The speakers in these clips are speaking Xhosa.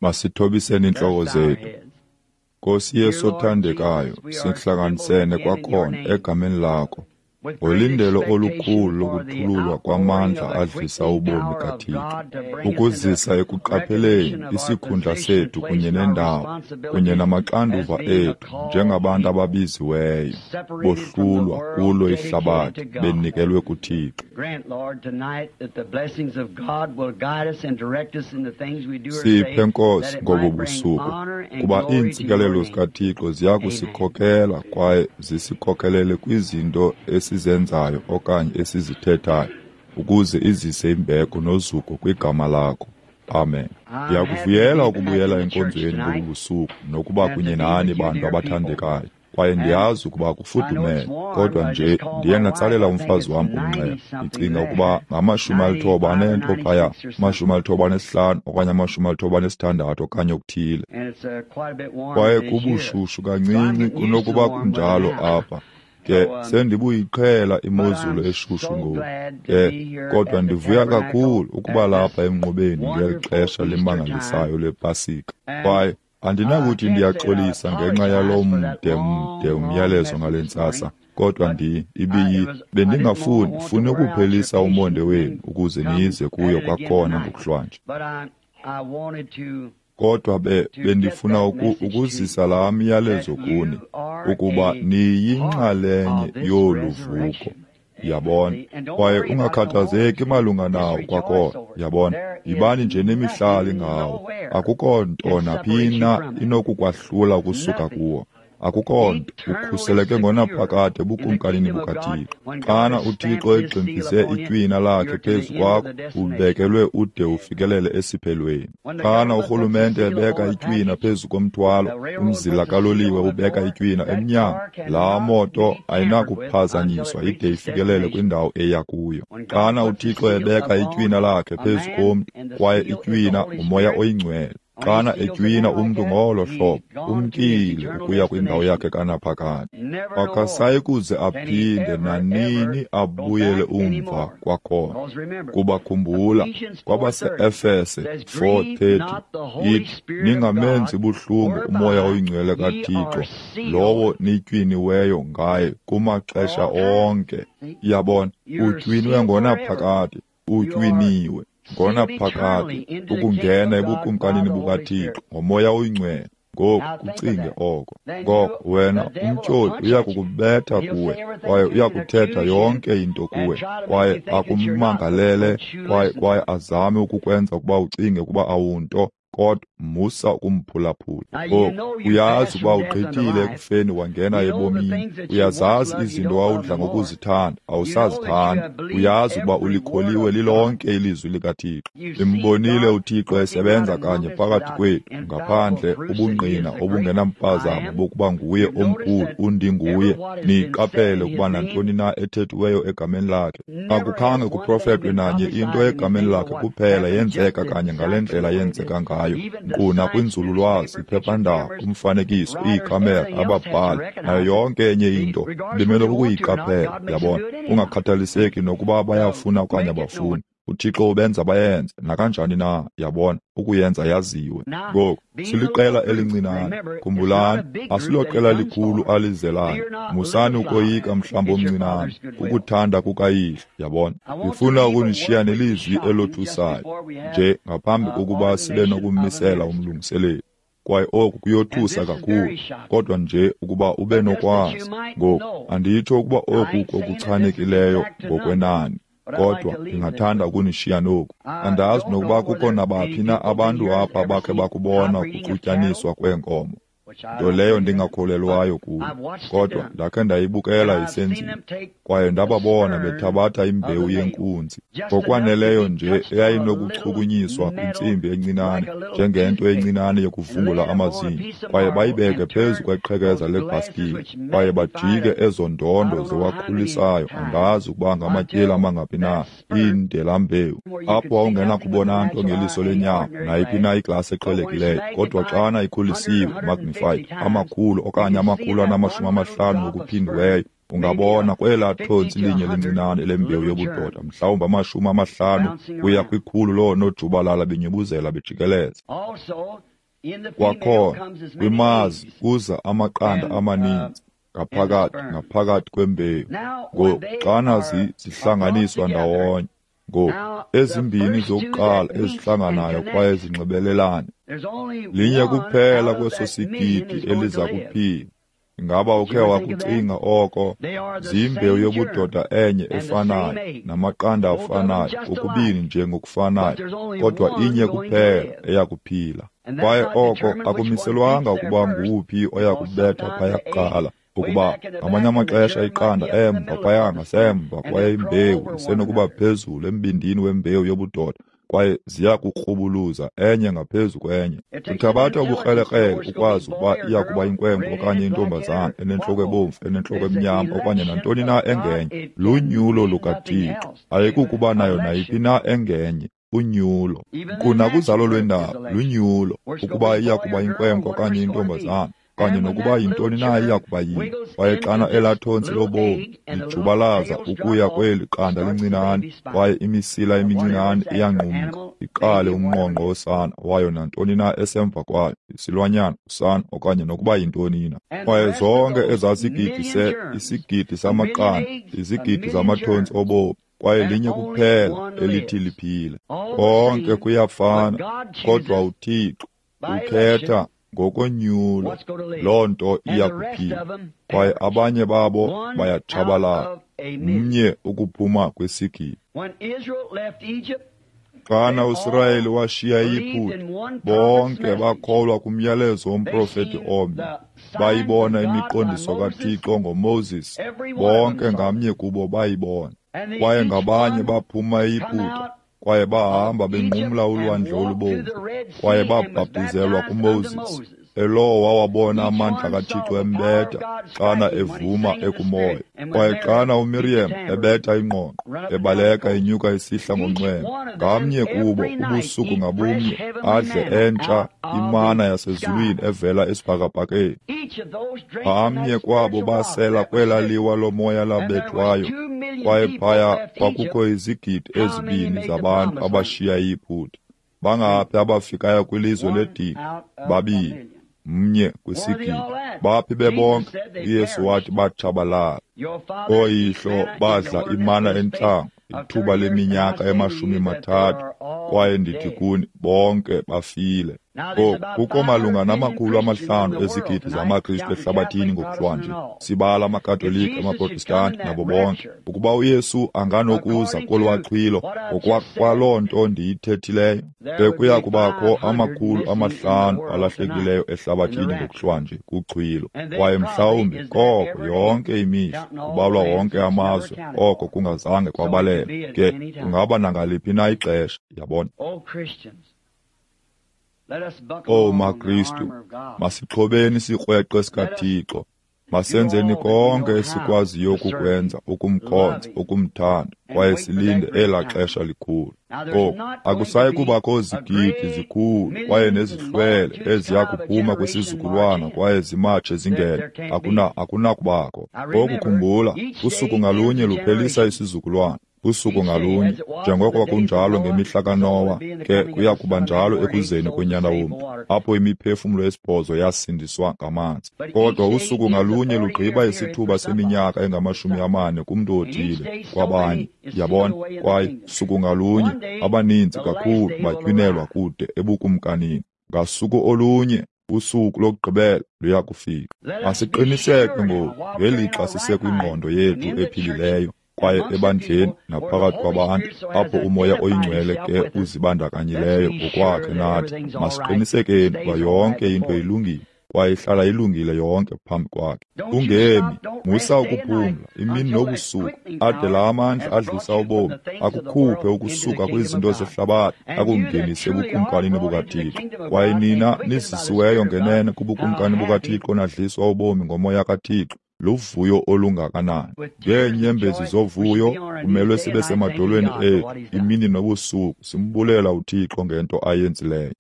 Masithobiseni iintloko zethu. Nkosi Yesu othandekayo, sihlanganisene kwakhona egameni lakho ngolindelo olukhulu lokuthululwa kwamandla adlisa ubomi kaThixo, ukuzisa ekuqapheleni isikhundla sethu kunye nendawo kunye namaxanduva ethu njengabantu ababiziweyo, bohlulwa kulo ihlabathi, benikelwe kuThixo. Siphe, Nkosi, ngobu busuku, kuba iintsikelelo zikaThixo ziya kusikhokela kwaye zisikhokelele kwizinto esizenzayo okanye esizithethayo, ukuze izise imbeko nozuko kwigama lakho. Amen. Ndiyakuvuyela ukubuyela enkonzweni ngobu busuku nokuba kunye nani bantu abathandekayo. Kwaye ndiyazi ukuba kufudumele, kodwa nje ndiye ndatsalela umfazi wam umnxeba. Ndicinga ukuba ngama-90 phaya, 95 okanye 96 okanye okuthile. Kwaye kubushushu kancinci kunokuba kunjalo apha. Ke sendibuyiqhela imozulu eshushu ngoku. Ke kodwa ndivuya kakhulu ukuba lapha emnqubeni ngeli xesha limangalisayo lePasika. Kwaye andinakuthi ndiyaxolisa ngenxa yalo mde mde umyalezo ngale ntsasa, kodwa bendingafuni funi ukuphelisa umonde wenu ukuze nize kuyo kwakhona ngokuhlwanje. Kodwa bendifuna ukuzisa laa myalezo kuni, ukuba niyinxalenye yolu vuko. Yabona? Kwaye ungakhathazeki malunga nawo kwakhona. Yabona? Yibani nje nemihlali ngawo. Akukho nto naphi na inokukwahlula ukusuka kuwo. Akukho nto, ukhuseleke ngonaphakade ebukumkanini bukaThixo. Xana uThixo egximfise itywina lakhe phezu kwakho, ubekelwe ude ufikelele esiphelweni. Xana urhulumente ebeka itywina phezu komthwalo, umzila kaloliwe ubeka itywina emnyango, laa moto ayinakuphazanyiswa ide ifikelele kwindawo eya kuyo. Xana uThixo ebeka itywina lakhe phezu komntu, kwaye itywina nguMoya oyiNgcwele. Xana etywina umntu ngolo hlobo, umkile ukuya kwindawo yakhe kanaphakade. Akasayi kuze aphinde nanini abuyele umva kwakhona. Kuba khumbula, kwabase-Efese 4:30 ithi, ningamenzi buhlungu uMoya oyiNgcwele kaThixo, lowo nitywiniweyo ngaye kumaxesha onke. Yabona, utywinwe ngonaphakade, utywiniwe ngonaphakade ukungena ebukumkanini bukaThixo ngoMoya oyiNgcwele. Ngoku kucinge oko. Ngoko wena umtyholi uya kukubetha kuwe, kwaye uya kuthetha yonke into kuwe, kwaye akumangalele, kwaye azame ukukwenza ukuba ucinge ukuba awunto, kodwa musa ukumphulaphula. Ngoku uyazi ukuba ugqithile ekufeni wangena ebomini. Uyazazi izinto wawudla ngokuzithanda, awusazithandi. Uyazi ukuba ulikholiwe lilonke ilizwi likaThixo. Nimbonile uThixo esebenza kanye phakathi kwethu, ngaphandle ubungqina obungenampazamo bokuba nguye omkhulu undinguye. Niqaphele ukuba nantoni na ethethiweyo egameni lakhe. Akukhange kuprofetwe nanye into egameni lakhe kuphela yenzeka kanye ngale ndlela yenzeka ngayo. Nkqu nakwinzululwazi, iphephandaba, umfanekiso, iikhamera, ababhali, nayo yonke enye into bemele ukuyiqaphela. Yabona, kungakhathaliseki nokuba bayafuna okanye abafuni, uThixo ubenza bayenze nakanjani na. Yabona, ukuyenza yaziwe. Ngoku siliqela elincinane. Khumbulani, asiloqela likhulu alizelayo. Musani ukoyika mhlawumbi omncinane, kukuthanda kukayihlo. Yabona, ndifuna ukunishiya nelizwi elothusayo nje ngaphambi kokuba sibe nokumisela umlungiseleli. Kwaye oku kuyothusa kakhulu, kodwa nje ukuba ube nokwazi. Ngoku anditsho ukuba oku kokuchanekileyo ngokwenani, kodwa ndingathanda ukunishiya noku. Andazi nokuba kukho nabaphi na abantu apha bakhe bakubona ukuxutyaniswa kweenkomo, nto leyo ndingakholelwayo kuyo, kodwa ndakhe ndayibukela isenziwa, kwaye ndababona bethabatha imbewu yenkunzi ngokwaneleyo nje eyayinokuchukunyiswa kwintsimbi encinane njengento encinane yokuvungula amazinyo, kwaye bayibeke phezu kweqhekeza lebhaskile, kwaye bajike ezo ndondo ziwakhulisayo, andazi ukuba ngamatyeli amangaphi na, iindelambewu, apho wawungenakubona nto ngeliso lenyama nayiphi na iglasi eqhelekileyo, kodwa xana ikhulisiwe, magnified, amakhulu okanye 150 ngokuphindiweyo, ungabona kwelaa thontsi linye lincinane lembewu yobudoda, mhlawumbi 50 kuya 100 loonojubalala benyubuzela bejikeleza. Kwakhona kwimazi kuza amaqanda amaninzi ngaphakathi kwembewu. Ngoku xana zihlanganiswa ndawonye, ngoku ezimbini zokuqala ezihlanganayo kwaye zinxibelelane, linye kuphela kweso sigidi eliza kuphila. Ingaba ukhe wakucinga oko? Ziyimbewu yobudoda enye efanayo namaqanda afanayo, kokubini nje ngokufanayo, kodwa inye kuphela eya kuphila. Kwaye oko akumiselwanga ukuba nguwuphi oya kubetha phaya kuqala, ukuba ngamanye amaxesha iqanda emva phaya ngasemva kwaye imbewu isenokuba phezulu embindini wembewu yobudoda, kwaye ziya kukrubuluza enye ngaphezu kwenye. Kuthabatha ubukrelekrele ukwazi ukuba iya kuba inkwenkwe okanye intombazana, enentloko ebomvu, enentloko emnyama, okanye nantoni na engenye. Lunyulo lukaThixo, ayikukuba nayo nayiphi na engenye. Unyulo. Nkqu nakuzalo lwendalo, lunyulo, ukuba iya kuba inkwenkwe okanye intombazana, okanye nokuba yintoni na iya kuba yiyo. Kwaye xana elaa thontsi lobomi lijubalaza ukuya kweli qanda lincinane, kwaye imisila emincinane iyanqumka, iqale umnqonqo wosana wayo nantoni na esemva kwayo, isilwanyana, usana, okanye nokuba yintoni na. Kwaye zonke ezaa sigidi isigidi samaqanda, izigidi zamathontsi obomi, kwaye linye kuphela elithi liphile. Konke kuyafana, kodwa uThixo ukhetha ngokonyulo, loo nto iya kuphila, kwaye abanye babo bayatshabalala, mnye ukuphuma kwisigidi. Xana uSirayeli washiya iYiputa, bonke bakholwa kumyalezo womprofeti omnye. Bayibona imiqondiso kaThixo ngoMoses, bonke ngamnye kubo bayibona. Kwaye ngabanye baphuma eYiputa, kwaye bahamba benqumla ulwandle olubomvu, kwaye babhaptizelwa kuMoses. Elowo wawabona amandla kaThixo embetha xana evuma ekumoya. Kwaye xana uMiriam ebetha ingqongqo, ebaleka enyuka isihla ngonxweme, ngamnye kubo ubusuku ngabumnye adle entsha imana yasezulwini evela esibhakabhakeni. Ngamnye kwabo basela kwela liwa lomoya labethwayo, kwaye phaya kwakukho izigidi ezibini zabantu abashiya iYiputa. Bangaphi abafikayo kwilizwe ledinga? Babini, mnye kwisigidi. Baphi bebonke? UYesu wathi batshabalala. Ooyihlo badla imana entlango ithuba leminyaka ema-30, kwaye ndithi kuni bonke bafile. Ngoku kukho malunga nama-500 ezigidi zamaKristu ehlabathini ngokuhlwanje, sibala amaKatolika, amaProtestanti nabo bonke. Ukuba uYesu anganokuza kolwaxhwilo ngokwakwaloo nto ndiyithethileyo, bekuya kubakho 500 alahlekileyo ehlabathini ngokuhlwanje kuxhwilo. Kwaye mhlawumbi koko yonke imihla kubalwa wonke amazwe, oko kungazange kwabalelwa. Ke kungaba nangaliphi na ixesha, yabona. O maKristu, masixhobeni isikrweqe sikaThixo. Masenzeni konke esikwaziyo ukukwenza ukumkhonza, ukumthanda, kwaye silinde elaa xesha likhulu. Ngoku akusayi kubakho zigidi zikhulu kwaye nezihlwele eziya kuphuma kwisizukulwana kwaye zimatshe zingene. Akunakubakho. Ngoku khumbula, usuku ngalunye luphelisa isizukulwana. Usuku ngalunye, njengoko kwakunjalo ngemihla kaNowa, ke kuya kuba njalo ekuzeni konyana womntu, apho imiphefumlo esibhozo yasindiswa ngamanzi. Kodwa usuku ngalunye lugqiba isithuba seminyaka engama-40 kumntu othile kwabanye, yabona, kwaye suku ngalunye abaninzi kakhulu batywinelwa kude ebukumkanini. Ngasuku olunye, usuku lokugqibela luya kufika. Masiqiniseke ngoku ngelixa sisekwingqondo yethu ephilileyo, kwaye ebandleni naphakathi kwabantu apho uMoya oyiNgcwele ke uzibandakanyileyo ngokwakhe nathi, masiqinisekeni ukuba yonke into ilungile kwaye ihlala ilungile yonke phambi kwakhe. Ungemi, musa ukuphumla imini nobusuku, ade la amandla adlisa ubomi akukhuphe ukusuka kwizinto zehlabathi akungenise ebukumkanini bukaThixo. Kwaye nina nizisiweyo ngenene kubukumkani bukaThixo nadliswa ubomi ngoMoya kaThixo, luvuyo olungakanani. Ngeenyembezi zovuyo kumelwe sibe semadolweni ethu imini nobusuku, simbulela uThixo ngento ayenzileyo.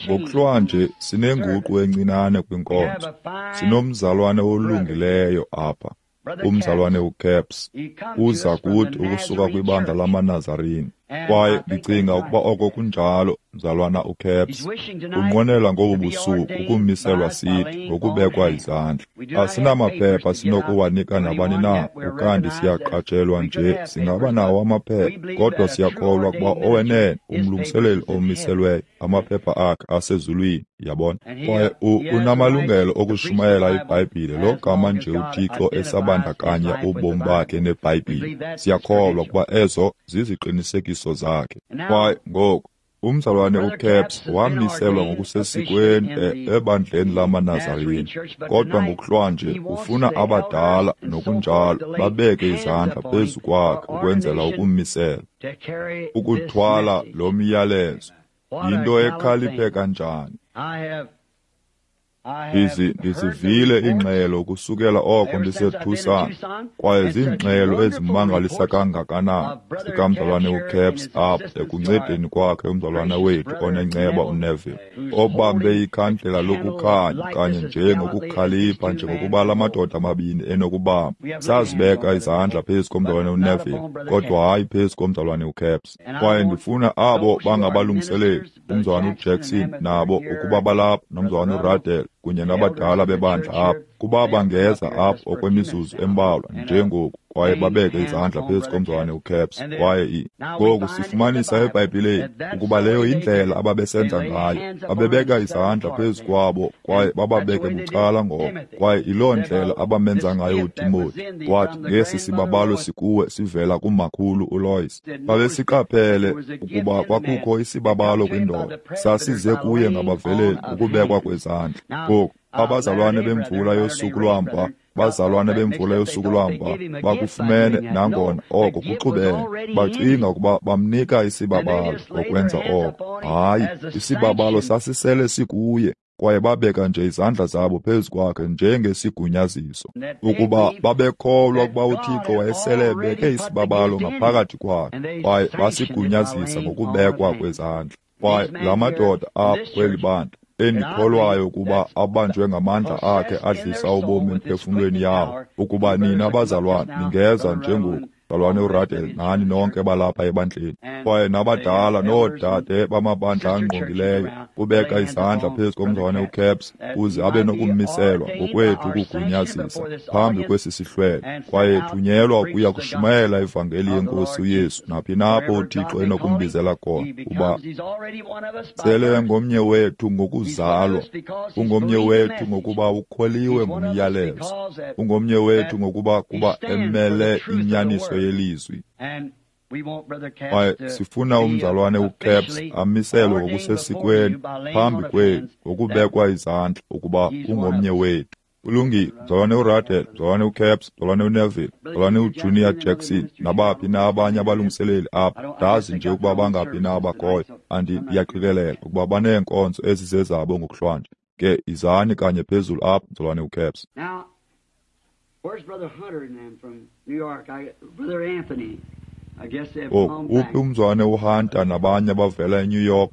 Ngokuhlwanje sinenguqu encinane kwinkonzo. Sinomzalwane olungileyo apha, umzalwane uCaps, uza kuthi ukusuka kwibandla lamaNazarene. Kwaye ndicinga ukuba oko kunjalo, mzalwana uCaps. Unqwenela ngobu busuku ukumiselwa sithi ngokubekwa izandla. Asinamaphepha sinokuwanika nabani na, ukanti siyaqatshelwa nje singaba nawo amaphepha, kodwa siyakholwa ukuba owenene umlungiseleli omiselweyo, amaphepha akhe asezulwini, yabona. Kwaye unamalungelo okushumayela iBhayibhile lo gama nje uThixo esabandakanya ubomi bakhe neBhayibhile. Siyakholwa ukuba ezo ziziqinisekiso zakhe. Kwaye ngoku umzalwane uCaps wamiselwa ngokusesikweni ebandleni lamaNazarene, kodwa ngokuhlwanje ufuna abadala nokunjalo babeke izandla phezu kwakhe ukwenzela ukummisela, ukuthwala lo myalezo. Yinto ekhaliphe kanjani! Ndizivile iingxelo kusukela oko ndiseTucson, kwaye ziingxelo ezimangalisa kangakanani zikamzalwane uCaps apha ekuncedeni kwakhe umzalwane wethu onenceba uNeville, obambe ikhandlela lokukhanya kanye nje ngokukhalipha njengokuba la madoda mabini enokubamba. Sazibeka izandla phezu komzalwane uNeville, kodwa hayi phezu komzalwane uCaps. Kwaye ndifuna abo bangabalungiseleli, umzalwane uJackson nabo ukuba balapha, nomzalwane uRadel kunye nabadala bebandla apha, kuba bangeza apha okwemizuzu embalwa njengoku, kwaye babeke izandla phezu komzalwane uCaps. Kwaye ngoku sifumanisa eBhayibhileni ukuba leyo yindlela ababesenza ngayo. Babebeka izandla phezu kwabo kwaye bababeke bucala ngoko, kwaye yiloo ndlela abamenza ngayo uTimothy. Wathi, ngesi sibabalo sikuwe sivela kumakhulu uLois. Babesiqaphele ukuba kwakukho isibabalo kwindoda, sasize kuye ngabaveleli ukubekwa kwezandla. Ngoku abazalwane bemvula yosuku lwamva, bazalwane bemvula yosuku lwamva bakufumene nangona oko kuxubene. Bacinga ukuba bamnika isibabalo ngokwenza oko. Hayi, isibabalo sasisele sikuye, kwaye babeka nje izandla zabo phezu kwakhe njengesigunyaziso, ukuba babekholwa ukuba uThixo wayesele ebeke isibabalo ngaphakathi kwakhe, kwaye basigunyazisa ngokubekwa kwezandla. Kwaye la madoda apha kweli bandla, endikholwayo ukuba abanjwe ngamandla akhe adlisa ubomi emphefumlweni yawo, ukuba nina bazalwane ningeza njengoku, mzalwane uRadel nani nonke balapha ebandleni, kwaye nabadala noodade bamabandla angqongileyo, kubeka izandla phezu komzalwane uCaps uze abe nokummiselwa ngokwethu ukugunyazisa phambi kwesi sihlwele, kwaye thunyelwa ukuya kushumayela ivangeli yeNkosi uYesu naphi napho uThixo enokumbizela khona, kuba sele ngomnye wethu ngokuzalwa, ungomnye wethu ngokuba ukholiwe ngumyalezo, ungomnye wethu ngokuba kuba emele inyaniso yelizwi. Kwaye sifuna umzalwane uCaps amiselwe ngokusesikweni phambi kwenu ngokubekwa izandla ukuba ungomnye wethu. Kulungile, mzalwane uRadel, mzalwane uCaps, mzalwane uNeville, mzalwane uJunior Jackson, nabaphi na abanye abalungiseleli apha. Ndazi nje ukuba bangaphi na abakhoyo, ndiyaqikelela ukuba baneenkonzo ezizezabo ngokuhlwanje. Ke izani kanye phezulu apha, mzalwane uCaps. Ngoku uphi umzalwane uHunter nabanye abavela eNew York?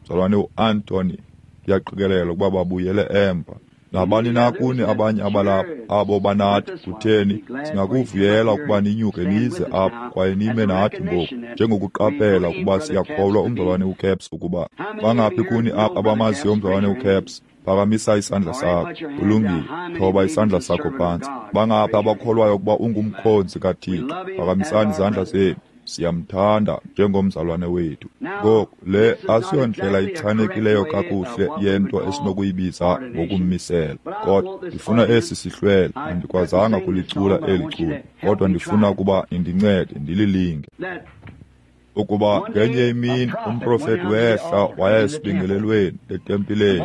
Mzalwane uAnthony, ndiyaqikelela ukuba babuyele emva. Nabani na kuni abanye abalapha abo banathi, kutheni singakuvuyela ukuba ninyuke nize apha kwaye nime nathi ngoku, njengokuqaphela ukuba siyakholwa umzalwane uCaps. Ukuba bangaphi kuni apha abamaziyo umzalwane uCaps? Phakamisa isandla sakho. Kulungile, thoba isandla sakho phantsi. Bangaphi abakholwayo ukuba ungumkhonzi kaThixo? Phakamisani izandla zenu. Siyamthanda njengomzalwane wethu. Ngoku le asiyondlela ichanekileyo kakuhle yento esinokuyibiza ngokummisela, kodwa ndifuna esi sihlwele. Andikwazanga kulicula eli culo, kodwa ndifuna ukuba nindincede ndililinge. Ukuba ngenye imini umprofeti wehla waya esibingelelweni etempileni,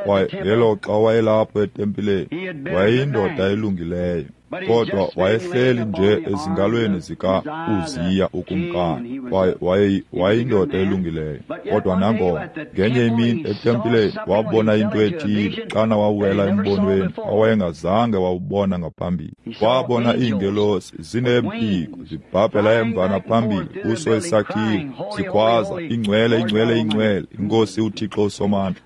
kwaye ngelo xa wayelapho etempileni wayeyindoda elungileyo, kodwa wayehleli nje ezingalweni zika-Uziya ukumkani, kwaye wayeyindoda elungileyo. Kodwa nangona ngenye imini etempileni wabona into ethile xana wawela embonweni awayengazange wawubona ngaphambili. Wabona iingelosi zineempiko zibhabhela emva naphambili kuso isakhiwo, zikhwaza, ingcwele, ingcwele, ingcwele, iNkosi uThixo uSomandla.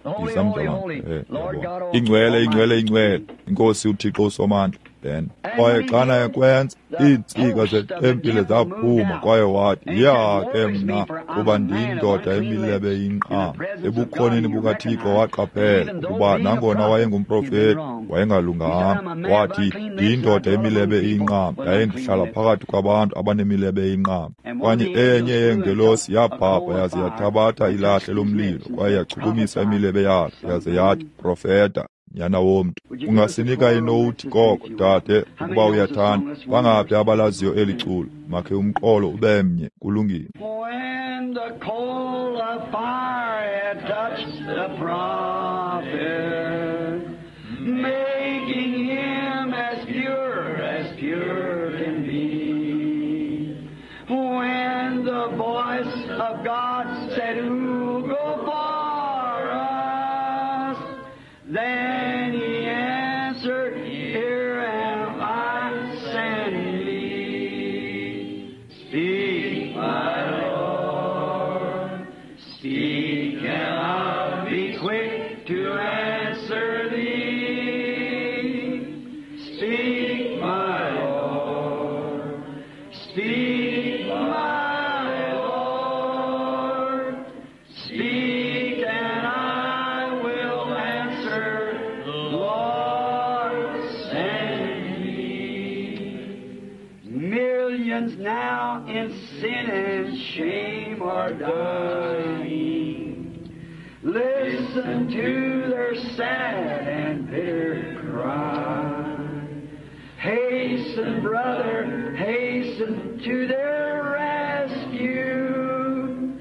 Ingcwele, ingcwele, ingcwele, iNkosi uThixo uSomandla. Ben. Kwaye xana ekwenza, iintsika zetempile zaphuma, kwaye wathi, "Ya ke mna, kuba ndiyindoda emilebe iyinqama." Ebukhoneni bukaThixo waqaphela ukuba nangona wayengumprofeti, wayengalunganga. Wathi, "Ndiyindoda emilebe iyinqama, yaye ndihlala phakathi kwabantu abanemilebe iyinqama." Kwanye enye yeengelosi yabhabha yaze yathabatha ilahle lomlilo, kwaye yachukumisa imilebe yakhe, yaze yathi, "Profeta, nyana womntu." Ungasinika inowuthi koko, dade, ukuba uyathanda. Bangaphi abalaziyo eli culo? Makhe umqolo ube mnye. Kulungile. When the coal of fire had touched the prophet, making him as pure can be. When the voice of God said, "Who'll go for us?" Then he answered, "Here am I, send me. Speak, my Lord, speak, and I'll be quick to answer thee. Speak, my Lord, speak, my Lord, speak, and I will answer, Lord, send me. Millions now in sin and shame are dying. Listen to their sad and bitter cry. Hasten, brother, hasten to their rescue.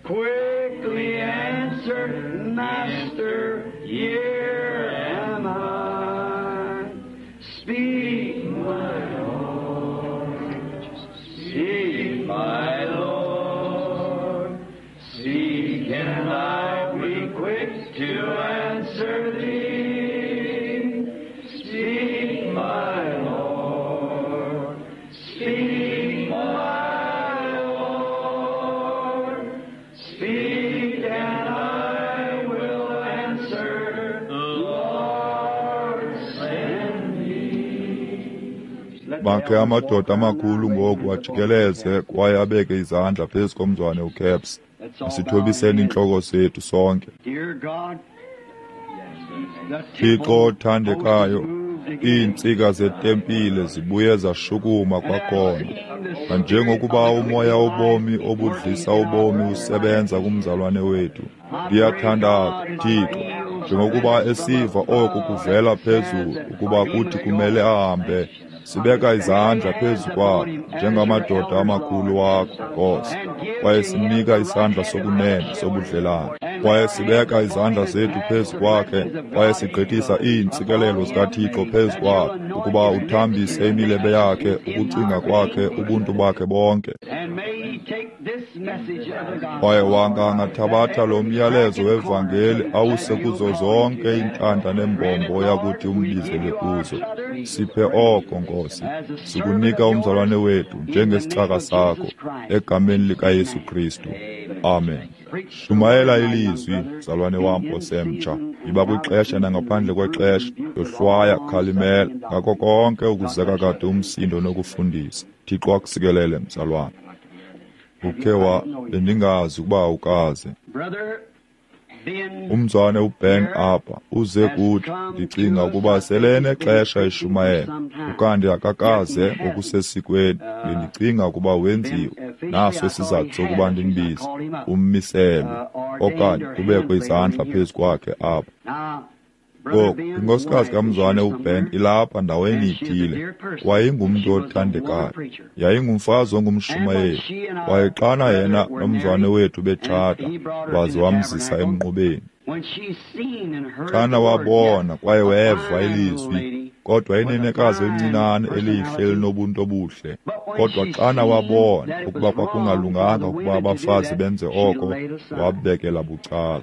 Quickly answer, Master, here am I. Speak, my Lord. Speak, my Lord. Speak, and I'll be quick to answer thee. Speak, my Lord. Speak, my Lord. Speak, and I will answer, Lord, send me. Makhe amadoda amakhulu ngoku ajikeleze kwaye abeke izandla phezu komzwane uCaps. Masithobiseni iintloko zethu sonke. Dear God, the Thixo othandekayo, temple iintsika zetempile zibuye zashukuma kwakhona. Nanjengokuba umoya wobomi obudlisa ubomi usebenza kumzalwane wethu, ndiyathandaza, Thixo, njengokuba esiva oku kuvela phezulu ukuba kuthi kumele ahambe, sibeka izandla phezu kwakhe njengamadoda amakhulu wakho, Nkosi, kwaye simnika isandla sokunene sobudlelane. Kwaye sibeka izandla zethu phezu kwakhe, kwaye sigqithisa iintsikelelo zikaThixo phezu kwakhe, ukuba uthambise imilebe yakhe, ukucinga kwakhe, ubuntu bakhe bonke. And may he take this message of the gospel. Kwaye wanga angathabatha lo myalezo wevangeli awuse kuzo zonke iintanda nembombo oyakuthi umbizele kuzo. Siphe oko, Nkosi. Sikunika umzalwane wethu njengesicaka sakho, egameni likaYesu Kristu. Amen. Shumayela ilizwi, mzalwane wam osemtsha. Yiba kwixesha nangaphandle kwexesha, yohlwaya, khalimela, ngako konke ukuzeka kade umsindo nokufundisa. Thixo akusikelele, mzalwane. Ukhe wa bendingazi ukuba ukaze. Brother Ben, Umzwane uBen apha uze kuthi, ndicinga ukuba sele enexesha eshumayela, ukanti akakaze ngokusesikweni. Bendicinga ukuba wenziwe, naso isizathu sokuba ndimbize, ummiselwe, okanye kubekwe izandla phezu kwakhe apha. now, Brother Ngoku, Ben's inkosikazi wife is kamzwane here uBen somewhere. ilapha ndaweni And she is a ithile. dear person. Wayengumntu She was a woman othandekayo, preacher. yayingumfazi ongumshumayeli. Kwaye xana yena nomzwane wethu betshata, waze wamzisa emnqubeni. When she seen and heard Xana the word, wabona kwaye a weva fine little ilizwi, lady, kodwa with a inenekazi fine elincinane elihle personality. elinobuntu obuhle. But when Kodwa she xana seen wabona that it ukuba was wrong for kwakungalunganga the ukuba women to do abafazi that, benze she oko, laid aside. wabekela bucala.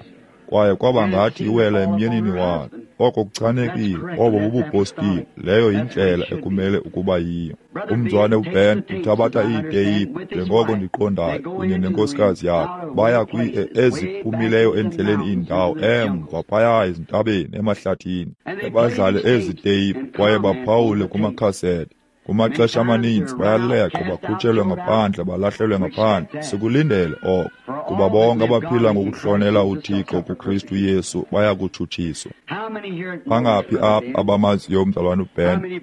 Kwaye kwaba ngathi iwela emyenini wakhe. Oko kuchanekile, obo bubupostile. Leyo yindlela ekumele ukuba yiyo. Umzwane uBen uthabatha iiteyiphu, njengoko ndiqondayo, kunye nenkosikazi yakhe. Baya eziphumileyo endleleni iindawo, emva phaya ezintabeni, emahlathini. Badlale ezi teyiphu kwaye baphawule kumakhasete. Kumaxesha amaninzi bayaleqwa, bakhutshelwe ngaphandle, balahlelwe ngaphandle. Sikulindele oko, kuba bonke abaphila ngokuhlonela uThixo kuKristu Yesu baya kutshutshiswa. Bangaphi apha abamaziyo umzalwana uBen?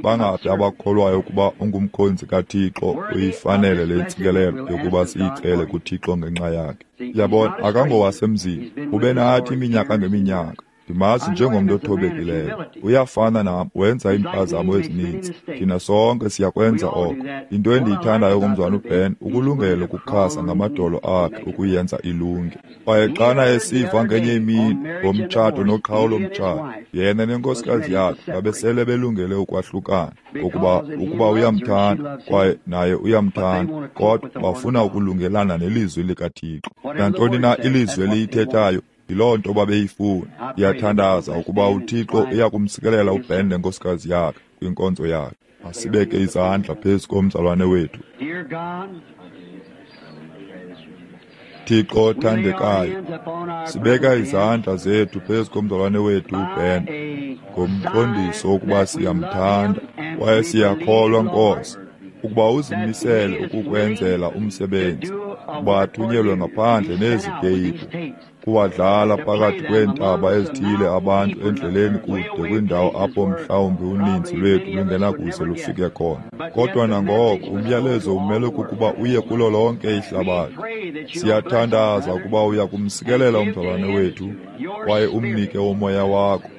Bangaphi abakholwayo ukuba ungumkhonzi kaThixo uyifanele le ntsikelelo yokuba siyicele kuThixo ngenxa yakhe? Yabona, akangowasemzini, ube nathi iminyaka ngeminyaka. Ndimazi njengomntu othobekileyo. Uyafana nam, wenza iimpazamo ezininzi. Thina sonke siyakwenza oko. Into endiyithandayo ngomzwana uBen, ukulungela ukukhasa ngamadolo akhe ukuyenza ilunge. Kwaye xana esiva ngenye imini ngomtshato noqhawulo mtshato, yena nenkosikazi yakhe babesele belungele ukwahlukana, ngokuba ukuba uyamthanda kwaye naye uyamthanda, kodwa bafuna ukulungelana nelizwi likaThixo. Nantoni na ilizwi eliyithethayo, yiloo nto babeyifuna. Ndiyathandaza ukuba uThixo uyakumsikelela uBen nenkosikazi yakhe kwinkonzo yakhe. Masibeke izandla phezu komzalwane wethu. Thixo othandekayo, sibeka izandla zethu phezu komzalwane wethu uBen ngomqondiso wokuba siyamthanda kwaye siyakholwa, Nkosi, ukuba uzimisele ukukwenzela umsebenzi, ukuba athunyelwe ngaphandle nezi teyiphu, kuwadlala phakathi kweentaba ezithile abantu endleleni kude kwindawo apho mhlawumbi uninzi lwethu lungenakuze lufike khona. Kodwa nangoko umyalezo umele kukuba uye kulo lonke ihlabathi. Siyathandaza ukuba uya kumsikelela umzalwane wethu kwaye umnike umoya wakho,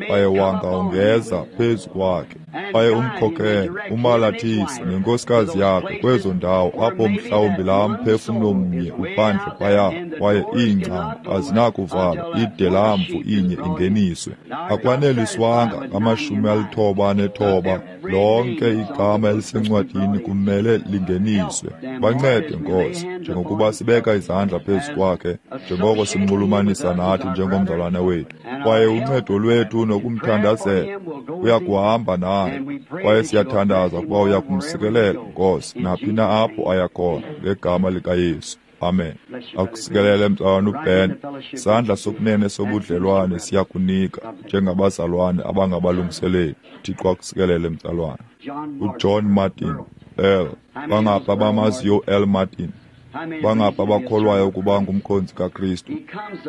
kwaye wanga ungeza phezu kwakhe, kwaye umkhokele, umalathise nenkosikazi yakhe kwezo ndawo apho mhlawumbi laa mphefumlo mnye uphandle phaya, kwaye iingcango azinakuvalwa ide laa mvu inye ingeniswe. Akwaneliswanga ngama-99, lonke igama elisencwadini kumele lingeniswe. Bancede, Nkosi, njengokuba sibeka izandla phezu kwakhe, njengoko simnxulumanisa nathi njengomzalwane wethu, kwaye uncedo lwethu nokumthandazela uyakuhamba naye, kwaye siyathandaza ukuba uyakumsikelela, Nkosi, naphi na apho aya khona, ngegama likaYesu. Amen. Akusikelele mzalwana uBen. Isandla sokunene sobudlelwane siyakunika njengabazalwane abangabalungiseleli. Thixo akusikelele mzalwane. UJohn Martin, L. Bangaphi abamaziyo L. Martin? Bangaphi abakholwayo ukuba ngumkhonzi kaKristu?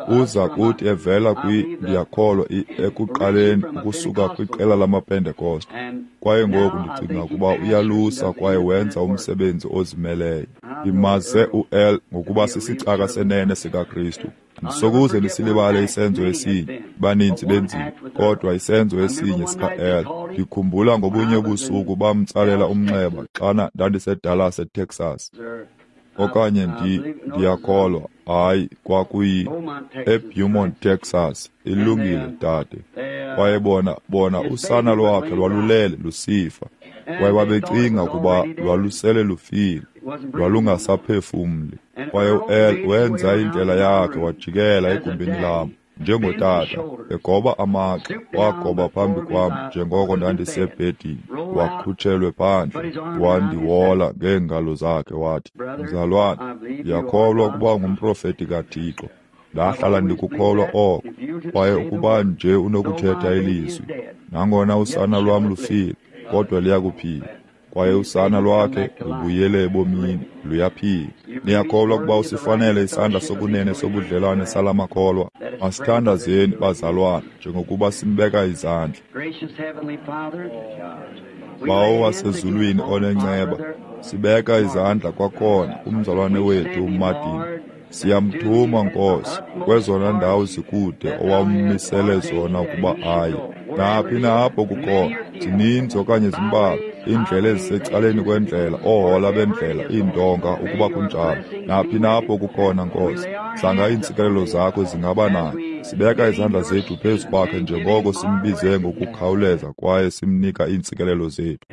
Uza kuthi evela ndiyakholwa ekuqaleni ukusuka kwiqela lamaPentekoste. Kwaye ngoku ndicinga ukuba uyalusa kwaye wenza umsebenzi ozimeleyo. Ndimaze u-L ngokuba sisicaka senene sikaKristu. Andisokuze ndisilibale isenzo esinye, baninzi benzile, kodwa isenzo esinye sika-L. Ndikhumbula ngobunye ubusuku bamtsalela umnxeba xana ndandiseDallas eTexas. Okanye ndiyakholwa, hayi, kwakuyi eBeaumont, Texas. Ilungile, dade. Kwaye bona usana lwakhe lwalulele lusifa, kwaye babecinga ukuba lwalusele lufile, lwalungasaphefumli. Kwaye u-El wenza indlela yakhe wajikela egumbini lam njengotata, egoba amagxa, wagoba phambi kwam njengoko ndandisebhedini, wakhutshelwe phandle, wandiwola ngeengalo zakhe wathi, "Mzalwane, ndiyakholwa ukuba ngumprofeti kaThixo. Ndahlala ndikukholwa oko, kwaye ukuba nje unokuthetha ilizwi, nangona usana lwam lufile, kodwa liyakuphila." Kwaye usana lwakhe lubuyele ebomini, luyaphila. Niyakholwa ukuba usifanele isandla sokunene sobudlelwane sala makholwa? Masithandazeni, bazalwane, njengokuba simbeka izandla. Bawo wasezulwini onenceba, sibeka izandla kwakhona kumzalwane wethu uMartin. Siyamthuma, Nkosi, kwezona ndawo zikude owammisele zona ukuba aye. Naphi na apho kukhona, zininzi okanye zimbalwa, iindlela ezisecaleni kwendlela, oohola bendlela, iintonga, ukuba kunjalo. Naphi na apho kukhona, Nkosi, zanga iintsikelelo zakho zingaba naye. Sibeka izandla zethu phezu kwakhe njengoko simbize ngokukhawuleza kwaye simnika iintsikelelo zethu.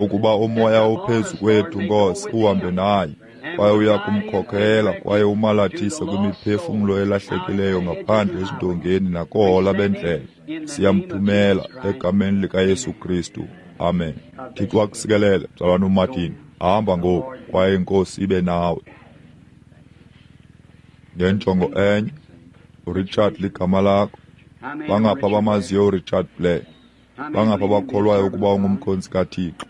Ukuba umoya ophezu kwethu, Nkosi, uhambe naye, kwaye uya kumkhokhela kwaye umalathise kwimiphefumlo elahlekileyo ngaphandle ezindongeni nakoohola bendlela. Siyamthumela egameni likaYesu Kristu. Amen. Thixo akusikelele, mzalwana uMartin. Hamba ngoku, kwaye iNkosi ibe nawe. Ngenjongo enye, uRichard ligama lakho. Bangapha abamaziyo uRichard Blair? Bangapha abakholwayo ukuba ungumkhonzi kaThixo?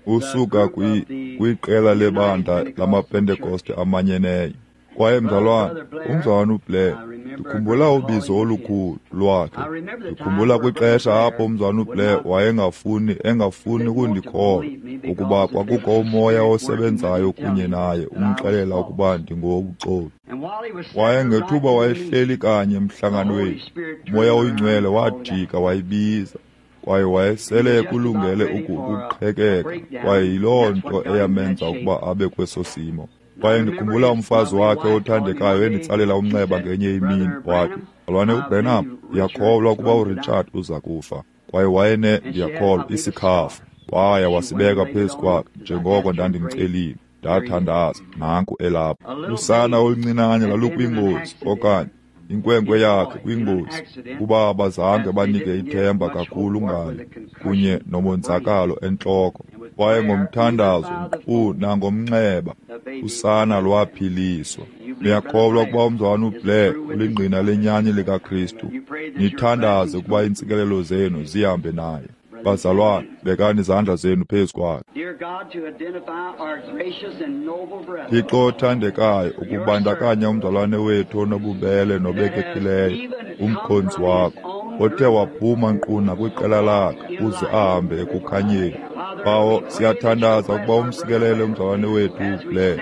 Usuka kwiqela lebandla lamaPentekoste amanyeneyo. Kwaye mzalwana, umzalwana uBlair, ndikhumbula ubizo olukhulu lwakhe. Ndikhumbula kwixesha apho umzalwana uBlair wayengafuni engafuni ukundikholwa ukuba kwakukho umoya osebenzayo kunye naye umxelela ukuba ndingowobuxoki. Kwaye ngethuba wayehleli kanye emhlanganweni, uMoya oyiNgcwele wajika wayibiza, kwaye wayesele ekulungele ukuqhekeka, kwaye yiloo nto eyamenza ukuba abe kweso simo. Kwaye ndikhumbula umfazi wakhe othandekayo enditsalela umnxeba ngenye imini, wathi, "Mzalwane uBranham, ndiyakholwa ukuba uRichard uza kufa." Kwaye wayene, ndiyakholwa, isikhafu. Waya wasibeka phezu kwakhe njengoko ndandimcelile. Ndathandaza, nanku elapha. Usana oluncinane lalukwingozi, okanye inkwenkwe yakhe kwingozi, kuba abazange banike ithemba kakhulu ngayo, kunye nomonzakalo entloko. Kwaye ngomthandazo nkqu nangomnxeba, usana lwaphiliswa. Niyakholwa ukuba umzalwana uBlair ulingqina lenyani likaKristu? Nithandaze ukuba iintsikelelo zenu zihambe naye. Bazalwane, bekani izandla zenu phezu kwakhe. Thixo othandekayo, ukubandakanya umzalwane wethu onobubele nobekekileyo, umkhonzi wakho, othe waphuma nkqu nakwiqela lakhe uze ahambe ekukhanyeni. Bawo, siyathandaza ukuba umsikelele umzalwane wethu uBlair,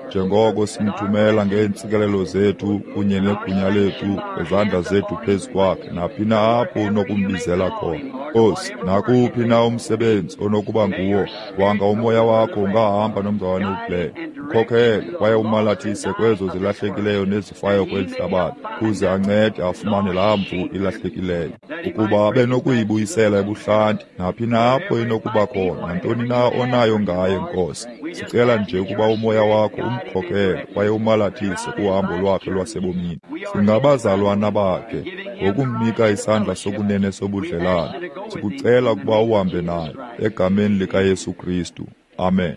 njengoko simthumela ngeentsikelelo zethu kunye negunya lethu ngezandla zethu phezu kwakhe naphi na apho unokumbizela khona. Nkosi, nakuphi na umsebenzi onokuba nguwo, wanga umoya wakho ungahamba nomzalwane uBlair. Mkhokhele kwaye umalathise kwezo zilahlekileyo nezifayo kweli hlabathi, kuze ancede afumane laa mvu ilahlekileyo, ukuba abe nokuyibuyisela ebuhlanti naphi na apho inokuba khona, nantoni na onayo ngaye, Nkosi. Sicela nje ukuba umoya wakho umkhokhele kwaye umalathise kuhambo lwakhe lwasebomini. Singabazalwana bakhe ngokumnika isandla sokunene sobudlelane. Sikucela ukuba uhambe naye egameni likaYesu Kristu. Amen.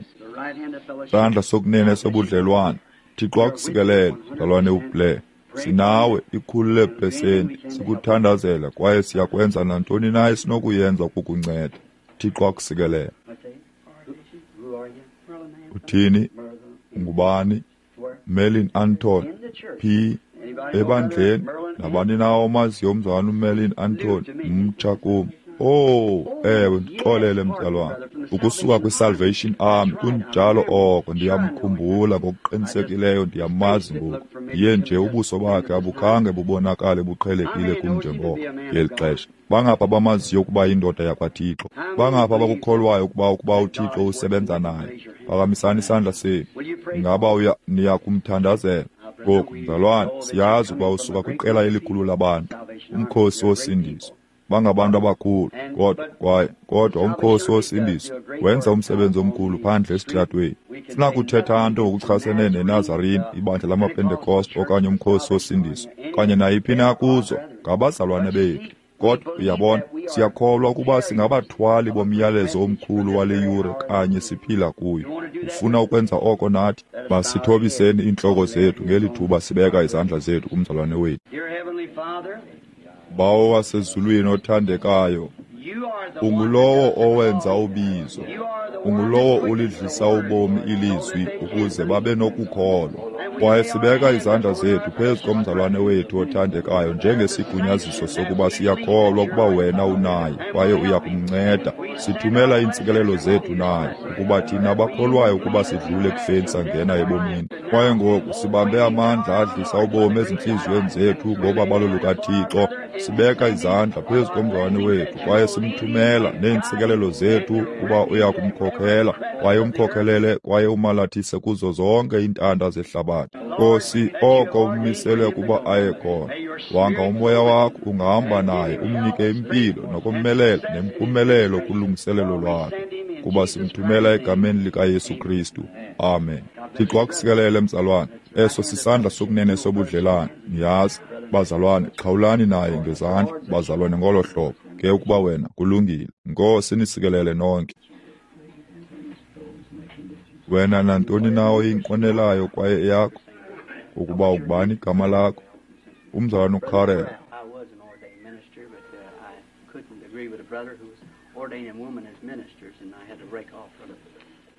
Isandla sokunene sobudlelwane. Thixo akusikelele, mzalwane uBlair. Sinawe 100%, sikuthandazela kwaye siyakwenza nantoni na esinokuyenza ukukunceda. Thixo akusikelele. Uthini? Ngubani? Merlin Anton P. Ebandleni, nabani na omaziyo umzalwana uMerlin Anton? Mtsha kum. Oh, ewe, ndixolele mzalwana. Ukusuka kwiSalvation Army, kunjalo oko, ndiyamkhumbula ngokuqinisekileyo, ndiyamazi ngoku. Ndiye nje ubuso bakhe abukhange bubonakale buqhelekile kum njengoko ngeli xesha. Bangapha bamaziyo ukuba yindoda yakwaThixo? Bangapha abakukholwayo ukuba uThixo usebenza naye? Phakamisani isandla senu. Ingaba niya kumthandazela? Ngoku, mzalwane, siyazi ukuba usuka kwiqela elikhulu labantu, umkhosi wosindiso. Bangabantu abakhulu, kodwa umkhosi wosindiso wenza umsebenzi omkhulu phandle esitratweni. Sinakuthetha nto ngokuchasene neNazarene, ibandla lamaPentekoste okanye umkhosi wosindiso, okanye nayiphi na kuzo, ngabazalwane bethu. Kodwa uyabona, siyakholwa ukuba singabathwali bomyalezo omkhulu wale yure kanye siphila kuyo. Ufuna ukwenza oko nathi? Masithobiseni iintloko zethu ngeli thuba sibeka izandla zethu kumzalwane wethu. Bawo wasezulwini othandekayo, ungulowo owenza ubizo, ungulowo ulidlisa ubomi ilizwi ukuze babe nokukholwa. Kwaye sibeka izandla zethu phezu komzalwane wethu othandekayo njengesigunyaziso sokuba siyakholwa ukuba wena unaye kwaye uya kumnceda. Sithumela iintsikelelo zethu naye, ukuba thina abakholwayo ukuba sidlule ekufeni sangena ebomini. Kwaye ngoku sibambe amandla adlisa ubomi ezintliziyweni zethu ngobabalo lukaThixo. Sibeka izandla phezu komzalwane wethu kwaye simthumela neentsikelelo zethu kuba uya kumkhokhela kwaye umkhokhelele kwaye umalathise kuzo zonke iintanda zehlabathi. Nkosi, oko ummisele ukuba aye khona. Wanga umoya wakho ungahamba naye umnike impilo nokomelela nempumelelo kulungiselelo lwakhe, kuba simthumela egameni likaYesu Kristu. Amen. Thixo akusikelele, mzalwane. Eso sisandla sokunene sobudlelane. Niyazi, bazalwane, xhawulani naye ngezandla, bazalwane, ngolo hlobo. Ke ukuba wena kulungile. Nkosi nisikelele nonke. Wena nantoni na oyinqwenelayo kwaye eyakho, ukuba ungubani igama lakho? Umzalwane uCarrell. I was an ordained minister, but I couldn't agree with a brother who was ordaining women as ministers, and I had to break off from it.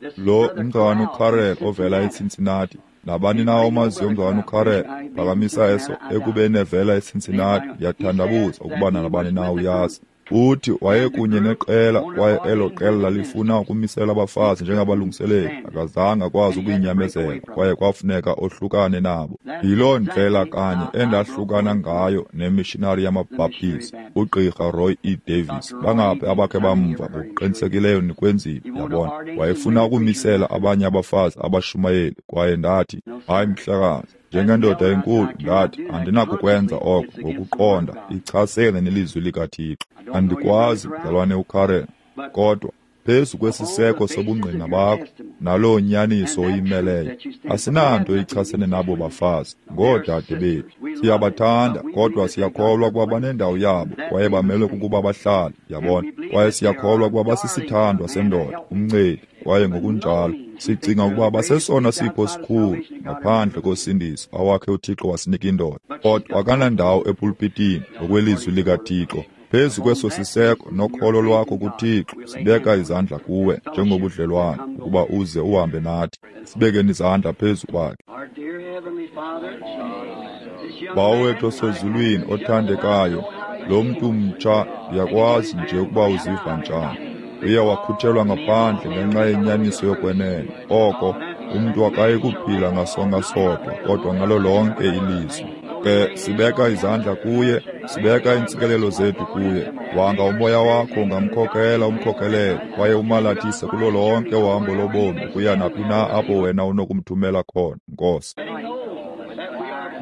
This is Lo Brother umzalwane Corral uCarrell from ovela Cincinnati. eCincinnati. Nabani na omaziyo umzalwane uCarrell, phakamisa eso ekubeni evela eCincinnati. Ndiyathandabuza ukuba nabani na uyazi. Uthi wayekunye neqela kwaye elo qela lalifuna ukumisela abafazi njengabalungiseleli. Akazange akwazi ukuyinyamezela kwaye kwafuneka ohlukane nabo. Yiloo ndlela kanye endahlukana ngayo nemishinari yamaBhaptizi, uGqirha Roy E. Davis. Bangaphi abakhe bamva? Ngokuqinisekileyo nikwenzile, yabona. Wayefuna ukumisela abanye abafazi abashumayeli kwaye ndathi, hayi mhlekazi, njengendoda enkulu, ndathi andinakukwenza oko ngokuqonda ichasene nelizwi likaThixo. Andikwazi, mzalwane uCarrell, kodwa phezu kwesiseko sobungqina bakho naloo nyaniso oyimeleyo, asinanto ichasene nabo bafazi, ngoodade bethu. Siyabathanda, kodwa siyakholwa ukuba banendawo yabo kwaye bamelwe kukuba bahlale, yabona. Kwaye siyakholwa ukuba basisithandwa sendoda, umncedi, kwaye ngokunjalo sicinga ukuba basesona sipho sikhulu ngaphandle kosindiso awakhe uThixo wasinika indoda. Kodwa akanandawo epulpitini ngokwelizwi likaThixo. Phezu kweso siseko nokholo lwakho kuThixo, sibeka izandla kuwe njengobudlelwane ukuba uze uhambe nathi. Sibekeni izandla phezu kwakhe. Our dear Heavenly Father, this young Bawo man, wethu osezulwini othandekayo, lo mntu mtsha ndiyakwazi nje ukuba uziva njani. Uye wakhutshelwa ngaphandle ngenxa yenyaniso yokwenene. Oko umntu akayi kuphila ngasonka sodwa, kodwa ngalo lonke ilizwi. Ke sibeka izandla kuye, sibeka iintsikelelo zethu kuye. Wanga umoya wakho ungamkhokela umkhokelele kwaye umalathise kulo lonke uhambo lobomi ukuya naphi na apho wena unokumthumela khona, Nkosi.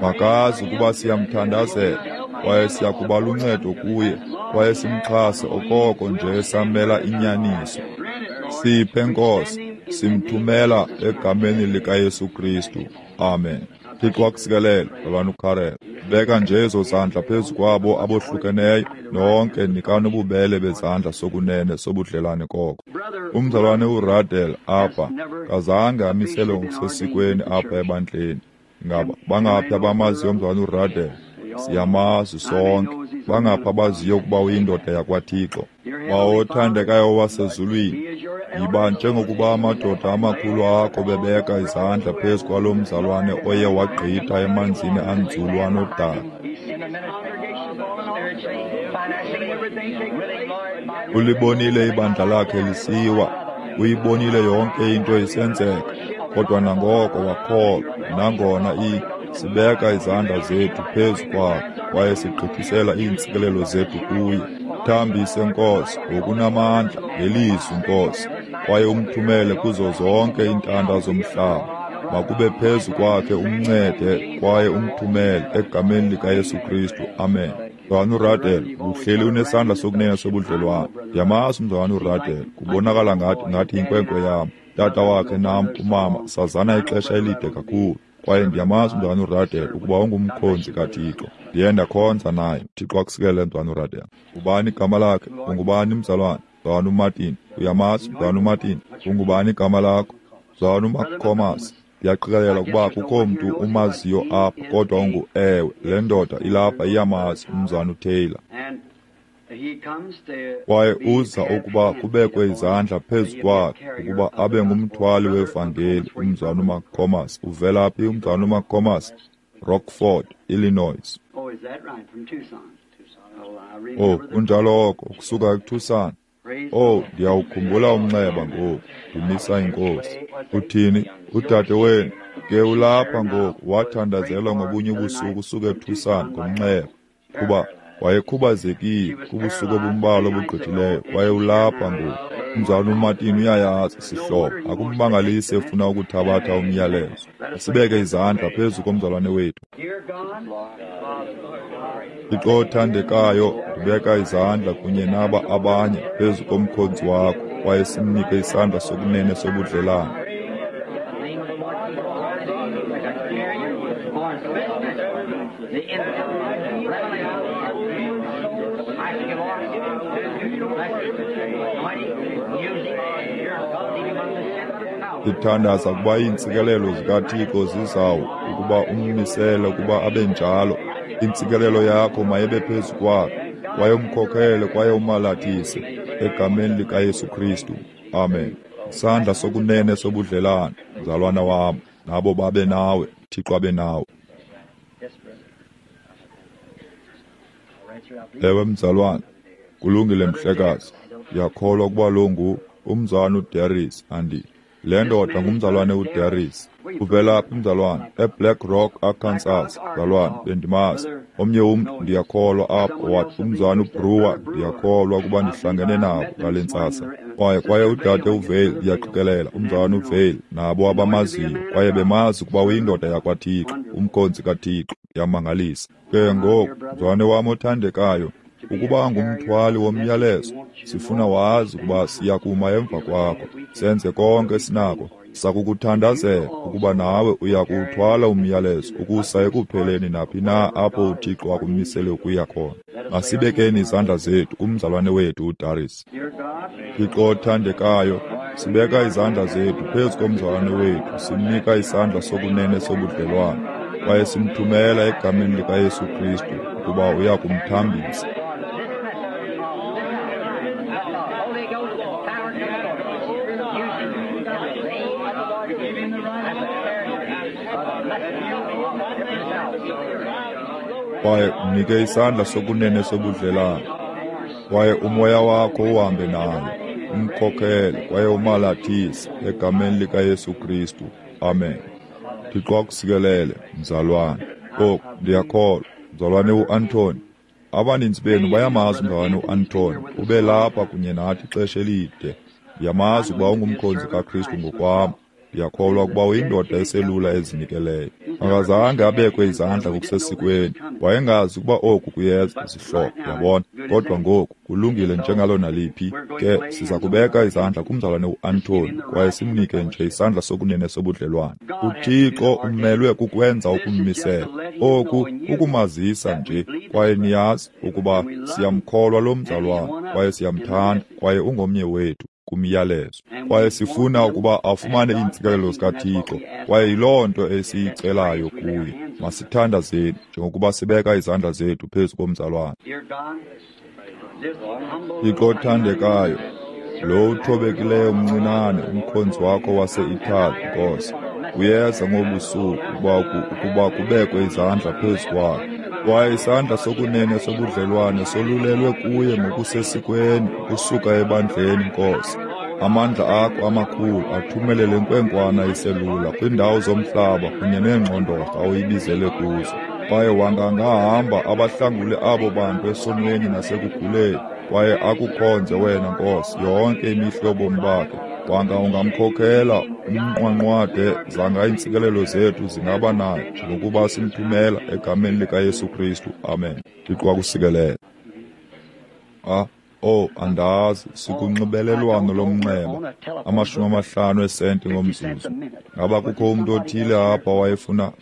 Makazi ukuba siyamthandazela kwaye siyakuba luncedo kuye kwaye simxhase okoko nje samela inyaniso. Siphe, Nkosi, simthumela egameni likaYesu Kristu. Amen. Thixo akusikelele, mzalwane uCarrell. Beka nje ezo zandla phezu kwabo abohlukeneyo, nonke nikani ububele bezandla sokunene sobudlelane koko. Umzalwane uRadel apha kazange amiselwe ngokusesikweni apha ebandleni. Ngaba bangaphi abamaziyo umzalwane uRadel? Siyamazi sonke. Bangaphi abaziyo ukuba uyindoda yakwaThixo? Bawo othandekayo wasezulwini, yiba njengokuba amadoda amakhulu akho bebeka izandla phezu kwalo mzalwane oye wagqitha emanzini anzulu anodaka. Ulibonile ibandla lakhe lisiwa, uyibonile yonke into isenzeka, kodwa nangoko wakholwa. Nangona sibeka izandla zethu phezu kwakhe kwaye sigqithisela iintsikelelo zethu kuye. Thambise, Nkosi, ngokunamandla ngelizwi, Nkosi, kwaye umthumele kuzo zonke iintanda zomhlaba. Makube phezu kwakhe, umncede kwaye umthumele egameni likaYesu Kristu. Amen. Mzalwana uRadel, uhleli unesandla sokunene sobudlelwane. Ndiyamazi umzalwana uRadel, kubonakala ngathi yinkwenkwe yam. Tata wakhe nam umama sazana ixesha elide kakhulu. Kwaye ndiyamazi umzalwana uRadel ukuba ungumkhonzi kaThixo. Ndiye ndakhonza naye. Thixo akusikelele, mzalwana uRadel. Ngubani igama lakhe? Ungubani mzalwana? Mzalwana uMartin. Uyamazi mzalwana uMartin? Ungubani igama lakho? Mzalwana uMcComas. Ndiyaqikelela ukuba akukho mntu umaziyo apha, kodwa ungu-ewe, le ndoda ilapha iyamazi umzalwana uTaylor. And he comes to Kwaye be uza have ukuba hands kubekwe upon izandla phezu to be a kwakhe carrier ukuba of the abe gospel. ngumthwali Brother wevangeli. McComas, where you Umzalwana from? uMcComas uvela phi? Umzalwana uMcComas, Rockford, Illinois. Oh, is that right? From Tucson. Oh, I Oh, remember the kunjalo oko, ukusuka eTucson. praise the Oh, Lord. ndiyawukhumbula umnxeba ngoku, ndimisa inkosi. Uthini? Udade wenu ke ulapha ngoku, wathandazelwa ngobunye ubusuku usuka eTucson ngomnxeba, kuba wayekhubazekile kubusuku obumbalwa obugqithileyo, kwaye ulapha ngoku. Umzalwana uMartin uyayazi sihlobo, akummangalisi efuna ukuthabatha umyalezo. Sibeke izandla phezu komzalwane wethu. Dear God, Thixo othandekayo, ndibeka izandla kunye naba abanye phezu komkhonzi wakho, kwaye simnike isandla sokunene sobudlelane. Ndithandaza ukuba iintsikelelo zikaThixo zizawo ukuba ummisele ukuba abe njalo. Intsikelelo yakho mayibe phezu kwakhe, kwaye umkhokhele kwaye umalathise egameni likaYesu Kristu. Amen. Isandla sokunene sobudlelane, mzalwana wam, nabo babe nawe, Thixo abe nawe. Ewe mzalwana, kulungile mhlekazi. Ndiyakholwa ukuba lo ngu umzalwana uDaris andi. Le ndoda ngumzalwane uDaris. Uvela phi mzalwane? eBlack Rock, Arkansas. Mzalwane, bendimazi. Omnye umntu ndiyakholwa apho wathi umzalwane uBrewer, ndiyakholwa ukuba ndihlangene nabo ngale ntsasa. Kwaye udade uVale, ndiyaqikelela, umzalwane uVale, nabo abamaziyo, kwaye bemazi ukuba uyindoda yakwaThixo, umkhonzi kaThixo. Ndiyamangalisa. Ke ngoku, mzalwane wam othandekayo, ukuba ngumthwali womyalezo, sifuna wazi ukuba siyakuma emva kwakho, senze konke esinako. Sakukuthandazela ukuba nawe uya kuwuthwala umyalezo ukusa ekupheleni naphi na apho uThixo akumisele ukuya khona. Masibekeni izandla zethu kumzalwane wethu uDaris. Thixo othandekayo, sibeka izandla zethu phezu komzalwane wethu, simnika isandla sokunene sobudlelwane, kwaye simthumela egameni likaYesu Kristu ukuba uya kumthambisa. Kwaye mnike isandla sokunene sobudlelane, kwaye umoya wakho uhambe naye, umkhokhele kwaye umalathise egameni likaYesu Kristu. Amen. Thixo akusikelele, mzalwane. Oku ndiyakholwa, mzalwane uAnthony. Abaninzi benu bayamazi umzalwane uAnthony, ube lapha kunye nathi ixesha elide. Ndiyamazi ukuba ungumkhonzi kaKristu ngokwam. Ndiyakholwa ukuba uyindoda eselula ezinikeleyo. Akazange abekwe izandla ngokusesikweni. Wayengazi ukuba oku kuyeza, zihlobo, yabona. Kodwa ngoku kulungile njengalo naliphi. Ke siza kubeka izandla kumzalwane uAnthony kwaye simnike nje isandla sokunene sobudlelwane. UThixo umelwe kukwenza ukummisela. Oku kukumazisa nje, kwaye niyazi ukuba siyamkholwa lo mzalwane kwaye siyamthanda kwaye ungomnye wethu kumyalezo. Kwaye sifuna ukuba afumane iintsikelelo zikaThixo, kwaye yiloo nto esiyicelayo kuye. Masithandazeni njengokuba sibeka izandla zethu phezu komzalwane. Thixo othandekayo, lo uthobekileyo mncinane umkhonzi wakho wase-Italy, Nkosi, uyeza ngobusuku ukuba kubekwe izandla phezu kwakhe. Kwaye isandla sokunene sobudlelwane solulelwe kuye ngokusesikweni ukusuka ebandleni, Nkosi. Amandla akho amakhulu athumele le nkwenkwana iselula kwiindawo zomhlaba kunye neengxondorha oyibizele kuzo. Kwaye wangangahamba abahlangule abo bantu esonweni nasekuguleni, kwaye akukhonze wena, Nkosi, yonke imihla yobomi bakhe. Wanga ungamkhokhela umnqwanqwade, zanga iintsikelelo zethu zingaba naye njengokuba simthumela egameni likaYesu Kristu. Amen. Thixo akusikelele. Andazi, sikunxibelelwano lomnxeba, 50 eesenti ngomzuzu. Ngaba kukho umntu othile apha wayefuna?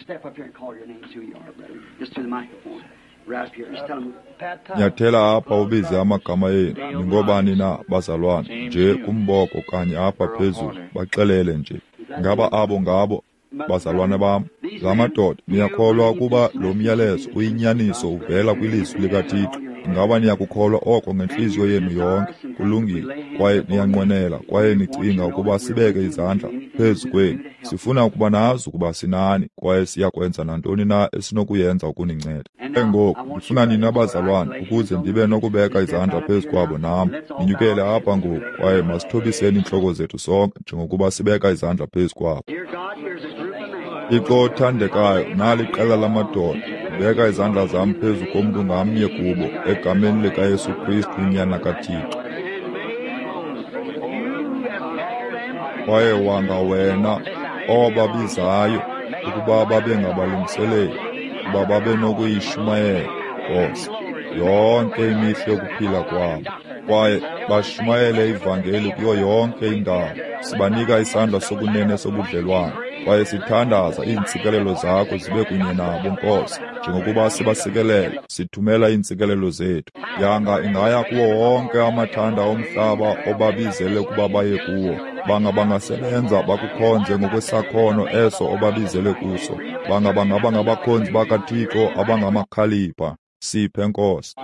Nyathela apha ubize amagama enu. Ningobani na, bazalwane? Nje kumboko kanye apha phezulu, baxelele nje. Ngaba abo ngabo, bazalwane bam? La madoda, niyakholwa ukuba lo myalezo uyinyaniso uvela kwilizwi likaThixo? Ingaba niyakukholwa oko ngentliziyo yenu yonke? Kulungile. Kwaye niyanqwenela kwaye nicinga ukuba sibeke izandla phezu kwenu. Sifuna ukuba nazi ukuba sinani kwaye siyakwenza nantoni na esinokuyenza ukuninceda. Ke ngoku ndifuna nina bazalwane ukuze ndibe nokubeka izandla phezu kwabo nam. Ninyukele apha ngoku kwaye masithobiseni iintloko zethu sonke njengokuba sibeka izandla phezu kwabo. Thixo othandekayo, nali iqela lamadoda. Ndibeka izandla zam phezu komntu ngamnye kubo, egameni likaYesu Kristu uNyana kaThixo. Kwaye wanga wena obabizayo ukuba babe ngabalungiseleli, ukuba babe nokuyishumayela, Nkosi, yonke imihla yokuphila kwabo, kwaye bashumayele ivangeli kuyo yonke indawo. Sibanika isandla sokunene sobudlelwane. Kwaye sithandaza iintsikelelo zakho zibe kunye nabo, Nkosi, njengokuba sibasikelela, sithumela iintsikelelo zethu. Yanga ingaya kuwo wonke amathanda omhlaba obabizele ukuba baye kuwo. Banga bangasebenza bakukhonze ngokwesakhono eso obabizele kuso. Banga bangaba ngabakhonzi bakaThixo abangamakhalipha. Siphe, Nkosi.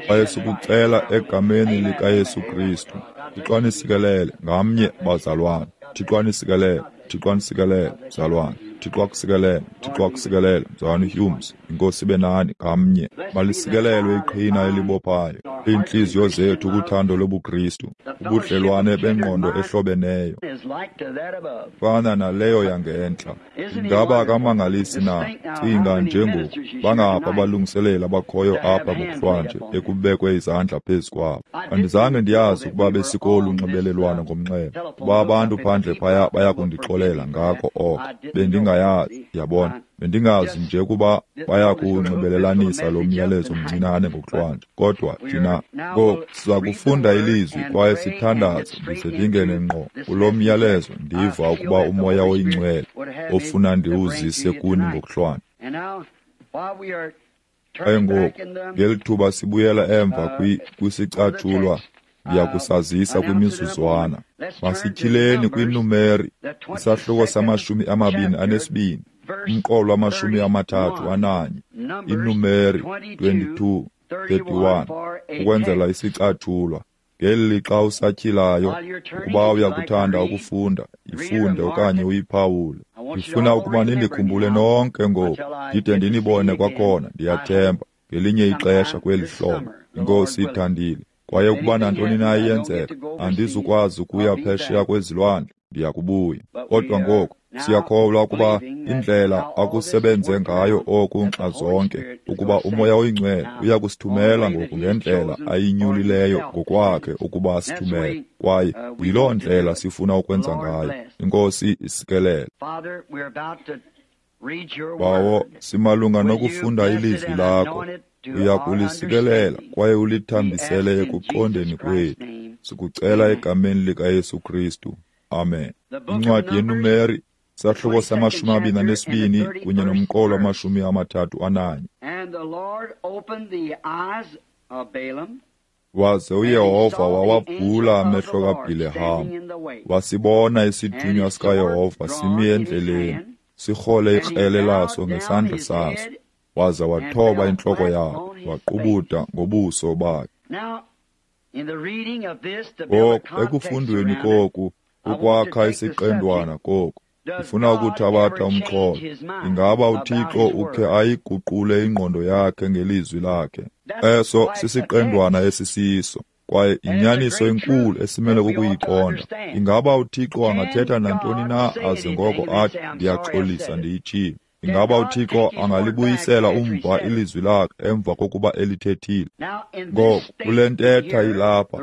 Kwaye sikucela egameni likaYesu Kristu. Thixo anisikelele ngamnye, bazalwana. Thixo anisikelele, Thixo anisikelele, mzalwana. Thixo akusikelele, Thixo akusikelele, mzalwana Humes. Inkosi ibe nani ngamnye. Malisikelelwe iqhina elibophayo iintliziyo zethu kuthando lobuKristu, ubudlelwane bengqondo ehlobeneyo fana naleyo yangentla. Ingaba akamangalisi na? Cinga nje ngoku, bangapha abalungiseleli abakhoyo apha ngokuhlwanje ekubekwe izandla phezu kwabo. Andizange ndiyazi ukuba besikolu nxibelelwano ngomnxeba, kuba abantu phandle phaya baya kundixolela ngako oko. Bendingayazi, yabona. Bendingazi nje ukuba baya kuwunxibelelanisa lo myalezo mncinane ngokuhlwanje. Kodwa thina ngoku siza kufunda ilizwi kwaye sithandaze ndize ndingene ngqo kulo myalezo. Ndiva ukuba uMoya oyiNgcwele ofuna ndiwuzise kuni ngokuhlwanje. Kwaye ngoku ngeli thuba sibuyela emva kwisicatshulwa, ndiya kusazisa kwimizuzwana. Masityhileni kwiNumeri, isahluko sama-22, umqolo 31, iNumeri 22:31, ukwenzela isicatshulwa. Ngeli lixa usatyhilayo, ukuba uyakuthanda ukufunda, yifunde okanye uyiphawule. Ndifuna ukuba nindikhumbule nonke ngoku, ndide ndinibone kwakhona, ndiyathemba, ngelinye ixesha kweli hlobo, iNkosi ithandile. Kwaye ukuba nantoni na iyenzeka, andizukwazi ukuya phesheya kwezilwandle, ndiya kubuya. Kodwa ngoku siyakholwa ukuba indlela akusebenze ngayo oku nxa zonke, ukuba uMoya oyiNgcwele uya kusithumela ngoku ngendlela ayinyulileyo ngokwakhe ukuba asithumele. Kwaye yiloo ndlela sifuna ukwenza ngayo. Inkosi isikelele. Bawo, simalunga nokufunda ilizwi lakho. Uya kulisikelela kwaye ulithambisele ekuqondeni kwethu. Sikucela egameni likaYesu Kristu. Amen. Incwadi yeNumeri, sahluko sama-22 kunye nomqolo 31. Waze uYehova wawavula amehlo kaBhileham, wasibona isithunywa sikaYehova simi endleleni, sirhole ikrele laso ngesandla saso. Waza wathoba intloko yakhe, waqubuda ngobuso bakhe. Ngoku ekufundweni koku, ukwakha isiqendwana koku, ndifuna ukuthabatha umxholo. Ingaba uThixo ukhe ayiguqule ingqondo yakhe ngelizwi lakhe? Eso sisiqendwana esisiso, kwaye inyaniso enkulu esimele kukuyiqonda. Ingaba uThixo angathetha nantoni na aze ngoko athi, ndiyaxolisa ndiyitshilo? Ingaba uThixo angalibuyisela umva ilizwi lakhe emva kokuba elithethile? Ngoku kule ntetha ilapha,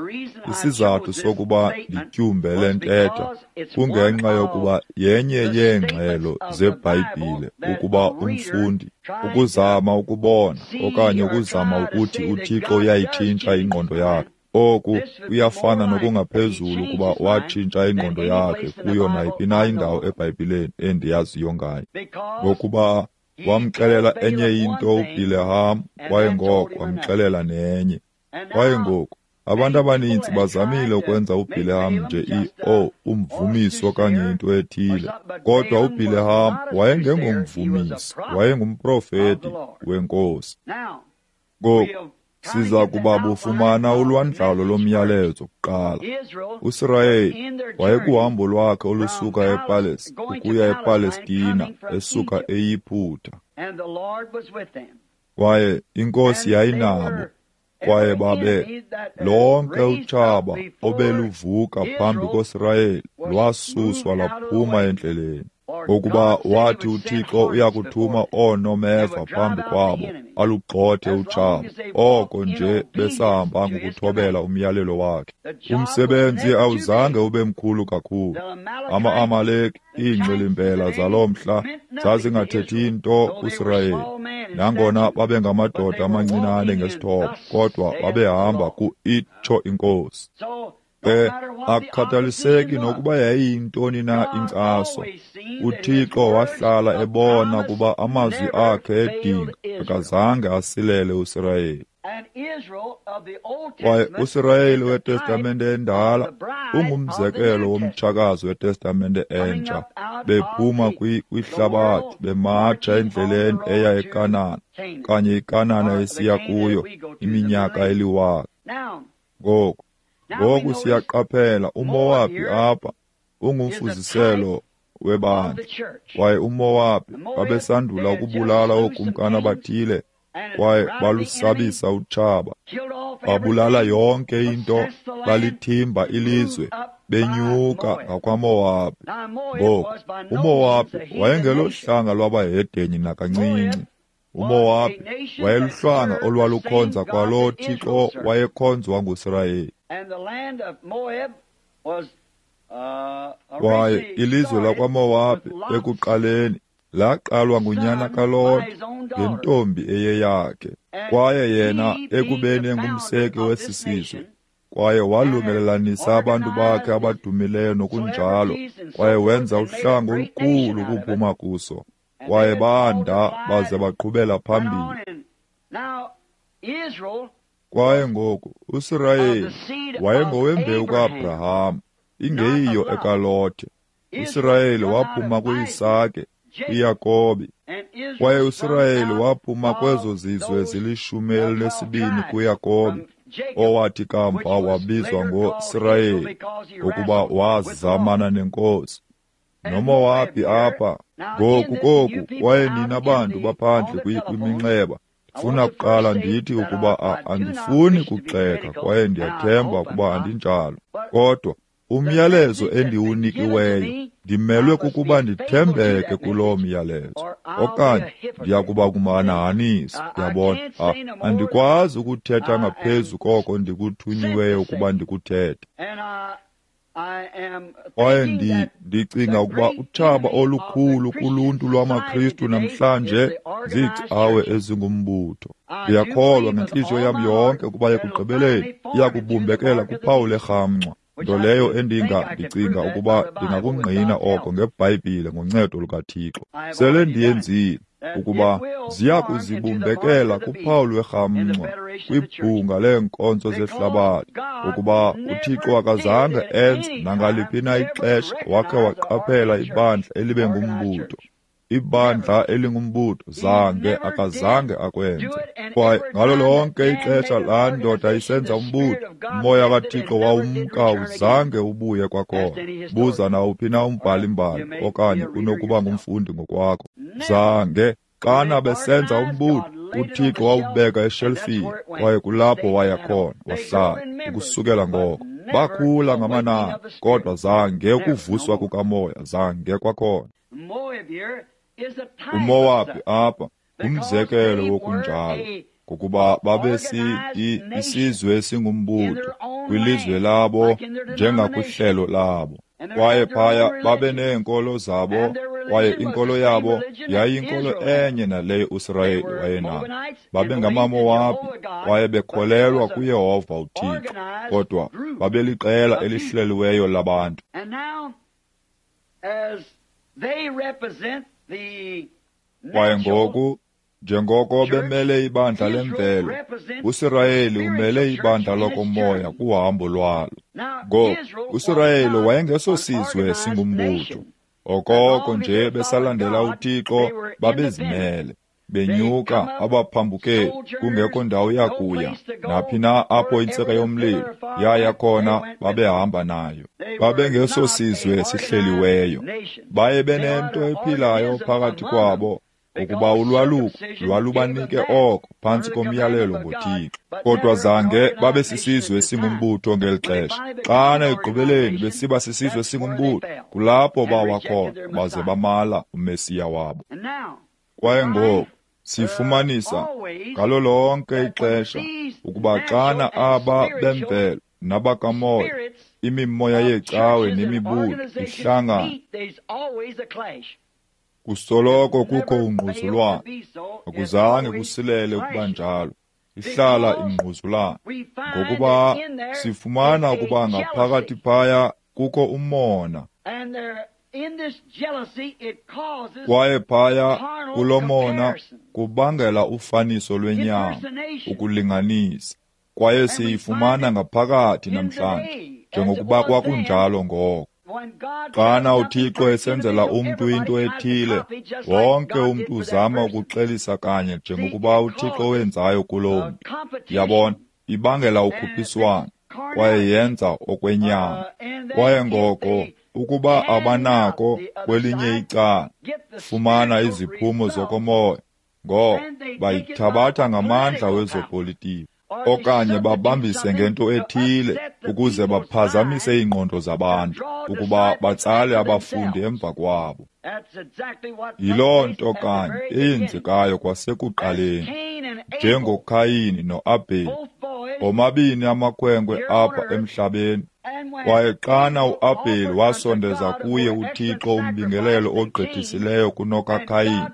isizathu sokuba ndityumbe le ntetha kungenxa yokuba yenye yeengxelo zeBhayibhile ukuba umfundi ukuzama ukubona okanye ukuzama ukuthi uThixo uyayitshintsha ingqondo yakhe. Oku kuyafana nokungaphezulu ukuba watshintsha ingqondo yakhe kuyo nayiphi na indawo eBhayibhileni endiyaziyo ngayo. Ngokuba wamxelela enye into uBhileham, kwaye ngoko wamxelela nenye. Kwaye ngoku abantu abaninzi bazamile ukwenza uBhileham nje umvumisi okanye into ethile. Kodwa uBhileham wayengengomvumisi, wayengumprofeti weNkosi. Ngoku siza kuba bufumana ulwandlalo lomyalezo kuqala. USirayeli wayekuhambo lwakhe olusuka ukuya ePalestina esuka eYiputa. Kwaye iNkosi yayinabo, kwaye babe lonke utshaba obeluvuka phambi koSirayeli lwasuswa lwaphuma endleleni. Ngokuba wathi uThixo uyakuthuma oonomeva phambi kwabo alugxothe utshaba, oko nje besahamba ngokuthobela umyalelo wakhe. Umsebenzi awuzange ube mkhulu kakhulu. Ama-Amaleki, iingxilimbela zaloo mhla, zazingathethi nto kuSirayeli. Nangona babengamadoda amancinane ngesithobo, kodwa babehamba ku-itsho iNkosi. Ke akukhathaliseki nokuba yayiyintoni na inkcaso, uThixo wahlala ebona kuba amazwi akhe edinga akazange asilele uSirayeli. Kwaye uSirayeli weTestamente eNdala ungumzekelo womtshakazi weTestamente Entsha, bephuma kwihlabathi bematsha endleleni eya eKanana, kanye iKanana esiya kuyo iminyaka eliwaka. Ngoku siyaqaphela uMowabhi apha ungumfuziselo webandla, kwaye uMowabhi babesandula ukubulala ookumkani abathile kwaye balusabisa utshaba, babulala yonke into, balithimba ilizwe, benyuka ngakwaMowabhi. Ngoku uMowabhi wayengelohlanga lwabahedeni nakancinci. uMowabhi wayeluhlanga olwalukhonza kwaloo Thixo wayekhonzwa nguSirayeli. Kwaye ilizwe lakwaMowabhi ekuqaleni laqalwa ngunyana kaLote ngentombi eyeyakhe, kwaye yena ekubeni engumseki wesi sizwe, kwaye walungelelanisa abantu bakhe abadumileyo nokunjalo, kwaye wenza uhlanga olukhulu ukuphuma kuso, kwaye banda baze baqhubela phambili. Kwaye ngoku uSirayeli wayengowembewu kaAbraham, ingeyiyo ekaLote. uSirayeli waphuma kuIsake, kuYakobi, kwaye uSirayeli waphuma kwezo zizwe zilishumi elinesibini kuYakobi, owathi kamva wabizwa ngoSirayeli ngokuba wazamana nenkosi. NoMowabhi apha ngoku koku, kwaye nina bantu baphandle kwiminxeba, ndifuna kuqala ndithi ukuba andifuni kugxeka kwaye ndiyathemba ukuba andinjalo, kodwa umyalezo endiwunikiweyo ndimelwe kukuba ndithembeke kuloo myalezo, okanye ndiyakuba kumhanahanisi. Yabona, andikwazi ukuthetha ngaphezu koko ndikuthunyiweyo ukuba ndikuthethe. Kwaye ndicinga ukuba utshaba olukhulu kuluntu lwamaKristu namhlanje ziicawe ezingumbutho. Ndiyakholwa ngentliziyo yam yonke ukuba ekugqibeleni iyakubumbekela kuphawu lerhamncwa, nto leyo ndicinga ukuba ndingakungqina oko ngeBhayibhile ngoncedo lukaThixo. Sele ndiyenzile ukuba ziya kuzibumbekela kuphawu lwerhamncwa kwibhunga leenkonzo zehlabathi, ukuba uThixo akazange enze nangaliphi na ixesha wakhe waqaphela ibandla elibe ngumbutho. Ibandla elingumbutho zange akazange akwenze. Kwaye ngalo lonke ixesha laa ndoda isenza umbutho, umoya kaThixo wawumka uzange ubuye kwakhona. Buza nawuphi na umbhali-mbali okanye unokuba ngumfundi ngokwakho. Zange. Xana besenza umbutho, uThixo wawubeka eshelfini, kwaye kulapho waya khona wahlala ukusukela ngoko. Bakhula ngamanani, kodwa zange ukuvuswa kukamoya, zange kwakhona. UMowabhi apha ngumzekelo wokunjalo, ngokuba isizwe esingumbutho kwilizwe labo njengakwihlelo labo. Kwaye phaya babe neenkolo zabo, kwaye inkolo yabo yayiyinkolo enye naleyo uSirayeli wayenayo. BabengamaMowabhi kwaye bekholelwa kuYehova uThixo, kodwa babeliqela elihleliweyo labantu. Kwaye ngoku, njengoko bemele ibandla lemvelo, uSirayeli umele ibandla lokomoya kuhambo lwalo. Ngoku, uSirayeli wayengesosizwe singumbutho. Okoko nje besalandela uThixo, babezimele, benyuka abaphambukeli, kungekho ndawo yakuya. Naphi na apho intsika yomlilo yaya khona, babehamba nayo. Babengesosizwe sihleliweyo. Baye benento ephilayo phakathi kwabo, ukuba ulwaluko lwalubanike oko phantsi komyalelo ngoThixo. Kodwa zange babe sisizwe singumbutho ngeli xesha. Xana ekugqibeleni besiba sisizwe singumbutho, kulapho bawa khona baze bamala uMesiya wabo. Kwaye ngoku sifumanisa ngalo lonke ixesha ukuba xana aba bemvelo nabakamoya, imimoya yeecawe nemibutho ihlangana, kusoloko kukho ungquzulwano. Akuzange kusilele ukuba njalo. Ihlala ingquzulana. Ngokuba sifumana ukuba ngaphakathi phaya kukho umona. Kwaye phaya kulo mona kubangela ufaniso lwenyama, ukulinganisa. Kwaye siyifumana ngaphakathi namhlanje, njengokuba kwakunjalo ngoko. Xana uThixo esenzela umntu into ethile, wonke umntu uzama ukuxelisa kanye njengokuba uThixo wenzayo kuloo mntu. Yabona, ibangela ukhuphiswano, kwaye yenza okwenyama. Kwaye ngoko, ukuba abanako kwelinye icala, fumana iziphumo zokomoya, ngoko bayithabatha ngamandla wezopolitiko, okanye babambise ngento ethile ukuze baphazamise iingqondo zabantu, ukuba batsale abafundi emva kwabo. Yiloo nto kanye eyenzekayo kwasekuqaleni, njengoKhayini noAbheli, omabini amakhwenkwe apha emhlabeni. Kwaye xana uAbheli wasondeza kuye uThixo umbingelelo ogqithisileyo kunokaKhayini,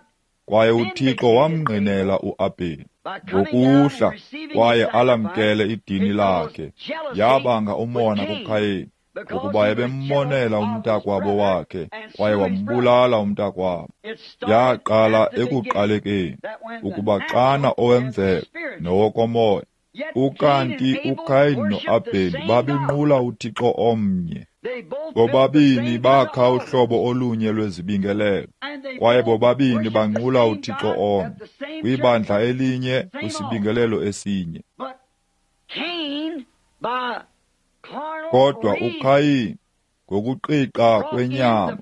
kwaye uThixo wamngqinela uAbheli ngokuhla kwaye alamkele idini lakhe, yabanga umona kuKhayini, ngokuba ebemmonela umntakwabo wakhe, kwaye wambulala umntakwabo. Yaqala ekuqalekeni, ukuba xana owemvelo nowokomoya, ukanti uKhayini noAbheli babenqula uThixo omnye. Bobabini bakha uhlobo olunye lwezibingelelo, kwaye bobabini banqula uThixo omnye, kwibandla elinye, kwisibingelelo esinye. Kodwa uKhayini, ngokuqiqa kwenyama,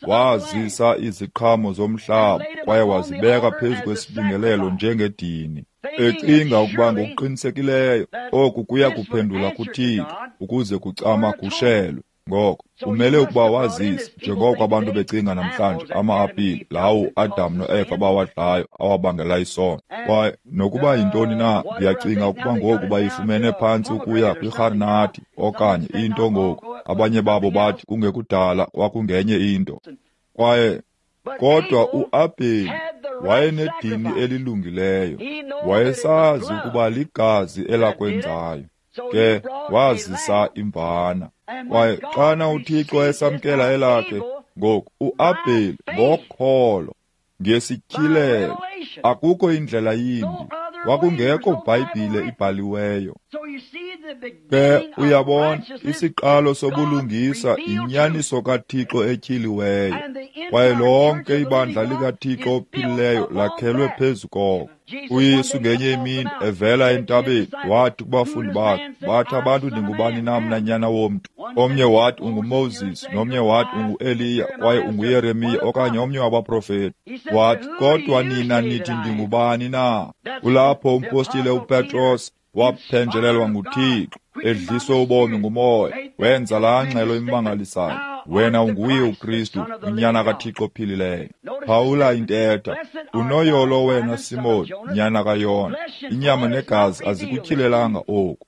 wazisa iziqhamo zomhlaba kwaye wazibeka phezu kwesibingelelo njengedini, ecinga ukuba ngokuqinisekileyo oku kuya kuphendula kuThixo ukuze kucamagushelwe. Ngoko umele ukuba wazise, njengoko abantu becinga namhlanje, ama-apile lawo uAdam noEva bawadlayo awabangela isono. Kwaye nokuba yintoni na, ndiyacinga ukuba ngoku bayifumene phantsi ukuya kwirharinathi okanye into ngoku. Abanye babo bathi kungekudala kwakungenye into. Kwaye kodwa uAbheli wayenedini elilungileyo, wayesazi ukuba ligazi elakwenzayo, ke wazisa imvana. Kwaye xana uThixo esamkela elakhe, ngoku uAbheli ngokholo, ngesityhilelo, akukho indlela yimbi, kwakungekho Bhayibhile ibhaliweyo. Ke uyabona, isiqalo sobulungisa yinyaniso kaThixo etyhiliweyo, kwaye lonke ibandla likaThixo ophilileyo lakhelwe phezu koko. uYesu ngenye imini evela entabeni wathi kubafundi bakhe, bathi abantu ndingubani na mna nyana womntu? Omnye wathi unguMoses, nomnye wathi unguEliya, kwaye unguYeremiya okanye omnye wabaprofeti. Wathi, kodwa nina nithi ndingubani na? Kulapho umpostile uPetros waphenjelelwa nguThixo, edliswe ubomi nguMoya, wenza laa ngxelo imangalisayo, wena unguye uKristu, unyana kaThixo ophilileyo. Phawula intetha, unoyolo wena Simon, nyana kaYona, inyama negazi azikutyhilelanga oku.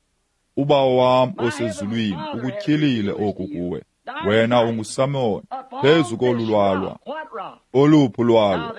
Ubawo wam osezulwini ukutyhilile oku kuwe. Wena unguSimon, phezu kolu lwalwa. Oluphi ulwalwa?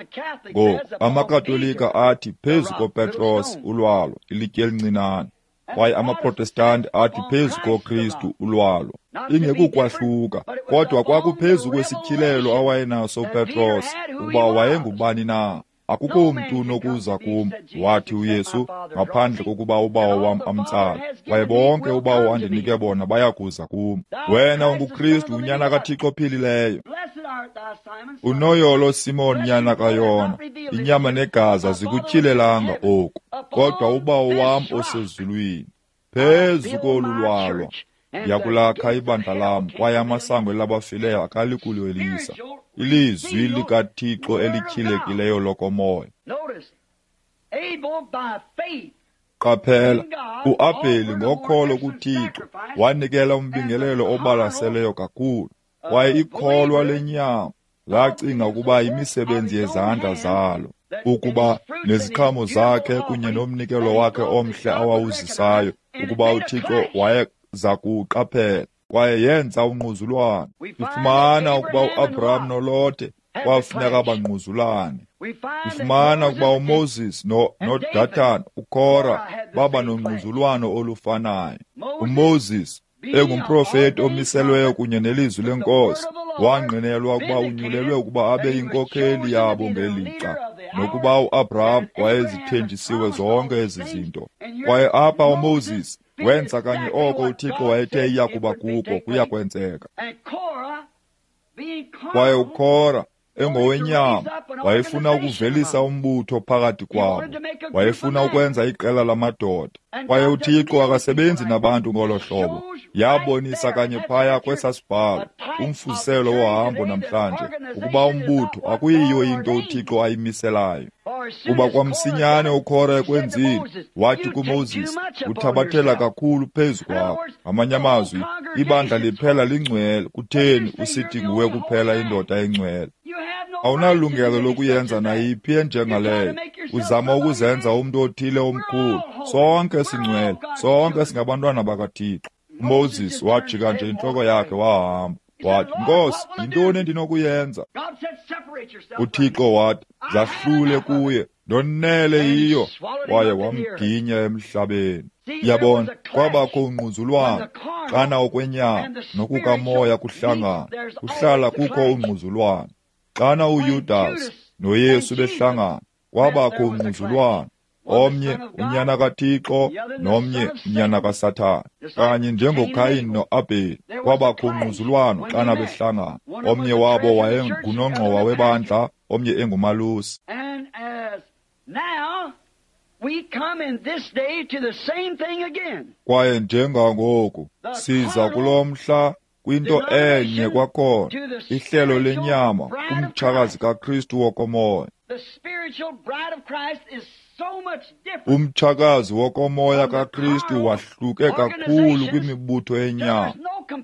Ngoku amaKatolika athi phezu koPetros ulwalwa, ilitye elincinane, kwaye amaProtestanti athi phezu koKristu ulwalwa. Ingekukwahluka, kodwa kwakuphezu kwesityhilelo awayenaso uPetros ukuba wayengubani na. Akukho mntu unokuza kum, wathi uYesu, ngaphandle kokuba uBawo wam amtsale. Kwaye bonke uBawo andinike bona bayakuza kum. Wena unguKristu, unyana kaThixo ophilileyo. Unoyolo Simon, nyana kaYona, inyama negazi azikutyhilelanga oku, kodwa uBawo wam osezulwini. Phezu kolu lwalwa ndiyakulakha ibandla lam, kwaye amasango elabafileyo akalikulwelisa. Ilizwi likaThixo elityhilekileyo lokomoya. Qaphela, uAbheli ngokholo kuThixo wanikela umbingelelo obalaseleyo kakhulu, kwaye ikholwa lenyama lacinga ukuba imisebenzi yezandla zalo, ukuba neziqhamo zakhe kunye nomnikelo wakhe omhle awawuzisayo, ukuba uThixo wayeza kuwuqaphela, kwaye yenza ungquzulwano. Sifumana ukuba uAbraham noLote Kwafuneka bangquzulane. Sifumana ukuba uMoses noDatan, uKora, baba nongquzulwano olufanayo. UMoses, engumprofeti omiselweyo kunye nelizwi lenkosi, wangqinelwa ukuba unyulelwe ukuba abe yinkokheli yabo ngelixa, nokuba uAbraham wayezithenjisiwe zonke ezi zinto. Kwaye apha uMoses wenza kanye oko uThixo wayethe iya kuba kuko kuya kwenzeka. Kwaye uKora, engowenyama, wayefuna ukuvelisa umbutho phakathi kwabo. Wayefuna ukwenza iqela lamadoda. Kwaye uThixo akasebenzi nabantu ngolo hlobo. Yabonisa kanye phaya kwesa sibhalo, umfuziselo wohambo namhlanje, ukuba umbutho akuyiyo into uThixo ayimiselayo. Kuba kwamsinyane uKora ekwenzile, wathi kuMoses, uthabathela kakhulu phezu kwakho. Ngamanye amazwi, ibandla liphela lingcwele, kutheni usithi nguwe kuphela indoda engcwele? Awunalungelo lokuyenza nayiphi enjengaleyo. Uzama ukuzenza umntu othile omkhulu. Sonke singcwele, sonke singabantwana bakaThixo. UMoses wajika nje intloko yakhe wahamba. Wathi, Nkosi, yintoni endinokuyenza? UThixo wathi, zahlule kuye, ndonele yiyo. Kwaye wamginya emhlabeni. Yabona, kwabakho ungquzulwano xana okwenyama nokukamoya kuhlangana, kuhlala kukho ungquzulwano. Xana uYudas noYesu behlangana, kwabakho ungquzulwano. Omnye unyana kaThixo nomnye unyana kaSathana. Kanye njengoKayin noAbheli, kwabakho ungquzulwano xana behlangana. Omnye wabo wayengunongxowa webandla, omnye engumalusi. Kwaye njengangoku siza kulo mhla kwinto enye kwakhona, ihlelo lenyama kumtshakazi kaKristu wokomoya. Umtshakazi wokomoya kaKristu wahluke kakhulu kwimibutho yenyama,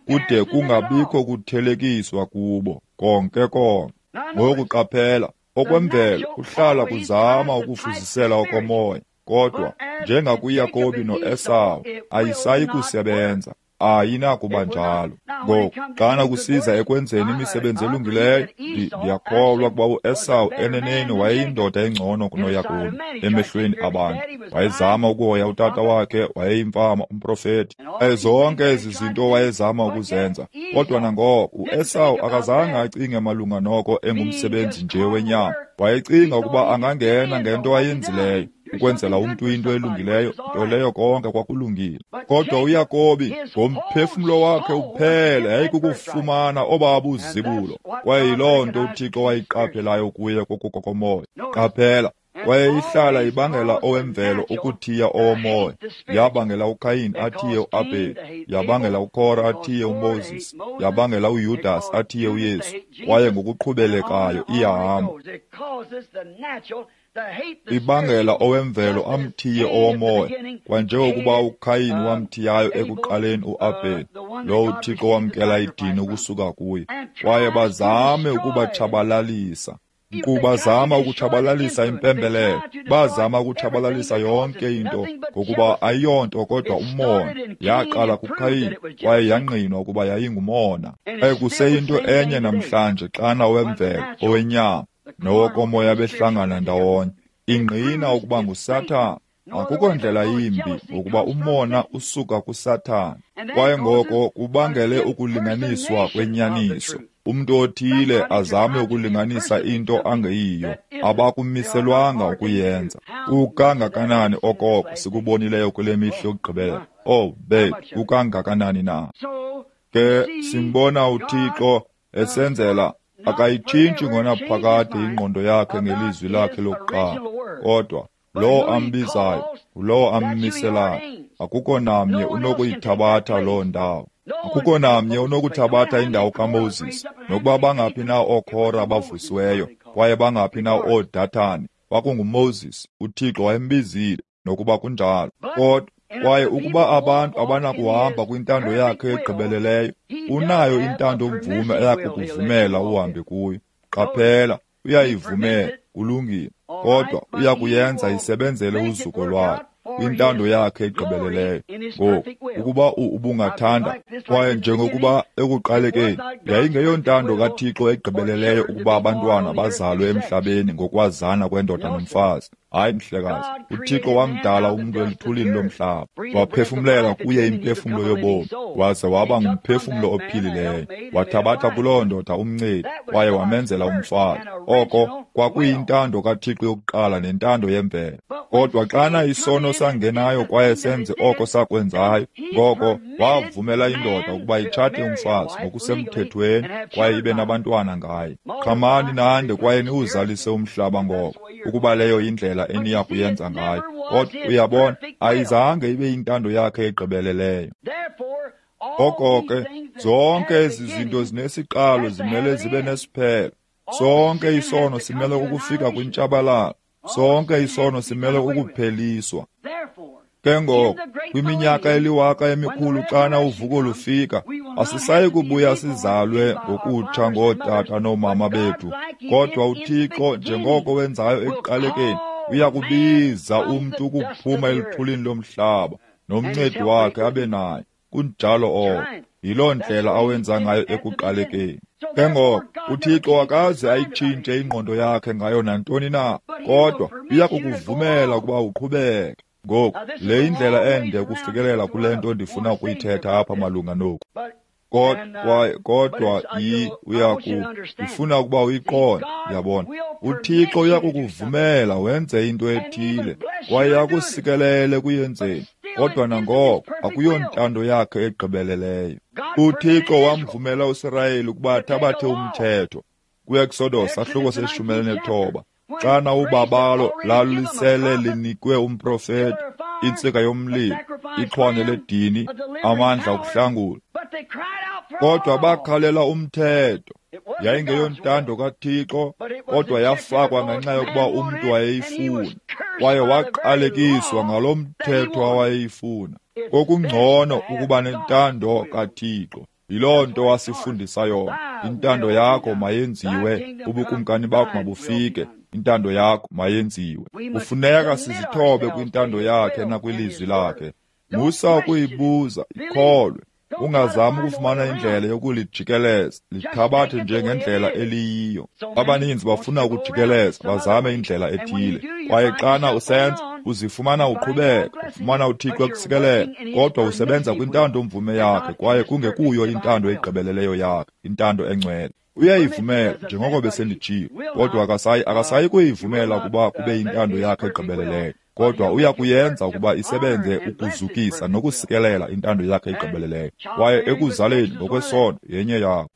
kude kungabikho kuthelekiswa kubo konke konke. Ngoku qaphela, okwemvelo kuhlala kuzama ukufuzisela okomoya, kodwa njengakuYakobi noEsawu, ayisayi kusebenza. Ayinakuba njalo. Ngoku, xana kusiza ekwenzeni imisebenzi elungileyo, ndiyakholwa ukuba uEsawu eneneni wayeyindoda engcono kunoYakobi emehlweni abantu. Wayezama ukuhoya utata wakhe, wayeyimfama, umprofeti. Kwaye zonke ezi zinto wayezama ukuzenza. Kodwa nangoko uEsawu akazange acinge malunga noko engumsebenzi nje wenyama. Wayecinga ukuba angangena ngento ayenzileyo, ukwenzela umntu into elungileyo, nto leyo konke kwakulungile. Kodwa uYakobi ngomphefumlo wakhe uphela yayikukufumana obaba uzibulo, kwaye yiloo nto uThixo wayiqaphelayo kuye kokukokomoya. Qaphela, kwaye ihlala ibangela owemvelo ukuthiya owomoya. Yabangela uKayin athiye uAbheli, yabangela uKora athiye uMoses, yabangela uYudas athiye uYesu, kwaye ngokuqhubelekayo iyahamba. Ibangela owemvelo amthiye owomoya, kwanjengokuba uKayin wamthiyayo ekuqaleni uAbheli, lowo uThixo wamkela idini ukusuka kuye. Kwaye bazame ukubatshabalalisa. Bazama ukutshabalalisa impembelelo, bazama ukutshabalalisa yonke into, ngokuba ayiyonto kodwa umona. Yaqala kuKayin, kwaye yangqinwa ukuba yayingumona. Kwaye kuseyinto enye namhlanje xana owemvelo, owenyama nowokomoya behlangana ndawonye, ingqina ukuba nguSathana. Akukho ndlela yimbi, ngokuba umona usuka kuSathana. Kwaye ngoko kubangele ukulinganiswa kwenyaniso. Umntu othile azame ukulinganisa into angeyiyo, abakumiselwanga ukuyenza. Kukangakanani okoko sikubonileyo kule mihla yokugqibela? Oh, bethu, kukangakanani na? Ke simbona uThixo esenzela, akayitshintshi ngonaphakade ingqondo yakhe ngelizwi lakhe lokuqala, kodwa lowo ambizayo ngulowo ammiselayo. Akukho namnye unokuyithabatha loo ndawo. Akukho namnye unokuthabatha indawo kaMoses, nokuba bangaphi na ooKora abavusiweyo, kwaye bangaphi na ooDathani. KwakunguMoses, uThixo wayembizile, nokuba kunjalo. Kodwa kwaye ukuba abantu abanakuhamba kwintando yakhe egqibeleleyo, unayo intando-mvume eyakukuvumela uhambe kuyo. Qaphela, uyayivumela, kulungile, kodwa uyakuyenza isebenzele uzuko lwakhe. kwintando yakhe egqibeleleyo. Ngoku, ukuba ubungathanda, kwaye njengokuba ekuqalekeni yayingeyontando kaThixo egqibeleleyo ukuba abantwana bazalwe emhlabeni ngokwazana kwendoda nomfazi. Hayi, mhlekazi, uThixo wamdala umntu eluthulini lomhlaba, waphefumlela kuye imphefumlo yobomi, waze waba ngumphefumlo ophilileyo. Wathabatha kuloo ndoda umncedi kwaye wamenzela umfazi. Oko kwakuyintando kaThixo yokuqala nentando yemvelo. Kodwa xana isono sangenayo kwaye senze oko sakwenzayo, ngoko wavumela indoda ukuba itshate umfazi ngokusemthethweni kwaye ibe nabantwana ngaye. Qhamani nande kwaye niwuzalise umhlaba ngoko, ukuba leyo yindlela eniya kuyenza ngayo. Kodwa uyabona, ayizange ibe yintando yakhe egqibeleleyo. Ngoko ke, zonke ezi zinto zinesiqalo zimele zibe nesiphelo. Sonke isono simele ukufika kwintshabalalo. Sonke isono simele ukupheliswa. Ke ngoko, kwiminyaka eliwaka emikhulu xana uvuko lufika, asisayi kubuya sizalwe ngokutsha ngootata noomama bethu. Kodwa uThixo, njengoko wenzayo ekuqalekeni, uya kubiza umntu ukuphuma eluthulini lomhlaba, nomncedi wakhe abe naye. Kunjalo oko. Yiloo ndlela awenza ngayo ekuqalekeni. Ke ngoko, uThixo akaze ayitshintshe ingqondo yakhe ngayo nantoni na, kodwa uya kukuvumela ukuba uqhubeke. Ngoku, le yindlela ende ukufikelela kule nto ndifuna ukuyithetha apha malunga noku. Kodwa ndifuna ukuba uyiqonde, uyabona. uThixo uya kukuvumela wenze into ethile kwaye akusikelele ekuyenzeni, kodwa nangoko akuyontando yakhe egqibeleleyo. uThixo wamvumela uSirayeli ukuba athabathe umthetho kwiExodus sahluko se-19, xana ubabalo lalisele linikwe umprofeti, intsika yomlilo, ixhwane ledini, amandla okuhlangula. Kodwa bakhalela umthetho. Yayingeyontando kaThixo, kodwa yafakwa ngenxa yokuba umntu wayeyifuna, kwaye waqalekiswa ngalo mthetho awayeyifuna. Kokungcono ukuba nentando kaThixo. Yiloo nto wasifundisa yona. Intando yakho mayenziwe, ubukumkani bakho mabufike, intando yakho mayenziwe. Kufuneka sizithobe kwintando yakhe nakwilizwi lakhe. Musa ukuyibuza, ikholwe. Ungazami ukufumana indlela yokulijikeleza, lithabathe njengendlela eliyiyo. Abaninzi bafuna ukujikeleza, bazame indlela ethile. Kwaye xana usenza, uzifumana uqhubeka, ufumana uThixo ekusikelela, kodwa usebenza kwintando mvume yakhe kwaye kungekuyo intando egqibeleleyo yakhe, intando engcwele. Uyayivumela, njengoko besenditshilo, kodwa akasayi kuyivumela ukuba kube yintando yakhe egqibeleleyo. Kodwa uya kuyenza ukuba isebenze ukuzukisa nokusikelela intando yakhe egqibeleleyo. Kwaye ekuzaleni ngokwesondo yenye yakho.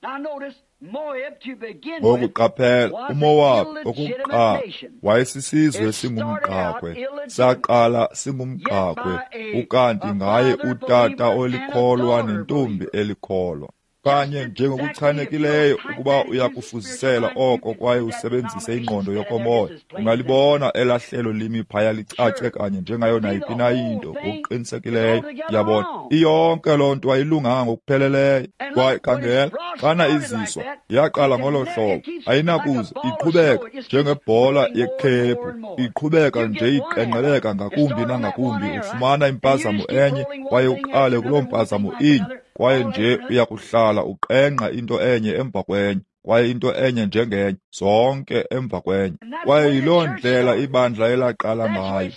Ngoku qaphela, uMowabi okokuqala wayesisizwe singumqakhwe, saqala singumqakhwe, ukanti ngaye utata olikholwa nentombi elikholwa. Kanye njengokuchanekileyo ukuba uyakufuzisela oko kwaye usebenzise ingqondo yokomoya, ungalibona elaa hlelo limi phaya licace kanye njengayo nayiphi na into ngokuqinisekileyo. Yabona, iyonke loo nto ayilunganga ngokupheleleyo. Kwaye khangela, xana iziswa yaqala ngolo hlobo, ayinakuze iqhubeka njengebhola yekhephu, iqhubeka nje iqengqeleka ngakumbi nangakumbi. Ufumana impazamo enye kwaye uqale kuloo mpazamo inye, kwaye nje uyakuhlala uqengqa into enye emva kwenye, kwaye into enye njengenye, zonke emva kwenye. Kwaye yiloo ndlela ibandla elaqala ngayo.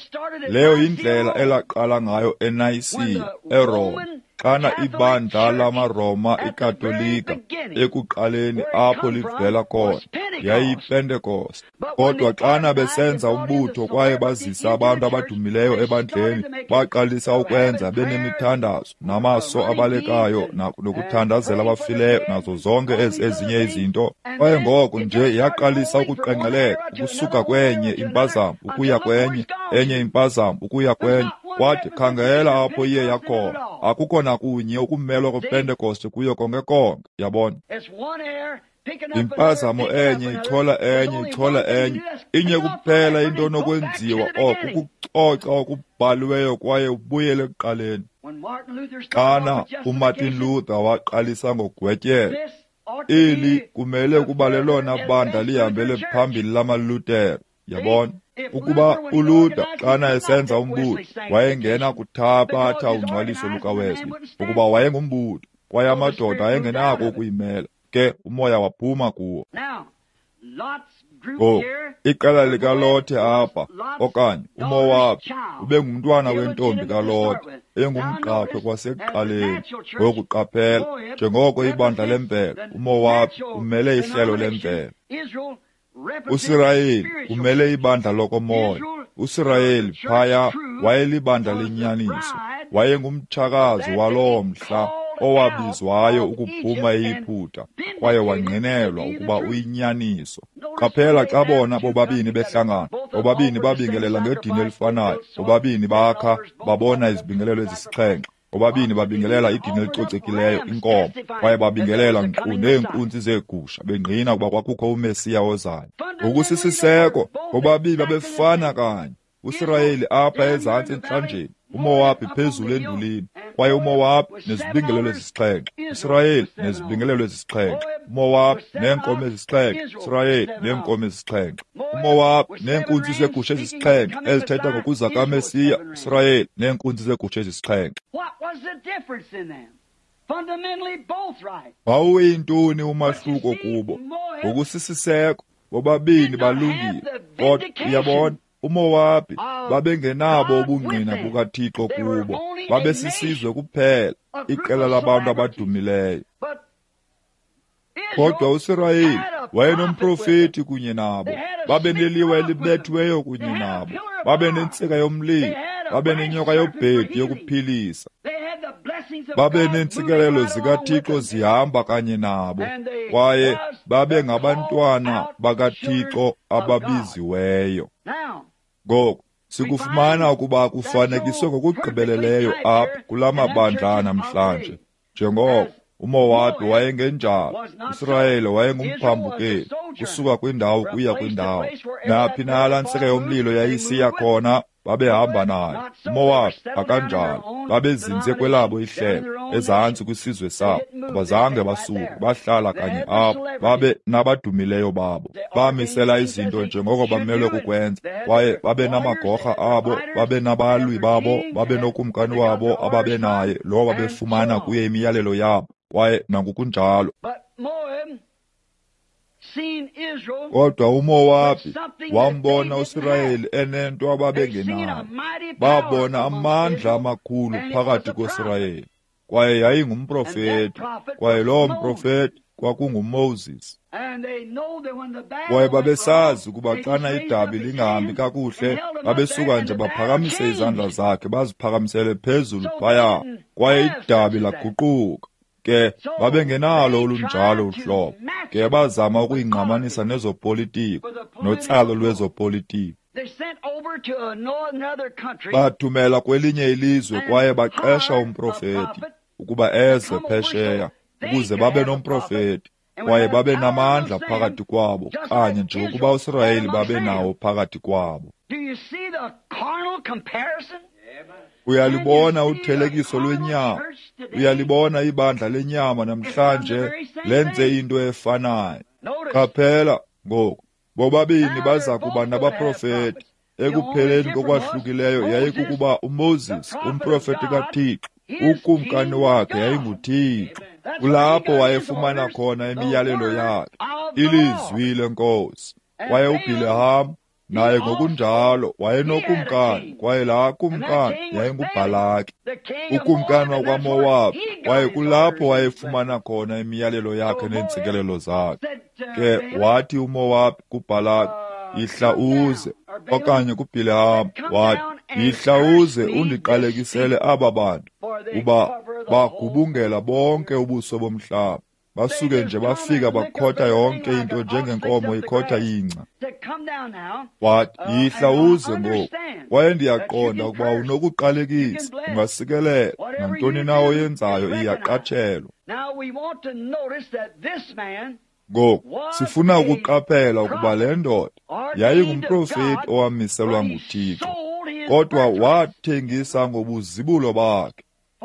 Leyo yindlela elaqala ngayo eNayisiya, eRoma, xana ibandla lamaRoma iKatolika ekuqaleni apho livela khona yayiyiPentekoste. Kodwa xana besenza umbutho kwaye bazisa abantu abadumileyo ebandleni, baqalisa ukwenza benemithandazo namaso abalekayo nokuthandazela abafileyo nazo zonke ezi ezinye izinto. Kwaye ngoko nje yaqalisa ukuqengqeleka ukusuka kwenye impazamo ukuya kwenye, enye impazamo ukuya kwenye. Kwathi khangela apho iye yakhona, akukho nakunye ukumelwa kwePentekoste kuyo konke konke. Yabona, impazamo enye ichola enye ichola enye, inye kuphela into onokwenziwa oko kukucoca okubhaliweyo kwaye ubuyele ekuqaleni. Xana uMartin Luther waqalisa ngogwetyelo, eli kumele ukuba lelona bandla lihambele phambili lamaLuthere. Yabona? Ukuba uLuther xana esenza umbutho wayengena kuthabatha ungcwaliso lukaWesley, ukuba wayengumbutho kwaye amadoda ayengenako ukuyimela, ke umoya waphuma kuwo. Ngoku iqela likaLothe apha, okanye uMowabhi, ubengumntwana wentombi kaLothe, engumgqakhwe kwasekuqaleni. Ngoku qaphela, njengoko ibandla lemvelo, uMowabhi umele ihlelo lemvelo. USirayeli umele ibandla lokomoya. USirayeli phaya wayelibandla lenyaniso, wayengumtshakazi waloo mhla owabizwayo ukuphuma eYiputa kwaye wangqinelwa ukuba uyinyaniso. Qaphela xa bona bobabini behlangana, bobabini babingelela ngedini elifanayo, bobabini bakha babona izibingelelo ezisixhenxe, bobabini babingelela idini elicocekileyo, inkomo, kwaye babingelela nkqu neenkunzi zeegusha, bengqina ukuba kwakukho uMesiya ozayo. Ngokusisiseko, bobabini babefana kanye. USirayeli apha ezantsi entlanjeni, uMowabhi phezulu endulini, kwaye uMowabhi nezibingelelo ezisixhenxe, uSirayeli nezibingelelo ezisixhenxe, uMowabhi neenkomo ezisixhenxe, uSirayeli neenkomo ezisixhenxe, uMowabhi neenkunzi zeegusha ezisixhenxe ezithetha ngokuza kaMesiya, uSirayeli neenkunzi zeegusha ezisixhenxe. Wawuyintoni umahluko kubo? Ngokusisiseko, bobabini balungile, kodwa uyabona, uMowabhi babengenabo ubungqina bukaThixo kubo, babesisizwe kuphela, iqela labantu abadumileyo. Kodwa uSirayeli wayenomprofeti kunye nabo, babeneliwa elibethiweyo kunye nabo, babenentsika yomlilo, babenenyoka yobhedu yokuphilisa, babeneentsikelelo zikaThixo zihamba kanye nabo, kwaye babengabantwana bakaThixo ababiziweyo. Ngoku sikufumana ukuba kufanekiswe ngokugqibeleleyo apha kula mabandla namhlanje. Njengoko uMowabhi wayengenjalo, uSirayeli wayengumphambukeli kusuka kwindawo kuya kwindawo. Naphi na laa ntsika yomlilo yayisiya khona, babehamba nayo. uMowabhi akanjalo, babezinze kwelabo ihlelo, ezantsi kwisizwe sabo. Abazange basuke, bahlala kanye apho, babe nabadumileyo babo. Bamisela izinto njengoko bamelwe kukwenza, kwaye babe namagorha abo, babe nabalwi babo, babe nokumkani wabo ababenaye, lowo babefumana kuye imiyalelo yabo, kwaye nangokunjalo. Kodwa uMowabhi wambona uSirayeli enento ababengenayo. Babona amandla amakhulu phakathi koSirayeli, kwaye yayingumprofeti, kwaye lowo mprofeti kwakunguMoses. Kwaye babesazi ukuba xana idabi lingahambi kakuhle, babesuka nje baphakamise izandla zakhe baziphakamisele phezulu phaya, kwaye idabi laguquka. Ke babengenalo olunjalo uhlobo, ke bazama ukuyingqamanisa nezopolitiko notsalo lwezopolitiko. Bathumela kwelinye ilizwe kwaye baqesha umprofeti ukuba eze phesheya ukuze babe nomprofeti kwaye babe namandla phakathi kwabo, kanye njengokuba uSirayeli babe nawo phakathi kwabo. Uyalibona uthelekiso lwenyama, uyalibona ibandla lenyama namhlanje lenze into efanayo. Qaphela ngoku, bobabini baza kuba nabaprofeti. Ekupheleni kokwahlukileyo yayikukuba uMoses, umprofeti kaThixo, ukumkani wakhe yayinguThixo. Kulapho wayefumana khona imiyalelo yakhe, ilizwi leNkosi. Kwaye uBhileham naye ngokunjalo wayenokumkani, kwaye laa kumkani yayinguBhalaki, ukumkani wakwaMowabhi, kwaye kulapho wayefumana khona imiyalelo yakhe neentsikelelo zakhe. Ke wathi uMowabhi kuBhalaki, yihla uze, okanye kuBhileham wathi, yihla uze undiqalekisele aba bantu, kuba bagubungela bonke ubuso bomhlaba. Basuke nje bafika bakhotha yonke into njengenkomo ikhotha ingca. Wathi, yihla uze ngoku, kwaye ndiyaqonda ukuba unokuqalekisa, ungasikelela, nantoni na oyenzayo iyaqatshelwa. Ngoku sifuna ukuqaphela ukuba le ndoda yayingumprofeti owamiselwa nguThixo, kodwa wathengisa ngobuzibulo bakhe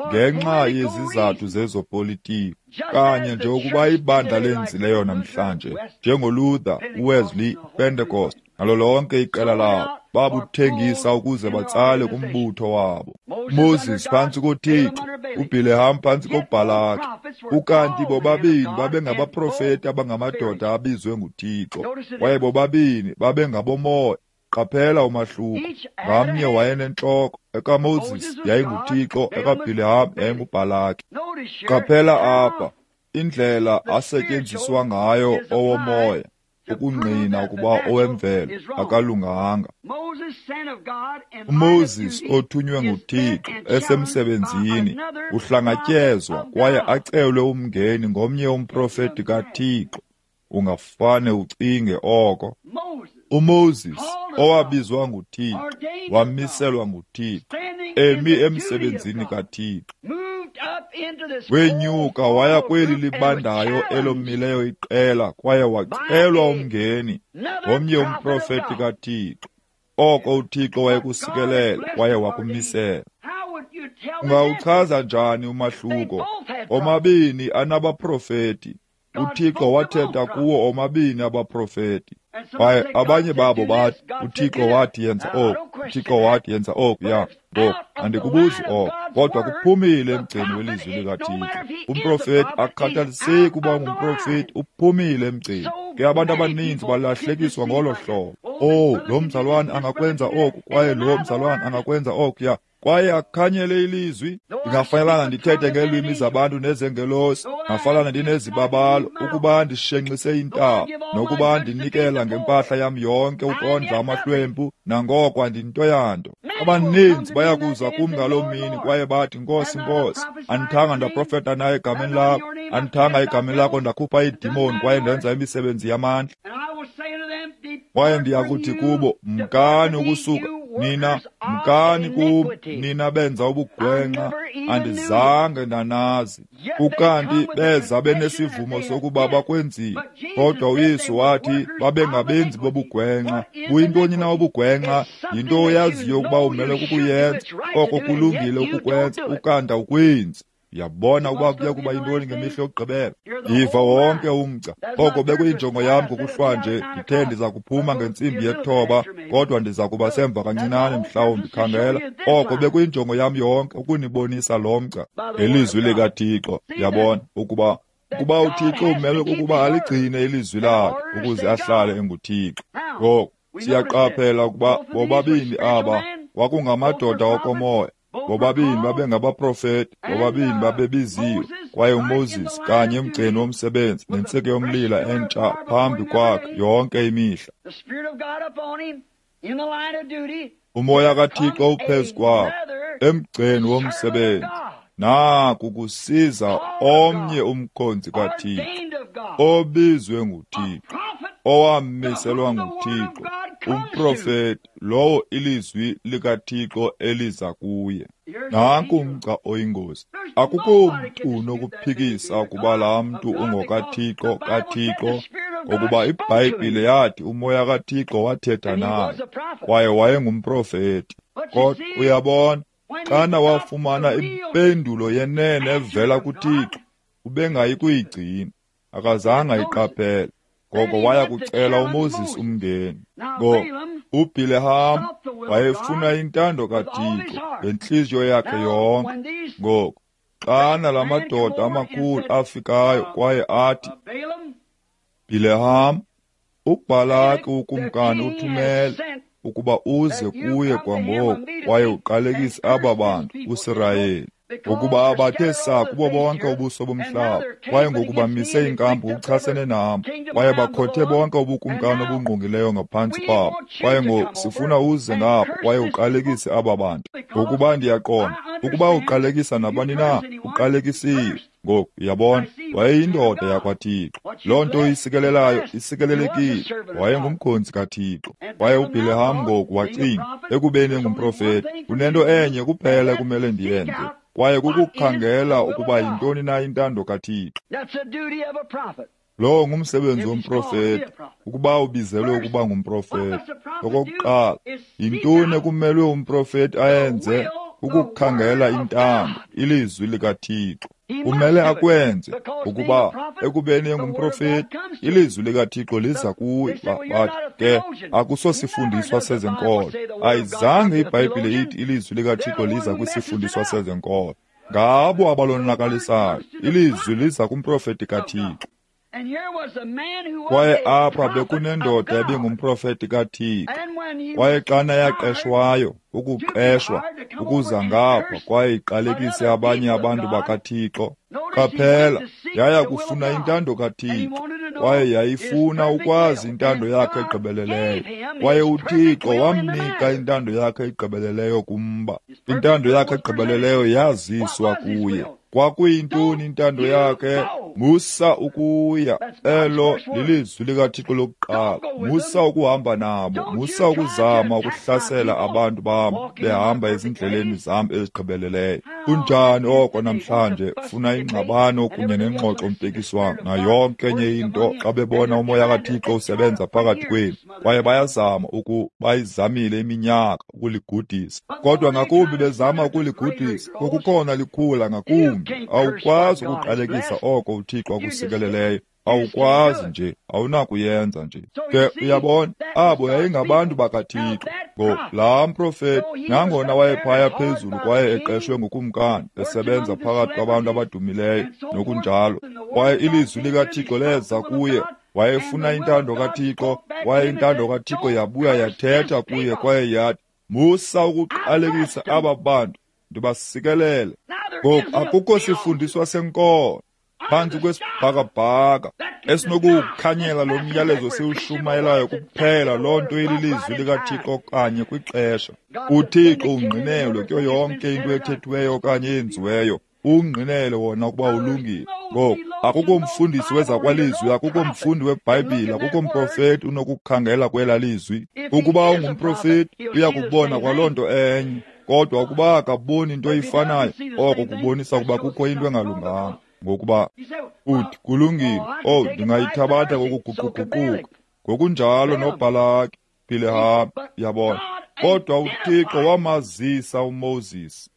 ngenxa yezizathu zezopolitiko, kanye nje ukuba ibandla lenzileyo namhlanje, njengoLuther, uWesley, Pentecost, nalo lonke iqela labo babuthengisa ukuze batsale kumbutho wabo. Moses phantsi koThixo, uBhileham phantsi koBhalaki. Ukanti bobabini babengabaprofeti abangamadoda abizwe nguThixo, kwaye bobabini babengabomoya. Qaphela umahluko. Ngamnye wayenentloko. EkaMoses yayinguThixo, ekaBhileham yayinguBhalaki. Qaphela apha indlela asetyenziswa ngayo owomoya ukungqina ukuba owemvelo akalunganga. UMoses othunywe nguThixo esemsebenzini uhlangatyezwa kwaye acelwe umngeni ngomnye umprofeti kaThixo. Ungafane ucinge oko. UMoses owabizwa nguThixo, wamiselwa nguThixo, emi emsebenzini kaThixo, wenyuka waya kweli libandayo elomileyo iqela kwaye wacelwa umngeni ngomnye umprofeti kaThixo. Oko uThixo wayekusikelela kwaye wakumisela. Ungawuchaza njani umahluko? Omabini anabaprofeti. uThixo wathetha kuwo omabini abaprofeti. Kwaye abanye babo bathi, uThixo wathi yenza oku, uThixo wathi yenza oku, ya ngoku andikubuzi oko, kodwa kuphumile emgceni welizwi likaThixo. Umprofeti akukhathaliseki uba ngumprofeti, uphumile emgceni. Ke abantu abaninzi balahlekiswa ngolo hlobo. Oh, lo mzalwane angakwenza oku, kwaye lo mzalwane angakwenza oku, ya kwaye akhanyele ilizwi. Ndingafanelanga ndithethe ngeelwimi zabantu nezengelosi, ndingafanelanga ndinezibabalo ukuba ndishenxise intaba, nokuba ndinikela ngempahla yam yonke ukondla amahlwempu, nangoko andinto yanto. Abaninzi bayakuza kum ngaloo mini kwaye bathi, Nkosi, Nkosi, andithanga ndaprofeta naye egameni lakho, andithanga egameni lakho ndakhupha iidimoni kwaye ndenza imisebenzi yamandla. Kwaye ndiyakuthi kubo, mkani ukusuka nina, mkani kum, nina benza ubugwenxa, andizange ndanazi. Ukanti beza benesivumo sokuba bakwenzile, kodwa uYesu wathi babengabenzi bobugwenxa. Buyintoni na ubugwenxa? Yinto oyaziyo ukuba umele kukuyenza, oko kulungile ukukwenza, ukanti awukwenzi. Uyabona ukuba kuya kuba yintoni ngemihla yokugqibela? Yiva wonke umgca. Oko bekuyinjongo yam ngokuhlwa nje. Ndithe ndiza kuphuma ngentsimbi yethoba, kodwa ndiza kuba semva kancinane mhlawumbi. Khangela, oko bekuyinjongo yam yonke, ukunibonisa lo mgca ngelizwi likaThixo. Yabona ukuba uThixo umelwe kukuba aligcine ilizwi lakhe ukuze ahlale enguThixo. Ngoku siyaqaphela ukuba bobabini aba kwakungamadoda okomoya. Bobabini babengabaprofeti, bobabini babebiziwe, kwaye uMoses kanye emgceni womsebenzi nentsika yomlilo entsha phambi kwakhe yonke imihla. Umoya kaThixo uphezu kwakhe emgceni womsebenzi. Naku kusiza omnye umkhonzi kaThixo obizwe nguThixo, owamiselwa nguThixo, umprofeti lowo ilizwi likaThixo eliza kuye. Nanku umgca oyingozi. Akukho mntu unokuphikisa ukuba laa mntu ungokaThixo kaThixo, ngokuba iBhayibhile yathi umoya kaThixo wathetha naye, kwaye wayengumprofeti. Kodwa uyabona, xana wafumana impendulo yenene evela kuThixo, ubengayi kuyigcina, akazange ayiqaphele. Ngoko waya kucela uMoses umngeni. Ngoko uBhileham wayefuna intando kaThixo ngentliziyo yakhe yonke. Ngoko xana la madoda amakhulu afikayo kwaye athi, Bhileham, uBhalaki ukumkani uthumele ukuba uze kuye kwangoko kwaye uqalekise aba bantu uSirayeli, ngokuba abathe saa kubo bonke ubuso bomhlaba, kwaye ngoku bamise inkampu ngokuchasene nam, kwaye bakhothe bonke ubukumkani obungqongileyo ngaphantsi kwabo. Kwaye ngoku sifuna uze ngapha kwaye uqalekise aba bantu, ngokuba ndiyaqonda ukuba uqalekisa nabani na, uqalekisiwe. Ngoku uyabona, wayeyindoda yakwaThixo. Loo nto uyisikelelayo isikelelekile. Wayengumkhonzi kaThixo. Kwaye uBhileham ngoku wacinga, ekubeni engumprofeti, kunento enye kuphela ekumele ndiyenze, kwaye kukukhangela ukuba yintoni na intando kaThixo. Lowo ngumsebenzi womprofeti, ukuba ubizelwe ukuba ngumprofeti. Okokuqala, yintoni ekumelwe umprofeti ayenze? Ukukhangela intando, ilizwi likaThixo. Kumele akwenze, ukuba ekubeni engumprofeti, ilizwi likaThixo liza kuye. Bathi ke akusosifundiswa sezenkolo. Ayizange iBhayibhile ithi ilizwi likaThixo liza kwisifundiswa sezenkolo. Ngabo abalonakalisayo, ilizwi liza kumprofeti kaThixo. Kwaye apha bekunendoda ebingumprofeti kaThixo. Kwaye xana yaqeshwayo, ukuqeshwa, ukuza ngapha kwaye iqalekise abanye abantu bakaThixo, qaphela, yaya kufuna intando kaThixo, kwaye yayifuna ukwazi intando yakhe egqibeleleyo. Kwaye uThixo wamnika intando yakhe egqibeleleyo kumba. Intando yakhe egqibeleleyo yaziswa kuye. Kwakuyintoni intando yakhe? Musa ukuya. Elo lilizwi likaThixo lokuqala. Musa ukuhamba nabo. Musa ukuzama ukuhlasela abantu bam behamba ezindleleni zam ezigqibeleleyo. Kunjani oko namhlanje? Funa ingxabano kunye nengxoxo mpikiswano nayo yonke enye into xa bebona umoya kaThixo usebenza phakathi kwenu. Kwaye bayazama bayizamile iminyaka ukuligudisa. Kodwa ngakumbi bezama ukuligudisa, kokukhona likhula ngakumbi. Awukwazi ukuqalekisa oko uThixo akusikeleleyo. Awukwazi nje, awunakuyenza nje. Ke uyabona, abo yayingabantu bakaThixo. Ngo laa mprofeti, nangona wayephaya phezulu kwaye eqeshwe ngukumkani, esebenza phakathi kwabantu abadumileyo nokunjalo, kwaye ilizwi likaThixo leza kuye. Wayefuna intando kaThixo, kwaye intando kaThixo yabuya yathetha kuye kwaye yathi, musa ukuqalekisa aba bantu, ndibasikelele. Ngoku akukho sifundiswa senkolo phantsi kwesibhakabhaka esinokuwukhanyela lo myalezo siwushumayelayo kuphela loo nto ililizwi likaThixo kanye kwixesha. UThixo ungqinelwe kuyo yonke into ethethiweyo okanye eyenziweyo. Ungqinele wona ukuba ulungile. Ngoku akukho mfundisi wezakwalizwi, akukho mfundi weBhayibhile, akukho mprofeti unokukhangela kwela lizwi. Ukuba ungumprofeti uya kubona kwaloo nto enye, kodwa ukuba akaboni into eyifanayo, oko kubonisa ukuba kukho into engalunganga. Ngokuba uthi kulungile, oh, ndingayithabatha ngokuguquguquka. Ngokunjalo noBhalaki, Bhileham, yabona. Kodwa uThixo wamazisa uMoses.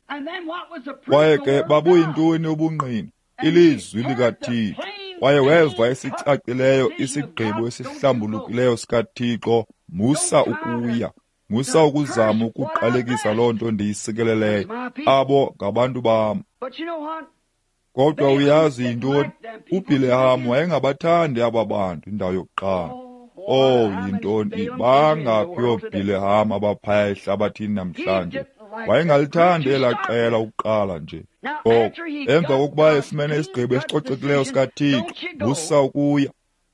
Kwaye ke babuyintoni ubungqina? Ilizwi likaThixo. Kwaye weva esicacileyo isigqibo esihlambulukileyo sikaThixo, musa ukuya. Musa ukuzama ukuqalekisa loo nto ndiyisikeleleyo. Abo ngabantu bam. Kodwa uyazi yintoni? uBhileham wayengabathandi aba bantu indawo yokuqala. Oh, yintoni? Bangaphi ooBhileham abaphaya ehlabathini namhlanje? Wayengalithandi elaa qela ukuqala nje. Ngoko emva kokuba efumene isigqibo esicocekileyo sikaThixo, musa ukuya.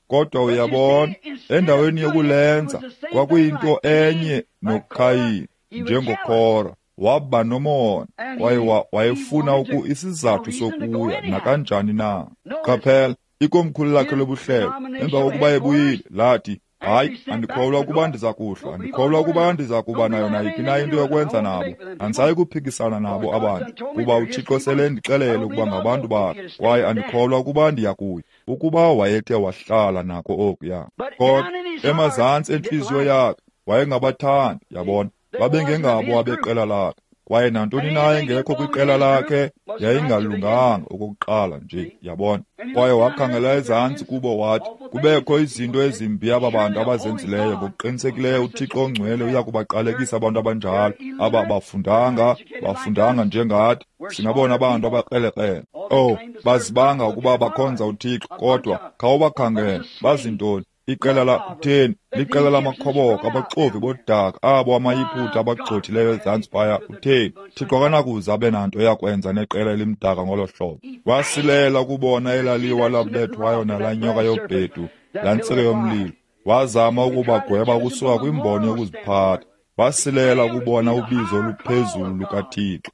Kodwa uyabona, endaweni yokulenza kwakuyinto enye noKhayini, njengoKora. Waba nomona kwaye wayefuna isizathu sokuya nakanjani na. Qaphela, ikomkhulu lakhe lobuhlelo emva kokuba ebuyile lathi, hayi, andikholwa ukuba ndiza kuhlwa, andikholwa ukuba ndiza kuba nayo nayiphi na into yokwenza nabo, andisayi kuphikisana nabo abantu, kuba uThixo sele ndixelele ukuba ngabantu bakhe, kwaye andikholwa ukuba ndiya kuya. Ukuba wayethe wahlala nako okuya. Kodwa emazantsi entliziyo yakhe wayengabathandi, yabona. Babengengabo abeqela lakhe, kwaye nantoni na engekho kwiqela lakhe yayingalunganga okokuqala nje, yabona. Kwaye wakhangela ezantsi kubo wathi, kubekho izinto ezimbi aba bantu abazenzileyo, ngokuqinisekileyo uThixo ongcwele uya kubaqalekisa abantu abanjalo. Aba bafundanga njengathi, singabona abantu abakrelekrele. Oh, bazibanga ukuba bakhonza uThixo, kodwa khawubakhangele, bazintoni? Iqela la kutheni? Liqela lamakhoboka, abaxovi bodaka, abo amaYiputa abagxothileyo ezantsi phaya. Kutheni? Thixo akanakuze abe nanto yakwenza neqela elimdaka ngolo hlobo. Wasilela ukubona elaliwa labethwayo nalaa nyoka yobhedu, laa ntsika yomlilo. Wazama ukubagweba ukusuka kwimbono yokuziphatha. Wasilela ukubona ubizo oluphezulu lukaThixo.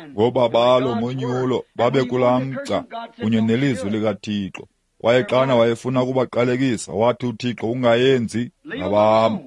Ngobabalo ngonyulo babe kulaa mgca kunye nelizwi likaThixo. Kwaye xana wayefuna ukubaqalekisa, wathi uThixo, ungayenzi, ngabam,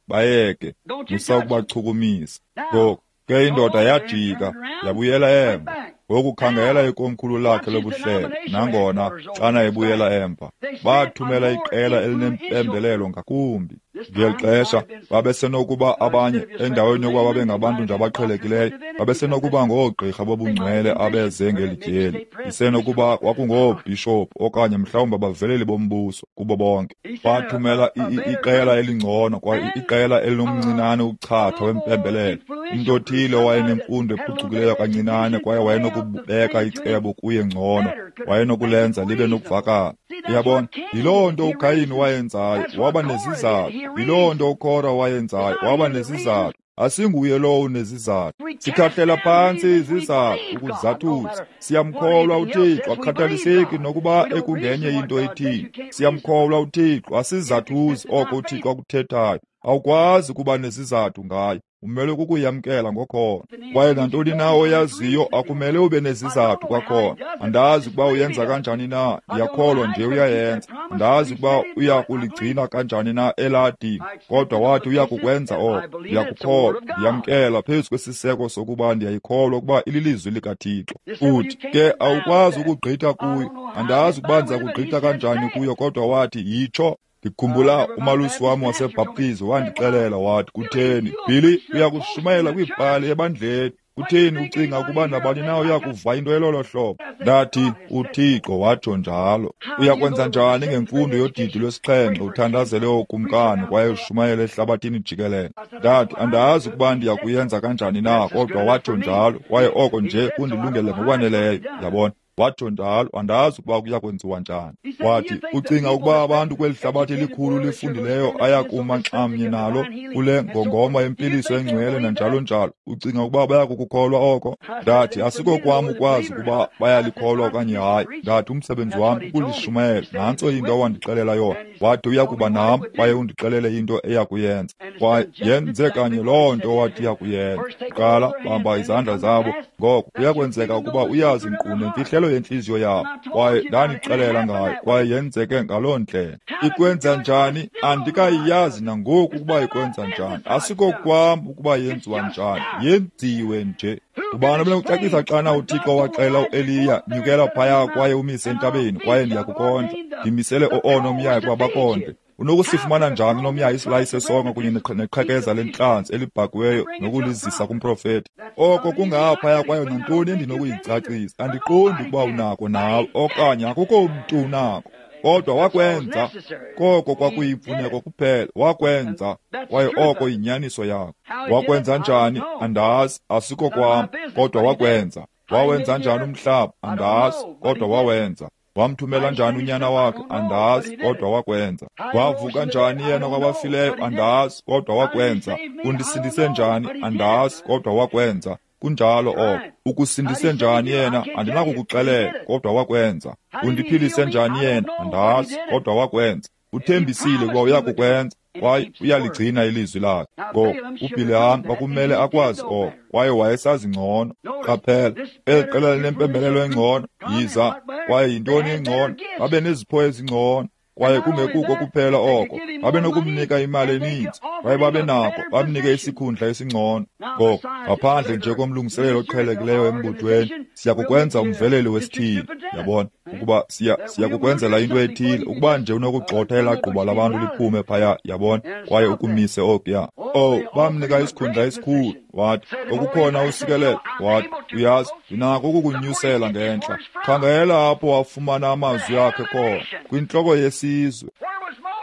bayeke, musa ukubachukumisa. Ngoku ke indoda yajika yabuyela emva. Ngoku khangela ikomkhulu lakhe lobuhlelo, nangona xana ebuyela emva, bathumela iqela elinempembelelo ngakumbi. Ngeli xesha babesenokuba abanye, endaweni yokuba babe ngabantu nje abaqhelekileyo, babesenokuba ngoogqirha bobungcwele abeze ngeli tyeli. Isenokuba kwakungoobhishophu okanye mhlawumbi abaveleli bombuso kubo bonke. Bathumela iqela elingcono kwaye iqela elinomncinane uchatha wempembelelo, umntu othile owayenemfundo ephucukileyo kancinane kwaye wayenokubeka icebo kuye ngcono, wayenokulenza libe nokuvakala. Uyabona, yiloo nto uKayini wayenzayo, waba nezizathu. Yiloo nto uKora wayenzayo, waba nezizathu. Asinguye lowo unezizathu. Sikhahlela phantsi izizathu ukuzathuza. Siyamkholwa uThixo, akukhathaliseki nokuba ekungenye into ethini. Siyamkholwa uThixo, asizathuzi oko uThixo akuthethayo. Awukwazi ukuba nezizathu ngayo. Umele kukuyamkela ngokholo. Kwaye nantoni na oyaziyo akumele ube nezizathu kwakhona. Andazi ukuba uyenza kanjani na, ndiyakholwa nje uyayenza. Andazi ukuba uya kuligcina kanjani na elaa dinga, kodwa wathi uya kukwenza oko. Ndiyakukholwa, ndiyamkela phezu kwesiseko sokuba ndiyayikholwa ukuba ililizwi likaThixo. Uthi ke awukwazi ukugqitha kuyo. Andazi ukuba ndiza kugqitha kanjani kuyo, kodwa wathi yitsho. Ndikhumbula umalusi wam waseBhaptizi wandixelela wathi, kutheni Billy, uyakushumayela kwiipali ebandleni, kutheni ucinga ukuba nabani na uyakuva into elolo hlobo? Ndathi, uThixo watsho njalo. Uyakwenza njani ngemfundo yodidi lwesixhenxe uthandazele ookumkani kwaye ushumayele ehlabathini jikelele? Ndathi, andazi ukuba ndiyakuyenza kanjani na, kodwa watsho njalo, kwaye oko nje kundilungele ngokwaneleyo. Yabona? Watsho njalo, andazi ukuba kuya kwenziwa njani. Wathi, ucinga ukuba abantu kweli hlabathi elikhulu lifundileyo ayakuma nxamnye nalo kule ngongoma yempiliso engcwele nanjalo njalo, ucinga ukuba baya kukukholwa oko? Ndathi, asikokwam ukwazi ukuba bayalikholwa okanye hayi. Ndathi, umsebenzi wam kukulishumayela. Nantso into awandixelela yona. Wathi uya kuba nam kwaye undixelele into eya kuyenza. Kwaye yenze kanye loo nto wathi iya kuyenza. Kuqala bamba izandla zabo, ngoko kuyakwenzeka ukuba uyazi nkqu nemfihlelo yentliziyo yabo. Kwaye ndandixelela ngayo, kwaye yenzeke ngaloo ndlela. Ikwenza njani? Andikayazi nangoku ukuba ikwenza njani. Asikokwam ukuba yenziwa njani, yenziwe nje. Ubani obenokucacisa xana uThixo waxela uEliya, nyukela phaya kwaye umise entabeni, kwaye ndiyakukondla, ndimisele oonomyayi ukuba bakondle. Unokusifumana njani unomyayi isilayi sesonka kunye neqhekeza lentlanzi elibhakiweyo nokulizisa kumprofeti? Oko kungaphaya kwayo nantoni endinokuyicacisa. Andiqondi ukuba unako nawe, okanye akukho mntu unako. Kodwa wakwenza, koko kwakuyimfuneko kuphela, wakwenza, kwaye oko yinyaniso yakho. Wakwenza njani? Andazi, asiko kwam, kodwa wakwenza. Wawenza njani umhlaba? Andazi, kodwa wawenza. Wamthumela njani unyana wakhe? Andazi, kodwa wakwenza. Wavuka njani yena kwabafileyo? Andazi, kodwa wakwenza. Undisindise njani? Andazi, kodwa wakwenza. Kunjalo oko. Ukusindise njani yena? Andinakukuxelela, kodwa wakwenza. Undiphilise njani yena? Andazi, kodwa wakwenza. Uthembisile ukuba uyakukwenza, kwaye uyaligcina ilizwi lakhe. Ngoko uBhileham kwakumele akwazi oko, kwaye wayesazi ngcono. Qaphela, eli qela linempembelelo engcono, yiza, kwaye yintoni engcono? Babe nezipho ezingcono, kwaye kungekuko kuphela oko, babe nokumnika imali eninzi, kwaye babe nako bamnike isikhundla esingcono. Ngoko ngaphandle nje komlungiselelo oqhelekileyo embuthweni, siyakukwenza umveleli wesithili. Yabona ukuba siyakukwenzela into ethile, ukuba nje unokugxotha elaa gquba labantu liphume phaya, yabona, kwaye ukumise okuya. Oh, bamnika isikhundla esikhulu. Wathi, okukhona usikelelo. Wathi, uyazi, ndinako ukukunyusela ngentla. Khangela apho wafumana amazwi akhe khona, kwintloko yesizwe.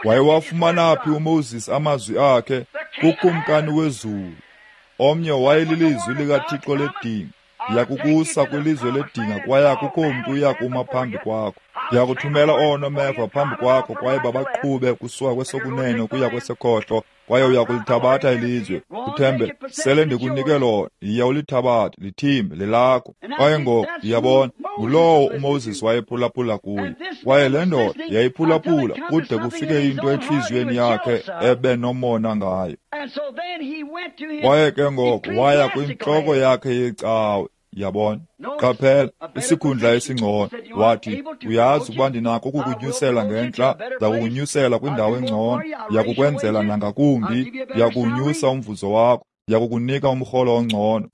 Wayewafumana phi uMoses amazwi akhe? Kukumkani wezulu. Omnye wayelilizwi likaThixo ledinga. Ndiyakukusa kwilizwe ledinga, kwaye akukho mntu uyakuma phambi kwakho. Ndiyakuthumela oonomeva phambi kwakho, kwaye babaqhube kusuka kwesokunene ukuya kwesekhohlo, kwaye uyakulithabatha ilizwe. Uthembe, sele ndikunike lona, yiya ulithabathe, lithimbe, lelakho. Kwaye ngoku ndiyabona, ngulowo uMoses wayephulaphula kuye. Kwaye le ndoda yayiphulaphula kude kufike into entliziyweni yakhe ebenomona ngayo. Kwaye ke ngoku waya kwintloko yakhe yecawe. Yabona, qaphela, isikhundla esingcono. Wathi, uyazi ukuba ndinako ukukunyusela ngentla, ndakukunyusela kwindawo engcono, ndiyakukwenzela nangakumbi, ndiyakuwunyusa umvuzo wakho, ndiyakukunika umrholo ongcono.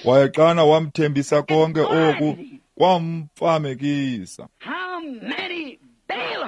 Kwaye xana wamthembisa konke oku, kwamfamekisa.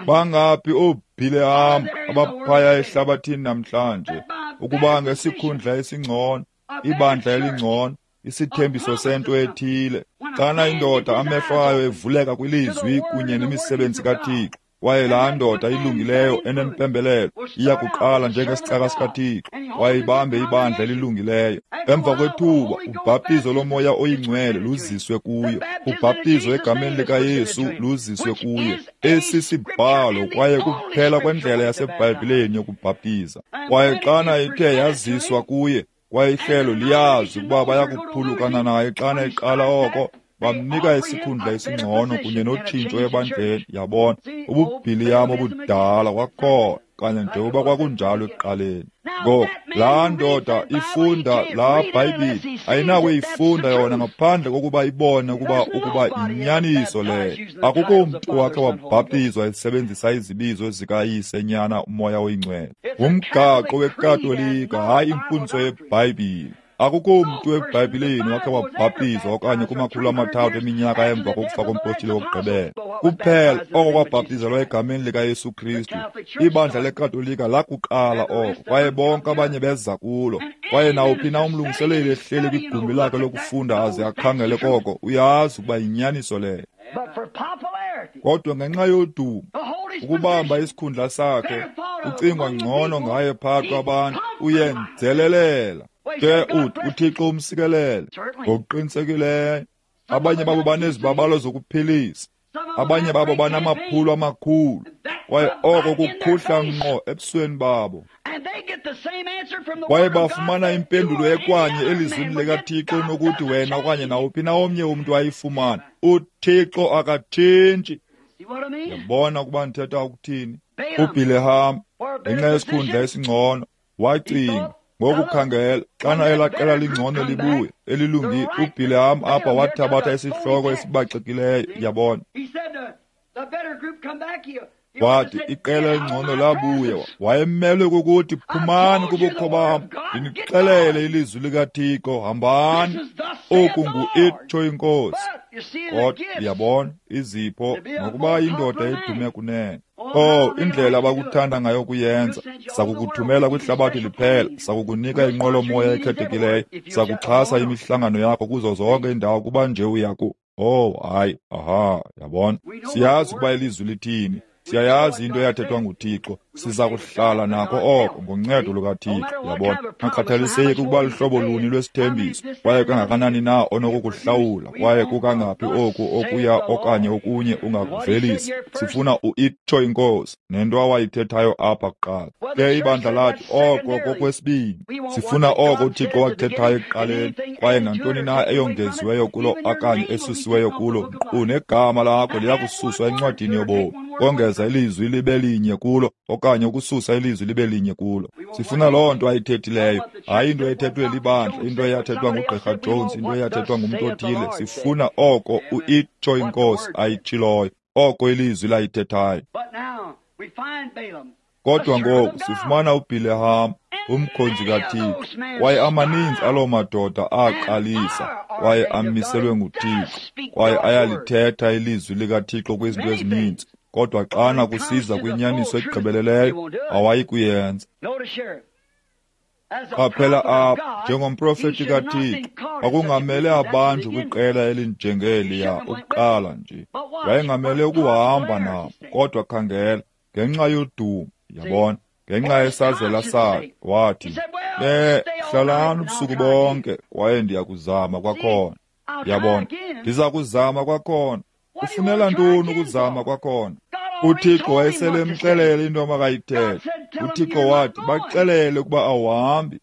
Bangaphi ooBhileham abaphaya ehlabathini namhlanje, ukuba ngesikhundla esingcono, ibandla elingcono, isithembiso sento ethile. Xana indoda amehlo ayo evuleka kwilizwi kunye nemisebenzi kaThixo, kwaye laa ndoda ilungileyo enempembelelo iya kuqala njengesicaka sikaThixo, kwaye ibambe ibandla elilungileyo. Emva kwethuba ubhaptizo loMoya oyiNgcwele luziswe kuyo, ubhaptizo egameni likaYesu luziswe kuyo. Esi sibhalo kwaye kuphela kwendlela yaseBhayibhileni yokubhaptiza. Kwaye xana ithe yaziswa kuye, kwaye ihlelo liyazi ukuba bayakuphulukana naye xana iqala oko, bamnika isikhundla esingcono kunye notshintsho ebandleni. Yabona, ububhiliyam obudala kwakhona, kanye njengoba kwakunjalo ekuqaleni. Ngoku laa ndoda ifunda laa Bhayibhile ayinakuyifunda yona ngaphandle kokuba ibone ukuba yinyaniso leyo. Akukho mntu wakhe wabhaptizwa esebenzisa izibizo zikaYise, Nyana, uMoya oyiNgcwele. Ngumgaqo weKatolika, hayi imfundiso yeBhayibhile. Akukho mntu eBhayibhileni wakhe wabhaptizwa okanye kuma-300 eminyaka emva kokufa kompostile wokugqibela. Kuphela oko kwabhaptizelwa egameni likaYesu Kristu. Ibandla leKatolika lakuqala oko, kwaye bonke abanye beza kulo. Kwaye nawuphi na umlungiseleli ehleli kwigumbi lakhe lokufunda aze akhangele koko, uyazi ukuba yinyaniso leyo. Kodwa ngenxa yodumo, ukubamba isikhundla sakhe, ucingwa ngcono ngaye phakathi kwabantu, uyenzelelela. Ke uthi uThixo umsikelele ngokuqinisekileyo. Abanye babo banezibabalo zokuphilisa, abanye babo banamaphulo amakhulu, kwaye oko kukhuhla ngqo ebusweni babo. Kwaye bafumana impendulo ekwanye elizwini likaThixo nokuthi wena okanye nawuphi na omnye umntu ayifumane. UThixo akatshintshi. Yabona ukuba ndithetha ukuthini? UBhileham, ngenxa yesikhundla esingcono, wacinga ngokukhangela xana elaa qela lingcono libuye elilungile. UBhileham apha wathabatha isihloko esibaxekileyo. Yabona, wathi iqela elingcono labuya, wayemelwe kukuthi phumani kubukho bam, ndinixelele ilizwi likaThixo, hambani, oku ngu-itsho iNkosi. Kodwa yabona izipho nokuba indoda edume kunene. Oh, indlela abakuthanda ngayo kuyenza. Sakukuthumela kwihlabathi liphela, sakukunika inqwelomoya ekhethekileyo, sakuxhasa imihlangano yakho kuzo zonke iindawo kuba nje uyaku. Oh, hayi, aha, yabona. Siyazi ukuba ilizwi lithini. Siyayazi into eyathethwa nguThixo. Siza kuhlala nako oko ngoncedo lukaThixo. Yabona, akukhathaliseki ukuba luhlobo luni lwesithembiso, kwaye kangakanani na onokukuhlawula, kwaye kukangaphi oku okuya okanye okunye ungakuvelisa. Sifuna uitsho iNkosi nento awayithethayo apha kuqala. Ke ibandla lathi oko kokwesibini. Sifuna oko uThixo wakuthethayo ekuqaleni, kwaye nantoni na eyongeziweyo kulo okanye esusiweyo kulo, nkqu negama lakho liyakususwa encwadini yobomi. Kongeza ilizwi libe linye kulo okanye ukususa ilizwi libe linye kulo. Sifuna loo nto ayithethileyo, hayi into ethethwe libandla, into eyathethwa nguGqirha Jones, into eyathethwa ngumntu othile. Sifuna oko uitsho iNkosi ayitshiloyo, oko ilizwi layithethayo. Kodwa ngoku sifumana uBhileham, umkhonzi kaThixo, kwaye amaninzi aloo madoda aqalisa kwaye amiselwe nguThixo, kwaye ayalithetha ilizwi likaThixo kwizinto ezininzi. Kodwa xana kusiza kwinyaniso egqibeleleyo, awayi kuyenza. Qaphela apha, njengomprofeti kaThixo, kwakungamele abanjwe kwiqela elinjengeliya ukuqala nje. Wayengamele ukuhamba nabo, kodwa khangela, ngenxa yodumo, yabona, ngenxa yesazela sakhe, wathi, hlalani ubusuku bonke, kwaye ndiyakuzama kwakhona. Yabona, ndiza kuzama kwakhona. Ufunela ntoni ukuzama kwakhona? UThixo wayeselemxelele into amakayithethe. uThixo wathi, baxelele ukuba awuhambi.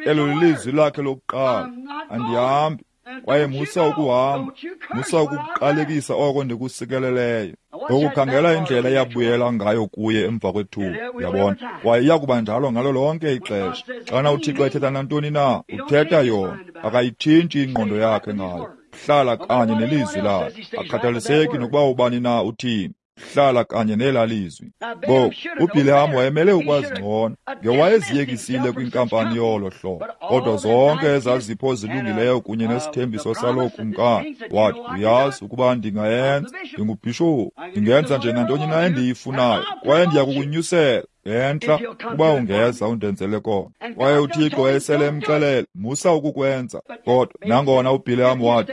Elo lilizwi lakhe lokuqala, andihambi. Kwaye musa ukuhamba, musa ukuqalekisa oko ndikusikeleleyo. Ngokukhangela indlela eyabuyela ngayo kuye emva kwethuba, yabona. Kwaye iyakuba njalo ngalo lonke ixesha. Xana uThixo ethetha nantoni na, uthetha yona, akayitshintshi ingqondo yakhe ngayo. Hlala kanye nelizwi lakhe, akhathaliseki nokuba ubani na uthini. Hlala kanye nelaa lizwi. Ngoku uBhileham wayemele ukwazi ngcono, ngewayeziyekisile kwinkampani yolo hlobo. Kodwa zonke ezazipho zilungileyo kunye nesithembiso saloo kumkani, wathi, uyazi ukuba ndingayenza, ndingubhishophu, ndingenza nje nantoni na endiyifunayo, kwaye ndiya kukunyusela ngentla ukuba ungeza undenzele kona. Kwaye uThixo wayesele emxelele, musa ukukwenza. Kodwa nangona uBhileham wathi,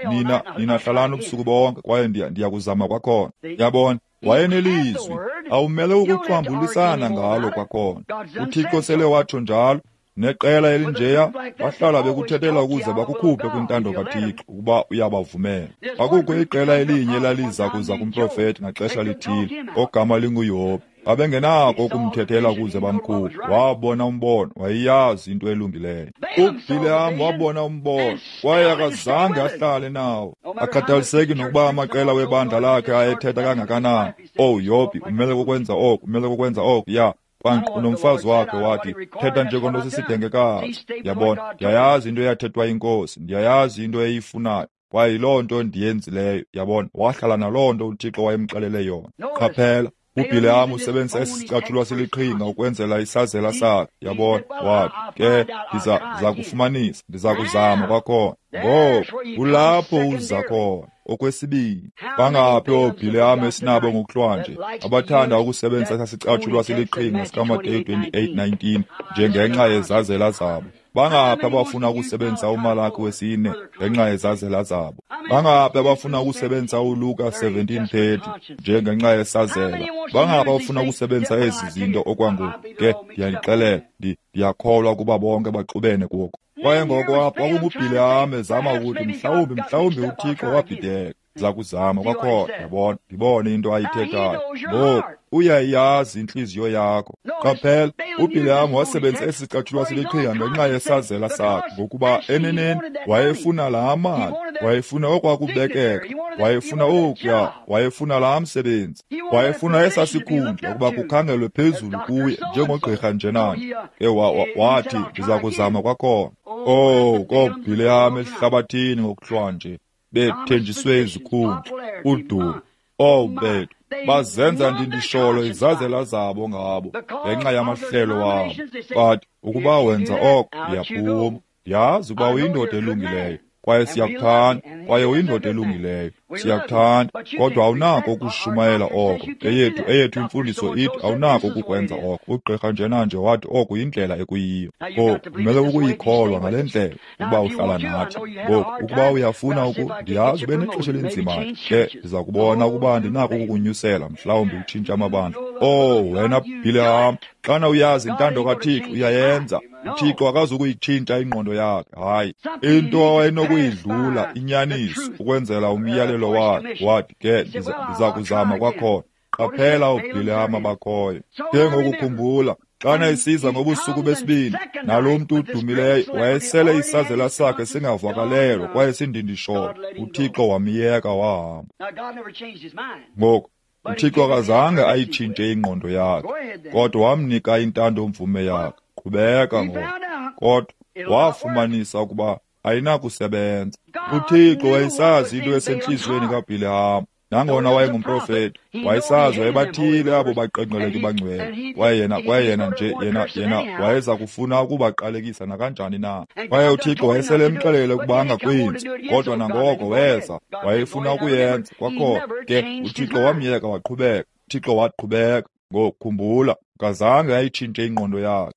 nina hlalani ubusuku bonke, kwaye ndiya kuzama kwakhona. Yabona, wayenelizwi, awumele ukuxambulisana ngalo kwakhona. uThixo sele watsho njalo. Neqela elinjeya bahlala bekuthethela ukuze bakukhuphe kwintando kaThixo ukuba uyabavumela. Akukho iqela elinye elaliza kuza kumprofeti ngaxesha lithile ogama linguYobi. Babengenako ukumthethela ukuze bamkhuphe. Wabona umbono, wayeyazi into elungileyo. UBhileham wabona umbono kwaye akazange ahlale nawo. Akhathaliseki nokuba amaqela webandla lakhe ayethetha kangakanani. Oh Yobi, umele kukwenza oku, umele kukwenza oku, ya. Kwankqu nomfazi wakhe wathi, thetha njengonto sisidengekazi. Yabona, ndiyayazi into eyathethwa inkosi, ndiyayazi into eyifunayo, kwaye yiloo nto ndiyenzileyo. Yabona, wahlala naloo nto uThixo wayemxelele yona. Qaphela, uBhileham usebenzisa esi sicatshulwa siliqhinga ukwenzela isazela sakhe. Yabona, wathi, ke ndiza kufumanisa, ndiza kuzama kwakhona. Ngoku kulapho uza khona. Okwesibini, bangaphi ooBhileham esinabo ngokuhlwanje abathanda ukusebenzisa esasicatshulwa siliqhinga sikaMateyu 28:19 njengenxa yezazela zabo? Bangaphi abafuna ukusebenzisa uMalaki 4 ngenxa yezazela zabo? Bangaphi abafuna ukusebenzisa uLuka 17:30 njengenxa yesazela? Bangaphi abafuna ukusebenzisa ezi zinto okwangoku? Ke ndiyanixelela, ndiyakholwa ukuba bonke baxubene kuko. Kwaye ngoko apho kwakunguBhileham ezama ukuthi mhlawumbi uThixo wabhideka. Ndiza kuzama kwakhona, yabona, ndibone into ayithethayo. Ngoku uyayazi intliziyo yakho. Qaphela, uBhileham wasebenzisa esi sicatshulwa siliqhinga ngenxa yesazela sakhe, ngokuba eneneni wayefuna laa mali, wayefuna okwakubekeka, wayefuna okuya, wayefuna laa msebenzi, wayefuna esaa sikhundla ukuba kukhangelwe phezulu kuye njengogqirha njenanje. Ke wathi, ndiza kuzama kwakhona. Oh, kooBhileham ehlabathini ngokuhlwanje bethenjiswe izikhundla, udumo. Oh bethu, bazenza ndindisholo izazela zabo ngabo ngenxa yamahlelo wabo. But ukuba wenza oko, ndiyaphuma. Ndiyazi ukuba uyindoda elungileyo, kwaye siyakuthanda, kwaye uyindoda elungileyo, siyakuthanda, kodwa awunako ukushumayela oko. Eyethu imfundiso ithi awunako ukukwenza oko. Ugqirha njenanje wathi oku yindlela ekuyiyo. Ngoku kumele ukuyikholwa ngale ndlela ukuba uhlala nathi. Ngoku ukuba uyafuna ndiyazi ube nexesha elinzimayo. Ke ndiza kubona ukuba ndinako ukukunyusela, mhlawumbi utshintshe amabandla. Oh wena Bhileham, xana uyazi intando kaThixo uyayenza. uThixo akazukuyitshintsha ingqondo yakhe. Hayi, into awayenokuyidlula inyaniso ukwenzela umyalelo wakhe. Wathi ke ndiza kuzama kwakhona. Qaphela ooBhileham abakhoyo. Ke ngokukhumbula, xana isiza ngobusuku besibini, nalo mntu udumileyo wayesele isazela sakhe singavakalelwa kwaye sindindisholo. uThixo wamyeka wahamba. Ngoku uThixo akazange ayitshintshe ingqondo yakhe, kodwa wamnika intando mvume yakhe. Qhubeka ngoku. Kodwa wafumanisa ukuba ayinakusebenza. uThixo wayesazi into esentliziyweni kaBhileham. Nangona wayengumprofeti, wayesazi wayebathile abo baqenqeleki bangcwele. Kwaye yena wayeza kufuna ukubaqalekisa nakanjani na. Kwaye uThixo wayesele emxelele ukuba angakwenzi, kodwa nangoko weza, wayefuna ukuyenza kwakhona. Ke uThixo wamyeka waqhubeka. uThixo waqhubeka. Ngoku khumbula, akazange ayitshintshe ingqondo yakhe.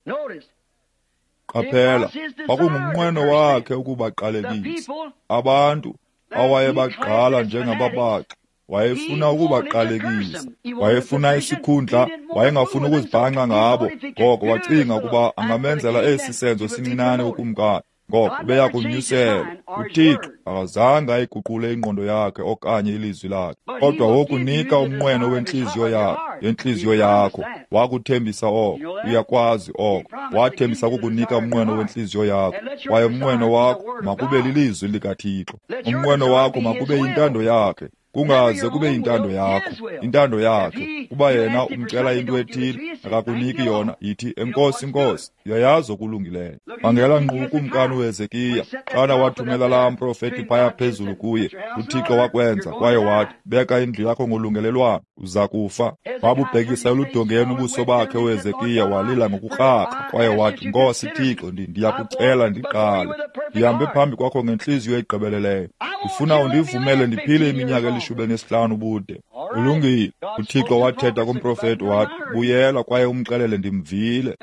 Qaphela, kwakungumnqweno wakhe ukubaqalekisa abantu awayebagqala njengababaxi. Wayefuna ukubaqalekisa, wayefuna isikhundla, wayengafuni ukuzibhanxa ngabo. Ngoko wacinga ukuba angamenzela esi senzo sincinane ukumkani, ngoko ubeya kunyusela. uThixo akazange ayiguqule ingqondo yakhe okanye ilizwi lakhe, kodwa wokunika umnqweno wentliziyo yakhe, yentliziyo yakho. Wakuthembisa oko, uyakwazi oko. Wathembisa ukukunika umnqweno wentliziyo yakho, kwaye umnqweno wakho makube lilizwi likaThixo. Umnqweno wakho makube yintando yakhe. Kungaze kube yintando yakho, intando yakhe. Kuba yena umcela into ethile, akakuniki yona, yithi enkosi Nkosi, uyayazi okulungileyo. Khangela nkqu ukumkani uHezekiya, xana wathumela laa mprofeti phaya phezulu kuye, uThixo wakwenza, kwaye wathi, beka indlu yakho ngolungelelwano, uza kufa. Wabubhekisa eludongeni ubuso bakhe uHezekiya, walila ngokukrakra, kwaye wathi, Nkosi Thixo, ndiyakucela ndiqale, ndihambe phambi kwakho ngentliziyo egqibeleleyo. Ndifuna undivumele ndiphile iminyaka eli-15 ubude. Ulungile. UThixo wathetha kumprofeti wathi, buyela kwaye umxelele ndimvile.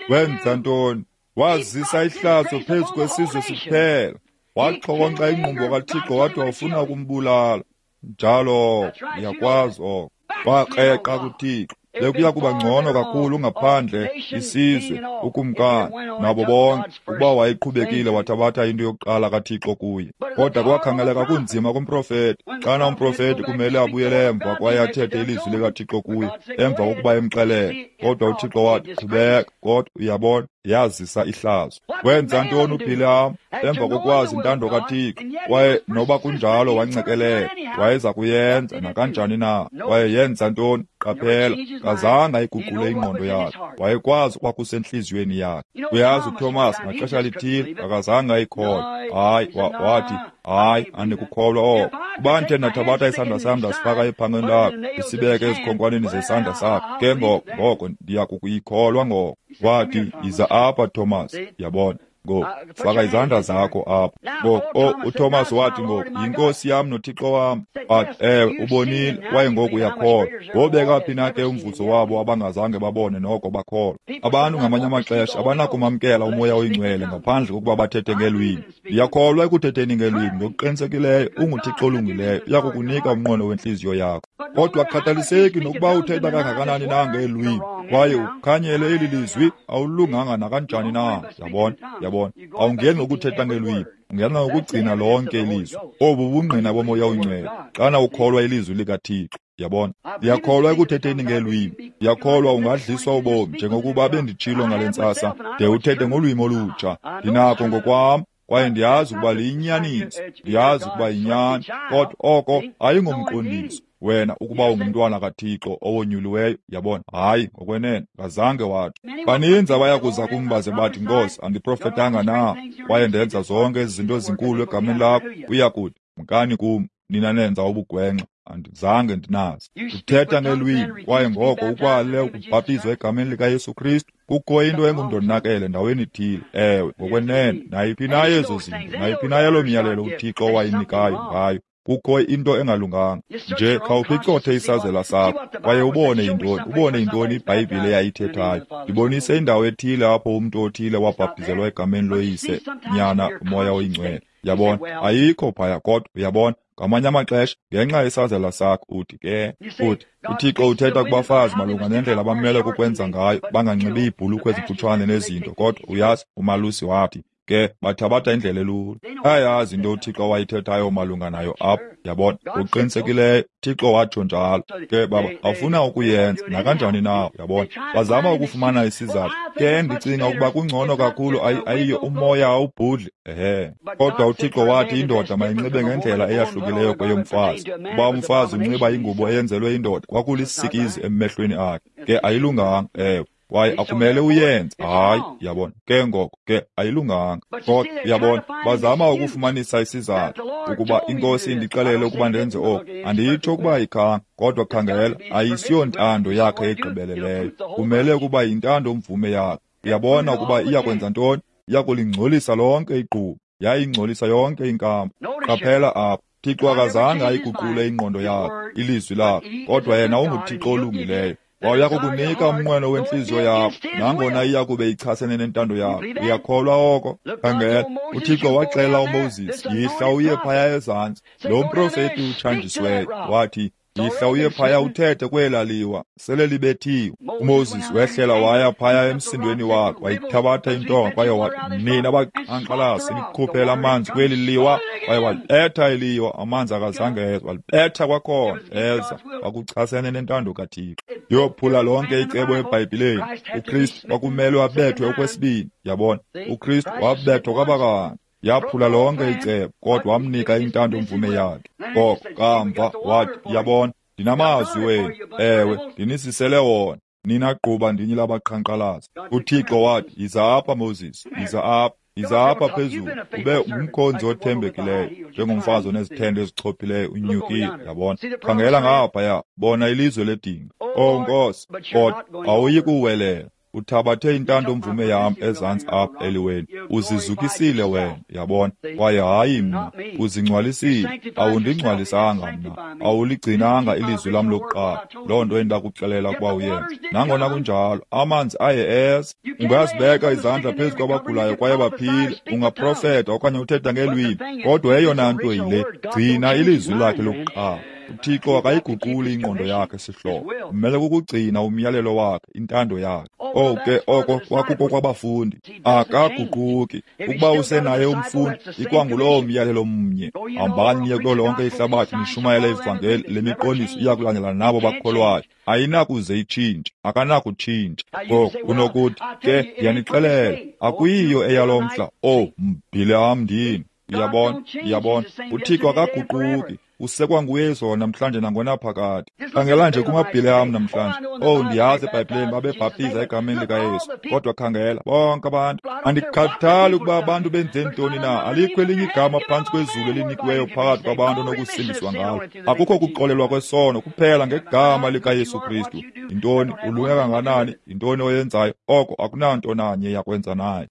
Wenza ntoni? Wazisa ihlazo phezu kwesizwe siphela. Waxhokonxa ingqumbo kaThixo wathi wawufuna ukumbulala. Njalo ndiyakwazi oko. Wakreqa kuThixo. Bekuya kuba ngcono kakhulu ngaphandle isizwe, ukumkani, nabo bonke, ukuba wayeqhubekile wathabatha into yokuqala kaThixo kuye. Kodwa kwakhangeleka kunzima kumprofeti. Xana umprofeti kumele abuyele emva kwaye athethe ilizwi likaThixo kuye, emva kokuba emxelele. Kodwa uThixo wathi, qhubeka. Kodwa uyabona, yazisa ihlazo. Wenza ntoni uBhiliyam emva kokwazi intando kaThixo? Kwaye noba kunjalo wancekelela, wayeza kuyenza nakanjani na. Kwaye yenza ntoni? Qaphela, kazange ayiguqule ingqondo yakhe. Wayekwazi okwakusentliziyweni yakhe. Uyazi uThomas ngaxesha lithile akazange ayikholwe. Hayi, wathi, hayi, andikukholwa oko. Kuba ndithe ndathabatha isandla sam ndasifaka ephangeni lakho, ndisibeke ezikhonkwaneni zesandla sakho, ke ngoko ndiya kukuyikholwa ngoko. Wathi, yiza apha, Thomas. Yabona? Ngoku, faka izandla zakho apha. Ngoku, uThomas wathi ngoku, yinkosi yam noThixo wam. Wathi, ewe, ubonile, kwaye ngoku uyakholwa. Wobeka phi na ke umvuzo wabo abangazange babone noko bakholwa? Abantu ngamanye amaxesha abanakumamkela uMoya oyiNgcwele ngaphandle kokuba bathethe ngeelwimi. Ndiyakholwa ekuthetheni ngeelwimi ngokuqinisekileyo. UnguThixo olungileyo, uya kukunika umnqweno wentliziyo yakho. Kodwa akukhathaliseki nokuba uthetha kangakanani na ngeelwimi, kwaye ukhanyele eli lizwi, awulunganga nakanjani na. Yabona, yabona, awungeni ngokuthetha ngeelwimi, ungena ngokugcina lonke ilizwi. Obu bungqina boMoya oyiNgcwele xana ukholwa ilizwi likaThixo. Yabona, ndiyakholwa ekuthetheni ngeelwimi. Ndiyakholwa ungadliswa ubomi njengokuba benditshilo ngale ntsasa, de uthethe ngolwimi olutsha. Ndinakho ngokwam, kwaye ndiyazi ukuba liyinyaniso, ndiyazi ukuba yinyani, kodwa oko ayingomqondiso wena ukuba ungumntwana kaThixo owonyuliweyo. Yabona, hayi, ngokwenene kazange wathi. Baninzi abaya kuza kum baze bathi, Nkosi, andiprofetanga na kwaye ndenza zonke ezi zinto ezinkulu egameni lakho? Uya kuthi, mkani kum, nina nenza ubugwenxa, andizange ndinazi. Uthetha ngelwimi, kwaye ngoko ukwale ukubhaptizwa egameni likaYesu Kristu. Kukho into engundonakele ndaweni ithile. Ewe, ngokwenene, nayiphi na yezo zinto, nayiphi na yaloo myalelo uThixo owayinikayo ngayo, kukho into engalunganga. Nje khawuphicothe isazela sakho kwaye ubone yintoni, ubone yintoni iBhayibhile eyayithethayo. Ndibonise indawo ethile apho umntu othile wabhaptizelwa egameni loYise, Nyana, uMoya oyiNgcwele. Yabona, ayikho phaya. Kodwa uyabona, ngamanye amaxesha ngenxa yesazela sakho uthi ke, uthi uThixo uthetha kubafazi malunga nendlela abamele kukwenza ngayo, banganxibi iibhulukhwe ezimfutshane nezinto. Kodwa uyazi, umalusi wathi ke bathabatha indlela elula. Ayazi into uThixo wayithethayo malunga nayo apho. Yabona, ngokuqinisekileyo Thixo watsho njalo. Ke baba awufuna ukuyenza nakanjani na. Yabona, bazama ukufumana isizathu. Ke ndicinga ukuba kungcono kakhulu ayiyo umoya awubhudli. Ehe. Kodwa uThixo wathi indoda mayinxibe ngendlela eyahlukileyo kweyomfazi. Kuba umfazi unxiba ingubo eyenzelwe indoda, kwakulisikizi emehlweni akhe. Ke ayilunganga, ewe. Kwaye akumele uyenze. Hayi, yabona. Ke ngoko ke ayilunganga. Kodwa uyabona, bazama ukufumanisa isizathu ukuba iNkosi indixelele ukuba ndenze oku. Anditsho ukuba ayikhanga, kodwa khangela, ayisiyontando yakhe egqibeleleyo. Kumele ukuba yintando mvume yakhe. Uyabona ukuba iya kwenza ntoni? Iya kulingcolisa lonke igquba. Yayingcolisa yonke inkampu. Qaphela apha. Thixo akazange ayiguqule ingqondo yakhe, ilizwi lakhe, kodwa yena unguThixo olungileyo. Waya kukunika umnqweno wentliziyo yakho, nangona iya kube ichasene nentando yakho. Uyakholwa oko? Khangela, uThixo waxela uMoses, yihla uye phaya ezantsi. Lo mprofeti utshanjisiweyo wathi, yihla uye phaya uthethe kwela liwa, sele libethiwe. uMoses wehlela waya phaya emsindweni wakhe, wayithabatha intonga kwaye wathi, nina baqhankqalazi nikukhuphela amanzi kweli liwa. Kwaye walibetha eliwa, amanzi akazange eza. Walibetha kwakhona, eza. Kwakuchasene nentando kaThixo. Yophula lonke icebo eBhayibhileni. uKristu kwakumelwe abethwe okwesibini. Yabona, uKristu wabethwa kwabakanye. Yaphula lonke icebo, kodwa wamnika intando-mvume yakhe. Ngoko kamva wathi, yabona, ndinamazwi wenu, ewe, ndinisisele wona. Nina gquba ndinye labaqhankqalazi. UThixo wathi, yiza apha Moses, yiza apha. Yiza apha phezulu, ube ngumkhonzi othembekileyo, njengomfazi onezithende ezichophileyo unyukile, yabona. Khangela ngaphaya, bona ilizwe ledinga. Oh Nkosi, kodwa awuyi kuwelela. Uthabathe intando-mvume yam ezantsi apha eliweni. Uzizukisile wena, yabona, kwaye hayi mna. Uzingcwalisile, awundingcwalisanga mna. Awuligcinanga ilizwi lam lokuqala, loo nto endakuxelela ukuba uyenze. Nangona kunjalo, amanzi aye eza. Ungazibeka izandla phezu kwabagulayo kwaye baphile, ungaprofeta okanye uthetha ngeelwimi, kodwa eyona nto yile, gcina ilizwi lakhe lokuqala. UThixo akayiguquli ingqondo yakhe sihlobo. Umele kukugcina umyalelo wakhe, intando yakhe. Oh ke oko kwakuko kwabafundi. Akaguquki. Ukuba usenaye umfundi, ikwangulowo myalelo mnye. Hambani niye kulo lonke ihlabathi nishumayele ivangeli, le miqondiso iya kulandela nabo bakholwayo. Ayinakuze itshintshe, akanakutshintsha. Ngoku unokuthi, ke ndiyanixelela, akuyiyo eyalo mhla. Oh, Bhileham ndini. Uyabona, uyabona, uThixo akaguquki. Usekwa nguye izolo namhlanje nangonaphakade. Khangela nje kumaBhileham namhlanje. Oh, ndiyazi eBhayibhileni babebhaptiza egameni likaYesu, kodwa khangela bonke abantu. Andikhathali ukuba abantu benze ntoni na, alikho elinye igama phantsi kwezulu elinikiweyo phakathi kwabantu onokusindiswa ngalo. Akukho kuxolelwa kwesono kuphela ngegama likaYesu Kristu. Yintoni ulunge kangakanani, yintoni oyenzayo, oko akunanto nanye yakwenza naye.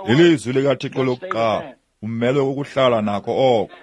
Ilizwi likaThixo lokuqala, umelwe kukuhlala nako oko.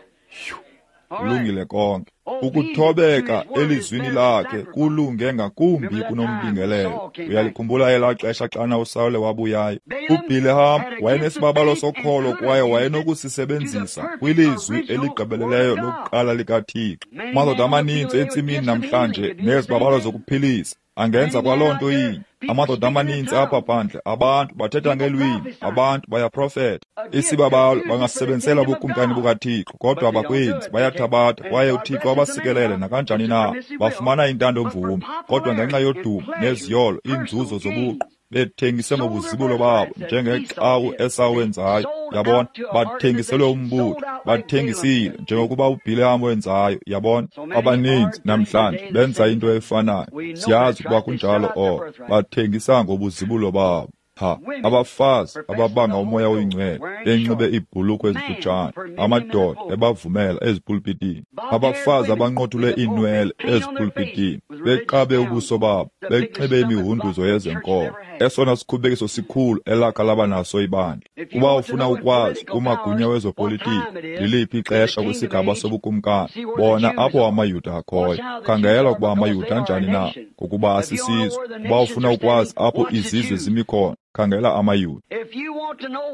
Kulungile konke. Ukuthobeka elizwini lakhe kulunge ngakumbi kunombingelelo. Uyalikhumbula elaa xesha xana uSawule wabuyayo? UBhileham wayenesibabalo sokholo kwaye wayenokusisebenzisa kwilizwi eligqibeleleyo lokuqala likaThixo. Amadoda amaninzi entsimini namhlanje nezibabalo zokuphilisa angenza kwaloo nto inye. Amadoda amaninzi apha phandle, abantu bathetha ngeelwimi, abantu bayaprofeta. Isibabalo bangasebenzisela ubukumkani bukaThixo, kodwa abakwenzi, bayathabatha kwaye uThixo abasikelele nakanjani na. Bafumana intando-mvume, kodwa ngenxa yodumo neziyolo, iinzuzo zobuqu, bethengise ngobuzibulo babo njengexa uEsawu wenzayo, yabona, bathengiselwe umbutho, bathengisile njengokuba uBhileham wenzayo, yabona. Abaninzi namhlanje benza into efanayo, siyazi ukuba kunjalo oko, bathengisa ngobuzibulo babo. Ha, abafazi ababanga umoya oyingcwele benxibe iibhulukhwe ezifutshane, amadoda ebavumela ezipulpitini, abafazi abanqothule iinwele ezipulpitini, beqabe ubuso babo, benxibe imihunduzo yezenkolo, esona sikhubekiso sikhulu elakha laba naso ibandla. Kuba ufuna ukwazi kumagunya wezopolitiko liliphi ixesha kwisigaba sobukumkani, bona apho amaYuda akhoyo. Khangela ukuba amaYuda anjani na, ngokuba asisizwe. Kuba ufuna ukwazi apho izizwe zimi khona, khangela amaYuda.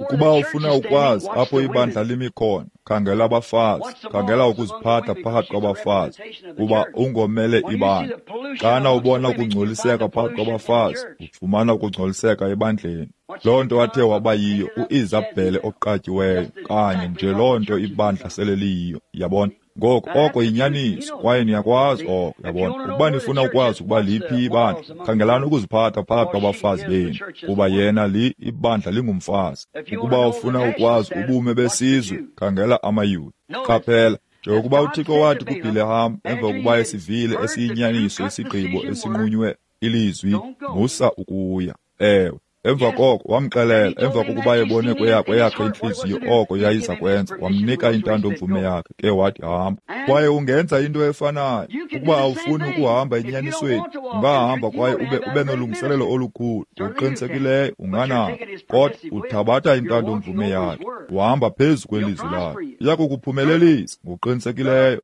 Ukuba ufuna ukwazi apho ibandla limi khona, khangela abafazi, khangela ukuziphatha phakathi kwabafazi, kuba ungomele ibandla. Xana ubona ukungcoliseka phakathi kwabafazi, ufumana ukungcoliseka ebandleni. Loo nto athe waba yiyo uIsabhele oqatyiweyo, kanye nje loo nto ibandla sele liyiyo, yabona. Ngoko oko yinyaniso kwaye niyakwazi oko, yabona. Ukuba nifuna ukwazi ukuba liphi ibandla, khangelani ukuziphatha phakathi kwabafazi benu, kuba yena ibandla lingumfazi. Ukuba ufuna ukwazi ubume besizwe, khangela amaYuda. Qaphela, njengokuba uThixo wathi kuBhileham emva kokuba esivile esiyinyaniso isigqibo esinqunywe ilizwi, musa ukuya. Ewe. Emva koko wamxelela, emva kokuba ebone kweyakhe intliziyo oko yayiza kwenza, wamnika intando-mvume yakhe, ke wathi hamba. Kwaye ungenza into efanayo. Ukuba awufuni ukuhamba enyanisweni, ungahamba kwaye ube nolungiselelo olukhulu, ngokuqinisekileyo unganako, kodwa uthabatha intando-mvume yakhe, uhamba phezu kwelizwi lakhe. Iya kukuphumelelisa ngokuqinisekileyo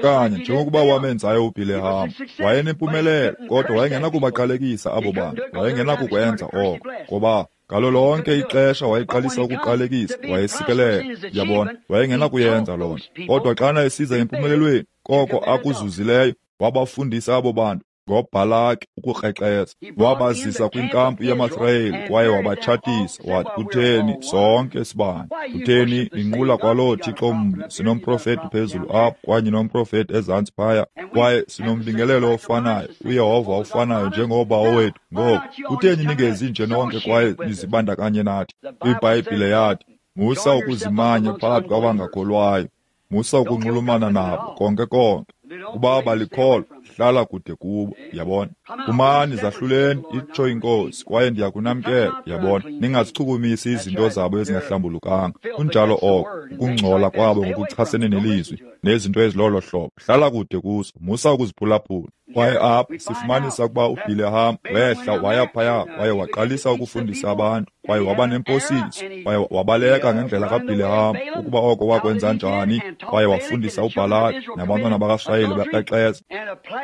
kanye njengokuba wamenzayo uBhileham. Wayenempumelelo, kodwa wayengenakubaqalekisa abo bantu, wayengenakukwenza oko. Ngoba ngalo lonke ixesha wayeqalisa ukuqalekisa, wayesikelela, yabona, wayengenakuyenza loo nto. Kodwa xana esiza empumelelweni, koko akuzuzileyo, wabafundisa abo bantu ngoBhalaki ukukrexeza. Wabazisa kwinkampu yamaSirayeli kwaye wabatshatisa. Wathi, kutheni sonke sibane? Kutheni ninqula kwaloo Thixo mnye? Sinomprofeti phezulu apha kwanye nomprofeti ezantsi phaya, kwaye sinombingelelo ofanayo, uYehova ofanayo njengoba owethu. Ngoku kutheni ningezi nje nonke kwaye nizibandakanye nathi? IBhayibhile yathi, Musa ukuzimanya phakathi kwabangakholwayo. Musa ukunxulumana nabo konke konke. Kuba abalikholwa, hlala kude kubo, yabona. Phumani zahluleni, itsho iNkosi, kwaye ndiyakunamkela, yabona. Ningazichukumisi izinto zabo ezingahlambulukanga. Kunjalo oko, ukungcola kwabo ngokuchasene nelizwi, nezinto ezilolo hlobo. Hlala kude kuzo, musa ukuziphulaphula. Kwaye apha sifumanisa ukuba uBhileham wehla waya phaya kwaye waqalisa ukufundisa abantu, kwaye waba nemposiso, kwaye wabaleka ngendlela kaBhileham, ukuba oko wakwenza njani, kwaye wafundisa uBhalaki nabantwana bakaSirayeli bekrexeza.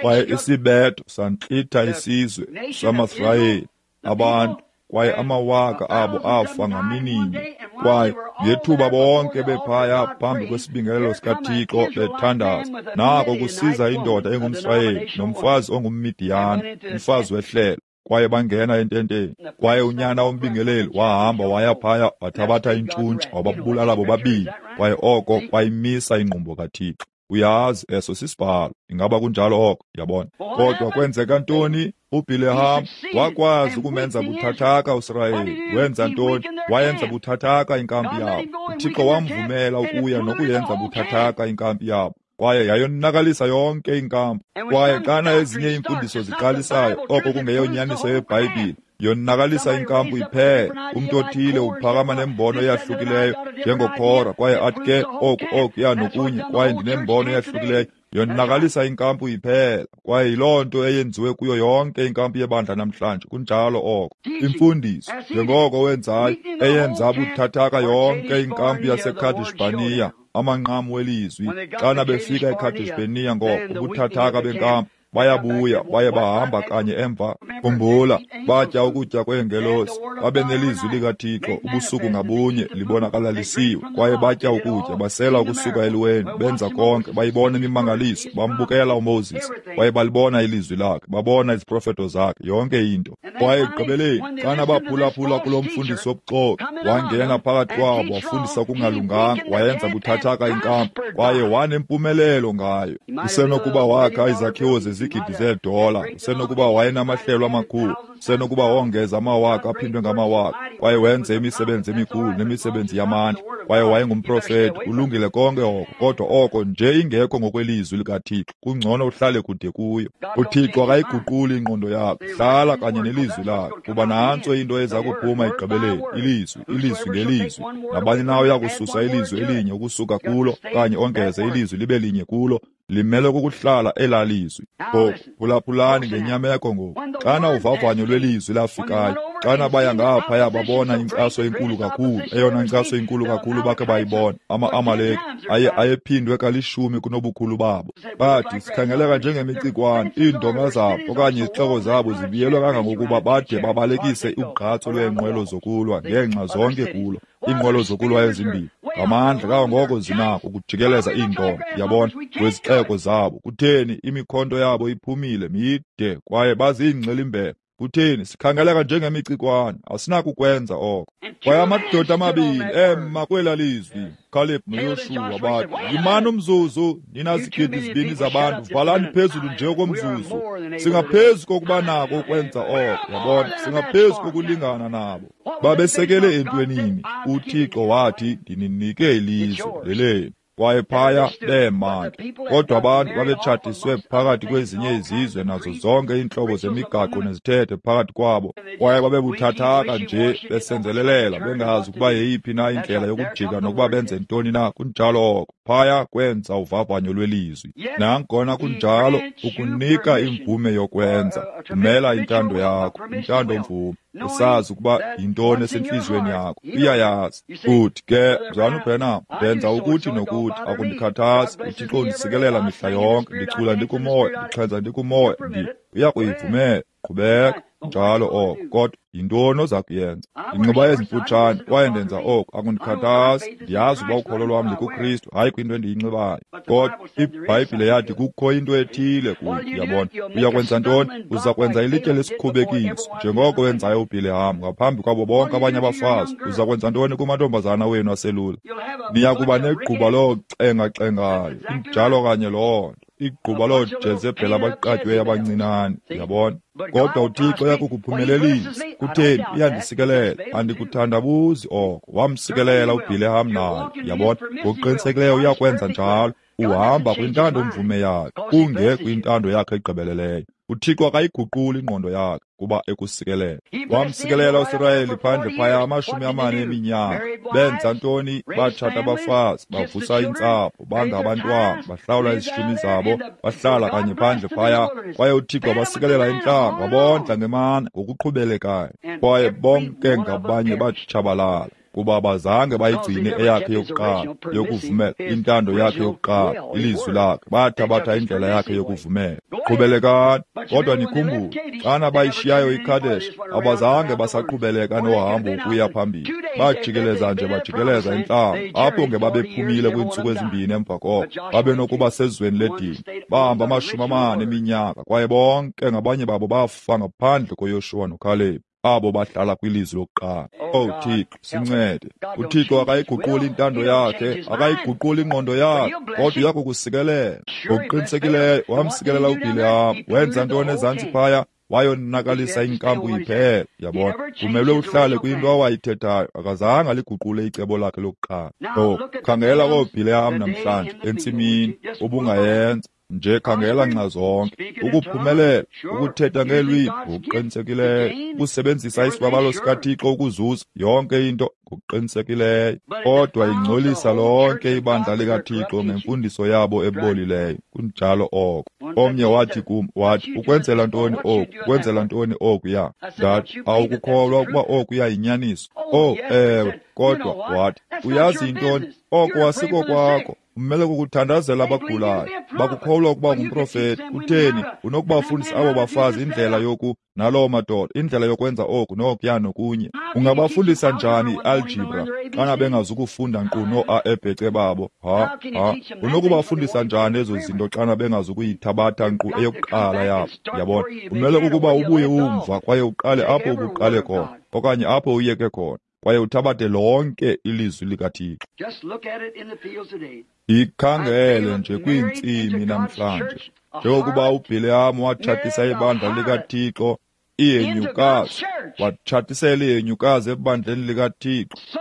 Kwaye isibetho santlitha isizwe samaSirayeli, abantu, kwaye amawaka abo afa ngamininye. Kwaye ngethuba bonke bephaya phambi kwesibingelelo sikaThixo bethandaza, nako kusiza indoda engumSirayeli nomfazi ongumMidiyani, umfazi wehlelo, kwaye bangena ententeni. Kwaye unyana wombingeleli wahamba waya phaya wathabatha intshuntshe wababulala bobabini, kwaye oko kwayimisa ingqumbo kaThixo. Uyazi, eso sisibhalo. Ingaba kunjalo oko? Yabona. Kodwa kwenzeka ntoni? uBhileham wakwazi ukumenza buthathaka uSirayeli. Wenza ntoni? Wayenza buthathaka inkampi yabo. UThixo wamvumela ukuya nokuyenza buthathaka inkampi yabo, kwaye yayonakalisa yonke inkampu. Kwaye xana ezinye iimfundiso ziqalisayo, oko kungeyonyaniso yeBhayibhile, yonakalisa inkampu iphela. Umntu othile uphakama nembono eyahlukileyo njengoKhora, kwaye athi ke oku okuya nokunye, kwaye ndinembono eyahlukileyo, yonakalisa inkampu iphela. Kwaye yiloo nto eyenziwe kuyo yonke inkampu yebandla namhlanje. Kunjalo oko. Imfundiso, njengoko wenzayo, eyenza buthathaka yonke inkampu yaseKadesh-Barnea, amanqam welizwi. Xana befika eKadesh-Barnea ngoko, ubuthathaka benkampu, bayabuya baye bahamba kanye emva. Khumbula, batya ukutya kweengelosi, babe nelizwi likaThixo ubusuku ngabunye libonakalalisiwe, kwaye batya ukutya, basela ukusuka eliweni, benza konke, bayibona imimangaliso, bambukela uMoses, kwaye balibona ilizwi lakhe, babona iziprofeto zakhe, yonke into. Kwaye ekugqibeleni, xana baphulaphula kulo mfundisi wobuxoki, wangena phakathi kwabo, wafundisa okungalunganga, wayenza buthathaka inkampu, kwaye wanempumelelo ngayo. Usenokuba wakha izakhiwo zezigidi zeedola, usenokuba wayenamahlelo amakhulu, usenokuba wongeza amawaka aphindwe ngamawaka, kwaye wenze imisebenzi emikhulu nemisebenzi yamandla, kwaye wayengumprofeti. Kulungile konke oko, kodwa oko nje ingekho ngokwelizwi likaThixo, kungcono uhlale kude kuyo. UThixo akayiguquli ingqondo yakho, hlala kanye nelizwi lakhe, kuba nantso into eza kuphuma ekugqibeleni, ilizwi, ilizwi ngelizwi. Nabani na uyakususa ilizwi elinye ukusuka kulo, okanye ongeze ilizwi libe linye kulo, limele kukuhlala elaa lizwi. Ngoku phulaphulani ngenyameko ngoku. Xana uvavanyo lwelizwi lafikayo, xana baya ngaphaya babona inkcaso enkulu kakhulu, eyona nkcaso inkulu kakhulu bakhe bayibona, ama-Amaleki ayephindwe kalishumi kunobukhulu babo. Bathi, sikhangeleka njengemicikwane, iindonga zabo okanye izixeko zabo zibiyelwe kangangokuba bade babalekise ugqatso lweenqwelo zokulwa ngeenxa zonke kulo, iinqwelo zokulwa ezimbini, ngamandla kangangoko zinako ukujikeleza iindonga, yabona, kwezixeko zabo. Kutheni, imikhonto yabo iphumile mide kwaye baziingxilimbela. Kutheni, sikhangeleka njengemicikwane, asinakukwenza oko. Kwaye amadoda amabini ema kwela lizwi, Caleb noYoshuwa, bathi, yimani umzuzu, nina zigidi zibini zabantu, valani phezulu nje komzuzu. Singaphezu kokuba nako ukwenza oko, yabona, singaphezu kokulingana nabo. Babesekele entwenini. UThixo wathi, ndininike ilizwe lelenu. Kwaye phaya bema ke. Kodwa abantu babetshatiswe phakathi kwezinye izizwe nazo zonke iintlobo zemigaqo nezithethe phakathi kwabo, kwaye babebuthathaka nje besenzelelela, bengazi ukuba yeyiphi na indlela yokujika nokuba benze ntoni na. Kunjalo oko. Phaya kwenza uvavanyo lwelizwi. Nangona kunjalo, ukunika imvume yokwenza, umela intando yakho, intando mvume, usazi ukuba yintoni esentliziyweni yakho, uyayazi. Uthi ke, Mzalwana uBrenham, ndenza ukuthi nokuthi, akundikhathazi, uThixo undisikelela mihla yonke, ndicula ndikumoya, ndixhenza ndikumoya, uyakuyivumela, qhubeka. Njalo oko, kodwa yintoni oza kuyenza? Ndinxiba ezimfutshane kwaye ndenza oko, akundikhathazi, ndiyazi uba ukholo lwam likuKristu, hayi kwinto endiyinxibayo. Kodwa iBhayibhile yathi kukho into ethile kuyo, yabona. Uya kwenza ntoni? Uza kwenza ilitye lesikhubekiso, njengoko wenzayo uBhileham ngaphambi kwabo bonke abanye abafazi. Uza kwenza ntoni kumantombazana wenu aselula? Niya kuba negquba loocengacengayo, injalo kanye loo nto. Igquba looJezebheli abaqatyweyo abancinane, yabona. Kodwa uThixo uyakukuphumelelisa. Kutheni? Uyandisikelela. Andikuthandabuzi oko. Wamsikelela uBhileham naye, yabona. Ngokuqinisekileyo uyakwenza njalo. Uhamba kwintando mvume yakhe, kungekwintando yakhe egqibeleleyo. UThixo akayiguquli ingqondo yakhe kuba ekusikelela. Wamsikelela uSirayeli phandle phaya 40 eminyaka. Benza ntoni? Batshata abafazi, bavusa iintsapho, bangabantwana, bahlawula izishumi zabo, bahlala kanye phandle phaya. Kwaye uThixo wabasikelela intlango, wabondla ngemana ngokuqhubelekayo. Kwaye bonke ngabanye batshabalala, kuba bazange bayigcine eyakhe yokuqala yokuvumela, intando yakhe yokuqala, ilizwi lakhe. Bathabatha indlela yakhe yokuvumela. Qhubelekani. Kodwa nikhumbule, xana bayishiyayo iKadesh, abazange basaqhubeleka nohambo ukuya phambili. Bajikeleza nje, bajikeleza intlango. Apho ngebabephumile kwiintsuku ezimbini emva koko, babenokuba sezweni ledini. Bahamba 40 eminyaka, kwaye bonke ngabanye babo bafa ngaphandle koYoshuwa noKalebi, abo bahlala kwilizwi lokuqala. Oh Thixo, sincede. uThixo akayiguquli intando yakhe, akayiguquli ingqondo yakhe, kodwa uyakukusikelela. Ngokuqinisekileyo wamsikelela uBhileham. Wenza ntoni ezantsi phaya? Wayonakalisa inkampu iphela, yabona. Kumelwe uhlale kwinto awayithethayo. Akazange aliguqule icebo lakhe lokuqala. Oh, khangela kooBhileham namhlanje entsimini, ubungayenza nje. Khangela nxa zonke ukuphumelela, ukuthetha ngeelwimi ngokuqinisekileyo, ukusebenzisa isibabalo sikaThixo ukuzuza yonke into ngokuqinisekileyo, kodwa ingcolisa lonke ibandla likaThixo ngemfundiso yabo ebolileyo. Kunjalo oko. Omnye wathi kum, wathi, ukwenzela ntoni oku? Ukwenzela ntoni okuya? Ndathi, awukukholwa ukuba okuya yinyaniso? Oh, ewe, kodwa wathi, uyazi yintoni? Oko asiko kwakho. Umele kukuthandazela abagulayo. Bakukholwa ukuba ngumprofeti. Kutheni? Unokubafundisa abo bafazi indlela yoku naloo madoda, indlela yokwenza oku nokuya nokunye. Ungabafundisa njani i-algebra xana bengazukufunda nkqu noo-A ebhece babo? Ha, ha. Unokubafundisa njani ezo zinto xana bengazukuyithabatha nkqu eyokuqala yabo? Yabona? Umele kukuba ubuye umva kwaye uqale apho ubuqale khona, okanye apho uyeke khona, kwaye uthabathe lonke ilizwi likaThixo. Ikhangele nje kwiintsimi namhlanje, njengokuba uBhileham watshatisa ibandla likaThixo ihenyukazi, watshatisela ihenyukazi ebandleni likaThixo.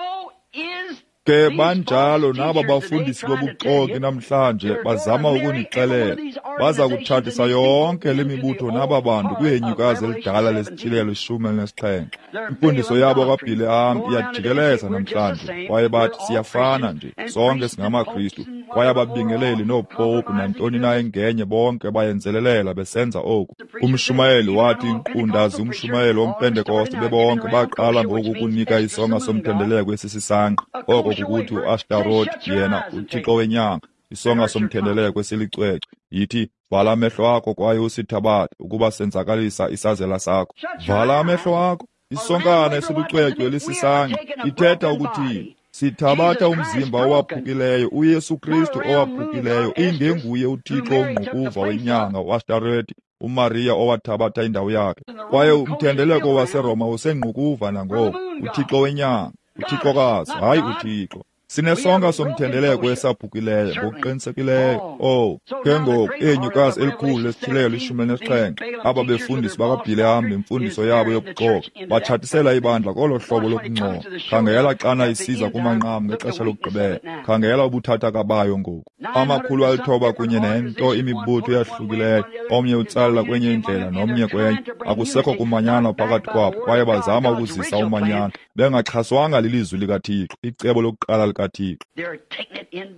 Ke banjalo naba bafundisi bobuxoki namhlanje bazama ukunixelela, baza kutshatisa yonke le mibutho naba bantu kwihenyukazi elidala lesityhilelo 17. Imfundiso yabo kaBhileham iyajikeleza namhlanje, kwaye bathi siyafana nje, sonke singamaKristu, kwaye ababingeleli noopopu nantoni na engenye bonke bayenzelelela besenza oku. Umshumayeli wathi nkqundazi umshumayeli womPentekoste bebonke baqala ngoku ukunika isonka somthendeleko esisisanqa, oko kukuthi uAshtaroti, yena uthixo wenyanga, isonka somthendeleko esilicwecwe. Yithi, vala amehlo akho kwaye usithabathe ukuba senzakalisa isazela sakho. Vala amehlo akho. Isonkana esilucwecwe elisisanqa ithetha ukuthini? Sithabatha umzimba owaphukileyo, uYesu Kristu owaphukileyo, ingenguye uThixo ongqukuva wenyanga uAshtareti, uMariya owathabatha indawo yakhe. Kwaye umthendeleko waseRoma usengqukuva nangoku, uThixo wenyanga, uThixokazi, hayi uThixo. Sinesonka somthendeleko esaphukileyo ngokuqinisekileyo. Oh, ke ngoku ihenyukazi elikhulu lesityhilelo 17, aba befundisi bakaBhileham nemfundiso yabo yobuxoki batshatisela ibandla kolo hlobo lokungcola. Khangela xana isiza kumanqam ngexesha lokugqibela. Khangela ubuthathaka bayo ngoku. 900 kunye nento imibutho eyahlukileyo, omnye utsalela kwenye indlela nomnye kwenye. Akusekho kumanyana phakathi kwabo, kwaye bazama ukuzisa umanyano bengaxhaswanga lilizwi likaThixo, icebo lokuqala likaThixo.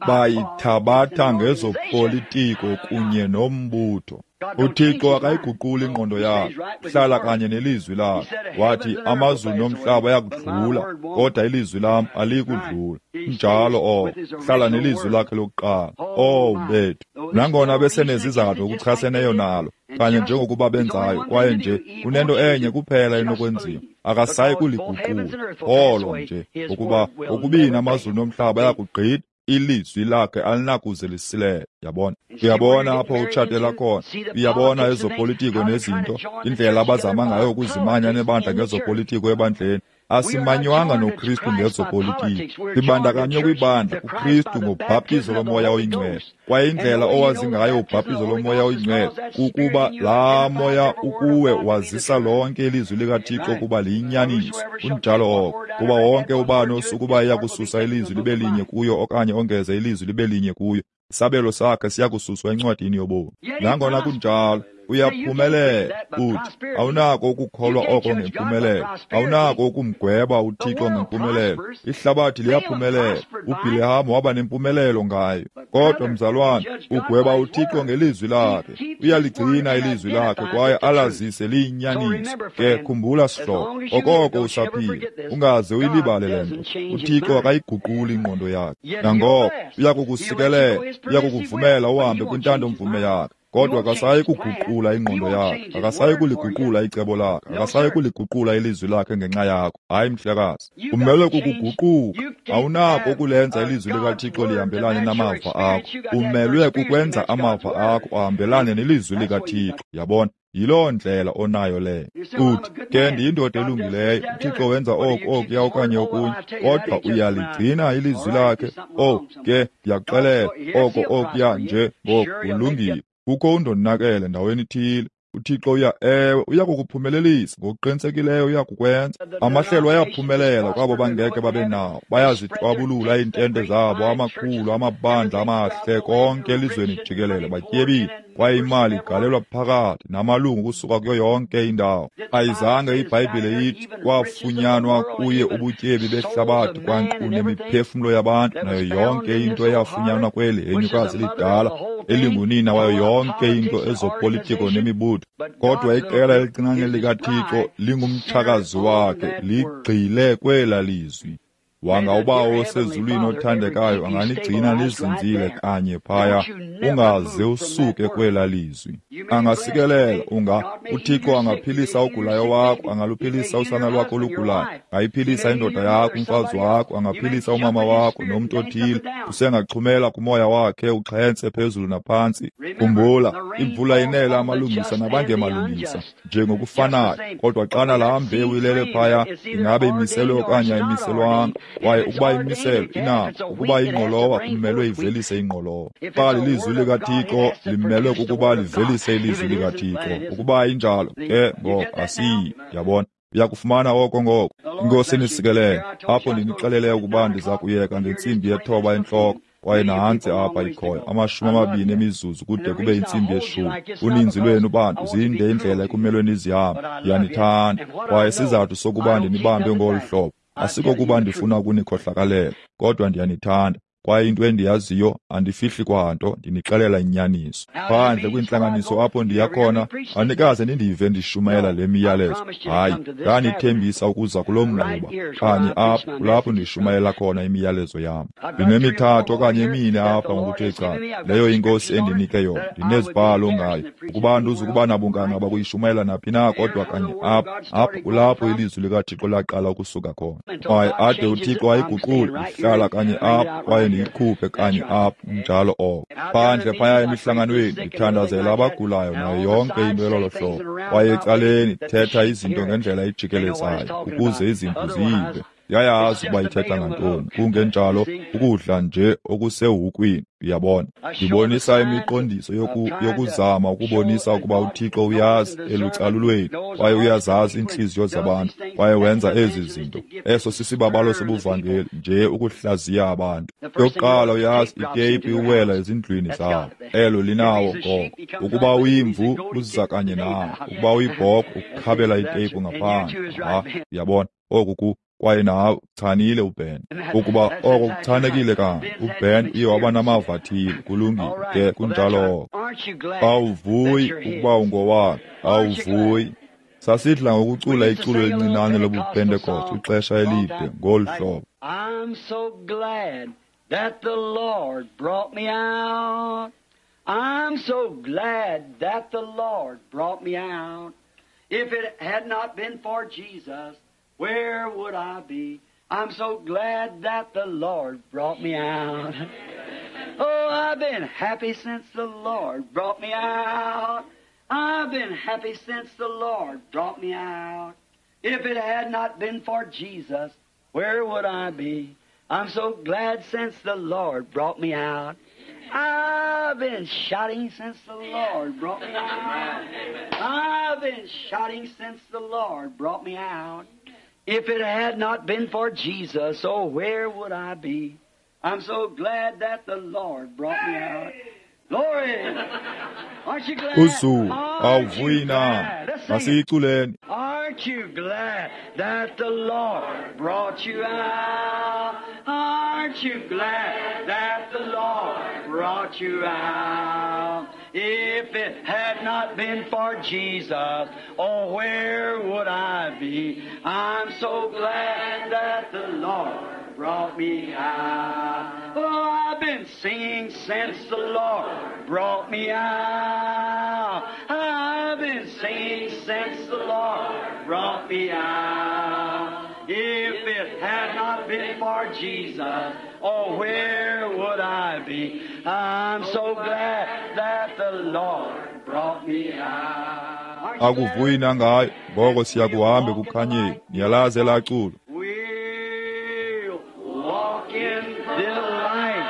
Bayithabatha ngezopolitiko kunye nombutho. uThixo akayiguquli ingqondo yakhe, uhlala kanye nelizwi lakhe. Wathi amazulu nomhlaba ayakudlula, kodwa ilizwi lam alikudlula. Njalo oko, hlala nelizwi lakhe lokuqala. Oh bethu, nangona besenezizathu okuchaseneyo nalo, kanye njengokuba benzayo, kwaye nje unento enye kuphela enokwenziwa, akasayi kuliguqula. Olo nje, ngokuba okubini amazulu nomhlaba ayakugqitha, ilizwi lakhe alinakuze lisilele. Yabona? Uyabona apho utshatela khona. Uyabona ezopolitiko nezinto, indlela abazama ngayo ukuzimanya nebandla ngezopolitiko ebandleni. Asimanywanga noKristu ngezopolitiki. Sibandakanywe kwibandla kuKristu ngobhaptizo loMoya oyiNgcwele. Kwaye indlela owazi ngayo ubhaptizo loMoya oyiNgcwele kukuba laa Moya ukuwe wazisa lonke ilizwi likaThixo ukuba liyinyaniso. Kunjalo oko. Kuba wonke ubani osukuba eya kususa ilizwi libe linye kuyo okanye ongeze ilizwi libe linye kuyo, isabelo sakhe siya kususwa encwadini yobomi. Nangona kunjalo, uyaphumelela. Uthi awunako ukukholwa oko ngempumelelo, awunako ukumgweba uThixo ngempumelelo. Ihlabathi liyaphumelela. uBhilehamu waba nempumelelo ngayo. Kodwa mzalwane, ugweba uThixo ngelizwi lakhe. Uyaligcina ilizwi lakhe kwaye alazise liyinyaniso. Ke khumbula sihlobo, okoko usaphila, ungaze uyilibale le nto. UThixo akayiguquli ingqondo yakhe. Nangoko uyakukusikelela, uyakukuvumela uhambe kwintando-mvume yakhe. Kodwa akasayi kuguqula ingqondo yakhe, akasayi kuliguqula icebo lakhe, akasayi kuliguqula ilizwi lakhe ngenxa yakho. Hayi, mhlekazi, umelwe kukuguquka. Awunako ukulenza ilizwi likaThixo lihambelane namava akho. Umelwe kukwenza amava akho ahambelane nelizwi likaThixo. Yabona? Yiloo ndlela onayo leyo. Uthi, ke ndiyindoda elungileyo, uThixo wenza oku, okuya okanye okunye, kodwa uyaligcina ilizwi lakhe. Owu, ke ndiyakuxelela, oko okuya nje ngoku kulungile. Kukho undonakele ndaweni ithile. uThixo uya, ewe, uya kukuphumelelisa ngokuqinisekileyo, uya kukwenza. Amahlelo ayaphumelela kwabo bangeke babe nawo. Bayazitwabulula iintente zabo, amakhulu, amabandla amahle, konke elizweni jikelele, batyebile, kwaye imali igalelwa phakathi namalungu kusuka kuyo yonke indawo. Ayizange iBhayibhile ithi kwafunyanwa kuye ubutyebi behlabathi kwankqu nemiphefumlo yabantu nayo yonke into eyafunyanwa kweli henyukazi lidala elingunina wayo yonke into ezopolitiko nemibutho. Kodwa iqela elincinane likaThixo lingumtshakazi wakhe, ligxile kwela lizwi. Wanga uBawo osezulwini othandekayo anganigcina nizinzile kanye phaya, ungaze usuke kwela lizwi. Angasikelela, unga uThixo angaphilisa ogulayo wakho, angaluphilisa usana lwakho olugulayo, angayiphilisa indoda yakho, umfazi wakho, angaphilisa umama wakho nomntu othile. Usengaxhumela kumoya wakhe uxhentse phezulu naphantsi. Khumbula, imvula inela amalungisa nabangemalungisa njengokufanayo. Kodwa xana laa mbewu ilele phaya, ingabe imiselwe okanye ayimiselwanga? Kwaye ukuba imiselwe inako, ukuba ingqolowa kumelwe ivelise ingqolowa. Xa lilizwi likaThixo limelwe kukuba livelise ilizwi likaThixo. Ukuba injalo ke ngoko asiyi. Yabona, uyakufumana oko ngoko. Inkosi inisikelele. Apho ndinixelele ukuba ndiza kuyeka ngentsimbi 9 entloko, kwaye nantsi apha ikhoyo 20 emizuzu kude kube intsimbi 10. Uninzi lwenu bantu zinde indlela ekumelwe nizihambe. Ndiyanithanda, kwaye isizathu sokuba ndinibambe ngolu hlobo asikokuba ndifuna ukunikhohlakalela, kodwa ndiyanithanda. Kwaye into endiyaziyo, andifihli kwanto, ndinixelela inyaniso. Phandle kwiintlanganiso apho ndiya khona, andikaze nindive ndishumayela le miyalezo. Hayi, ndanithembisa ukuza kulo mnquba kanye apho, kulapho ndishumayela khona imiyalezo yam. Ndinemithathu okanye emine apha ngokuthe cala, leyo inkosi endinike yona. Ndinezibhalo ngayo, ukuba andizukuba nabunganga bakuyishumayela naphi na, kodwa kanye apha, apho kulapho ilizwi likaThixo laqala ukusuka khona. Kwaye ade uThixo ayiguqule, ndihlala kanye apho, kwaye ndiyikhuphe kanye apho. Njalo oko. Phandle phaya emihlanganweni ndithandazela abagulayo nayo yonke into elolo hlobo. Kwaye ecaleni thetha izinto ngendlela ejikelezayo ukuze izimvu ziyive. Yayazi ukuba ithetha ngantoni. Kungenjalo ukudla nje okusewukwini, uyabona. Ndibonisa imiqondiso yokuzama ukubonisa ukuba uThixo uyazi elucalulweni, kwaye uyazazi iintliziyo zabantu, kwaye wenza ezi zinto. Eso sisibabalo sobuvangeli nje, ukuhlaziya abantu. Yokuqala uyazi, iteyipu iwela ezindlwini zabo. Elo linawo ngoko. Ukuba uyimvu uza kanye nawo, ukuba uyibhokhwe ukukhabela iteyipu ngaphandle. Ha, uyabona, oku kwaye nawe uchanile uBen. Ukuba oko kuchanekile kanye, uBen uye waba namava athile. Kulungile ke, kunjalo oko. Awuvuyi ukuba ungowakhe, awuvuyi. Sasidla ngokucula iculo elincinane lobuPentekoste ixesha elide ngolu hlobo. I'm so glad that the Lord brought me out. I'm so glad that the Lord brought me out. If it had not been for Jesus, where would I be? I'm so glad that the Lord brought me out. Oh, I've been happy since the Lord brought me out. I've been happy since the Lord brought me out. If it had not been for Jesus, where would I be? I'm so glad since the Lord brought me out. I've been shouting since the Lord brought me out. I've been shouting since the Lord brought me out. If it had not been for Jesus, oh, where would I be? I'm so glad that the Lord brought me out. Glory! Aren't you glad? Uzuko, Aren't you awuvuyi na? glad? Let's sing it. Masiyiculeni. Aren't you glad that the Lord brought you out? Aren't you glad that the Lord brought you out? If it had not been for Jesus, oh, where would I be? I'm so glad that the Lord brought me out. Oh, I've been singing since the Lord brought me out. I've been singing since the Lord brought me out. If it had not been for Jesus, oh, where would I be? I'm so glad that the Lord brought me out. Aren't you glad? Akuvuyi na ngayo? Ngoko siya kuhamba ekukhanyeni. Niyalazi elaa culo. We'll walk in the light.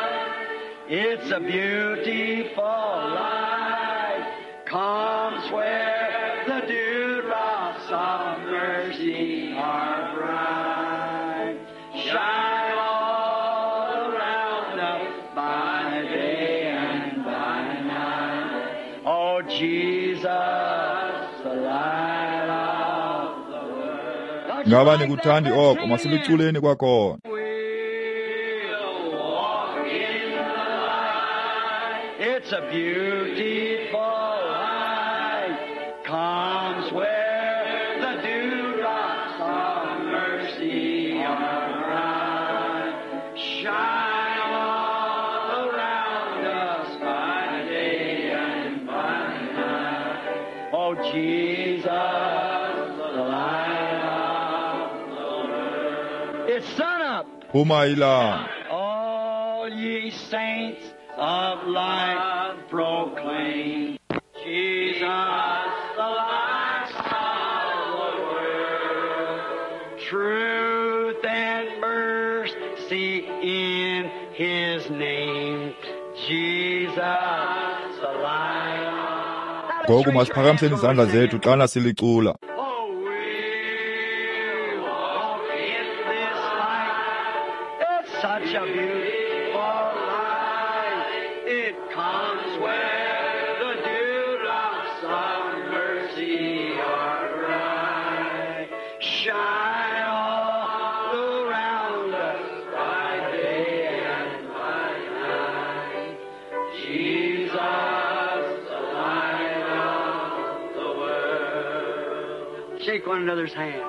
It's a beautiful light. Comes where the dewdrops of mercy are bright. Shine all around us by day and by night. Oh, Jesus, the light of the world. Don't you Ngaba like that? nikuthandi Let's oko? sing it again. Masiluculeni kwakhona. We'll walk in the light. It's a beautiful light. Comes where the dewdrops of mercy are bright. Shine all around us by day and by night. Oh, Jesus, the light of the world. It's sun up. Phuma ilanga. All ye saints of light proclaim Jesus, the light of the world. Truth and mercy in His name. Jesus, the light. Now let's Ngoku raise your hands masiphakamiseni when we izandla sing zethu it. xana silicula. Oh, we walk in this light. It's such a beautiful light. It comes where the dewdrops of mercy are bright. Shine all around us by day and by night. Jesus, the light of the world. Shake one another's hand.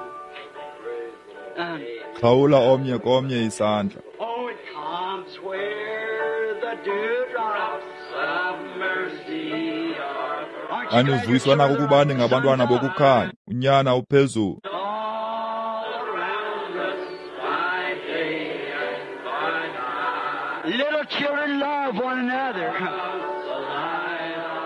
Xhawula omnye komnye isandla. Oh, it comes where the dewdrops of mercy are. Aren't you glad your Anivuyiswa children nakukuba are ningabantwana sons up? bokukhanya. Unyana uphezulu. All around us by day and by night. Little children love one another.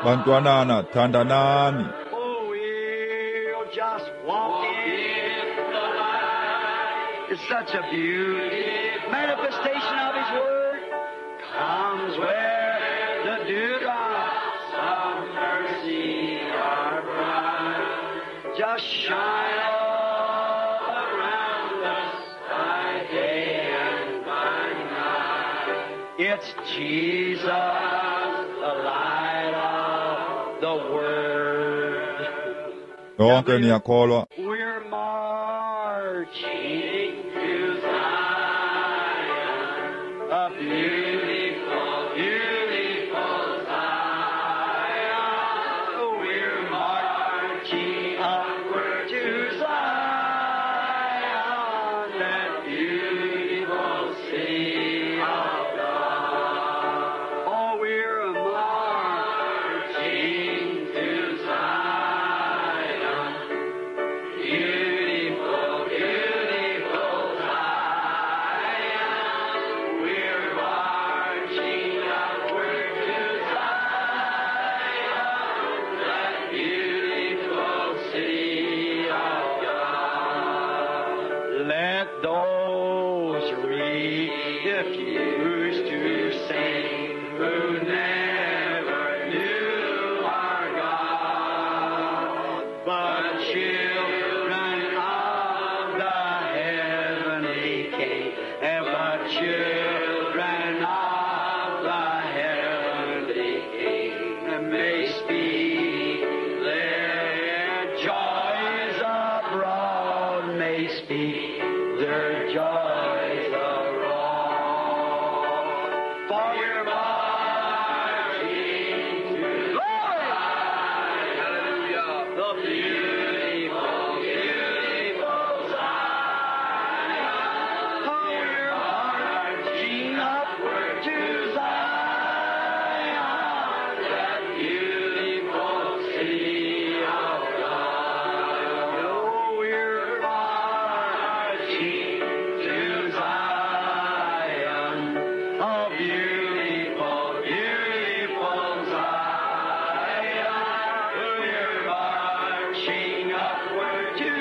Bantwanana, thandanani. Oh, we'll just walk in the light. It's such a beauty. Manifestation of His Word comes where the dewdrops of mercy are bright. Just shine all around us by day and by night. It's Jesus, the light of the world. Nonke niyakholwa. We're marching to Zion, a beautiful, beautiful Zion. We're marching upward to Zion, that beautiful city of God. Oh, we're marching to Zion. Beautiful, beautiful those refuse to sing, who never knew our God, but children of the heavenly King, and but children of the heavenly King may speak their joys abroad, may speak their joys abroad. For we're marching to glory, hallelujah, the beautiful, beautiful Zion. Oh, we're marching upward to Zion, that beautiful city of God. Oh, we're marching to Zion, a beautiful, beautiful Zion. We're marching upward to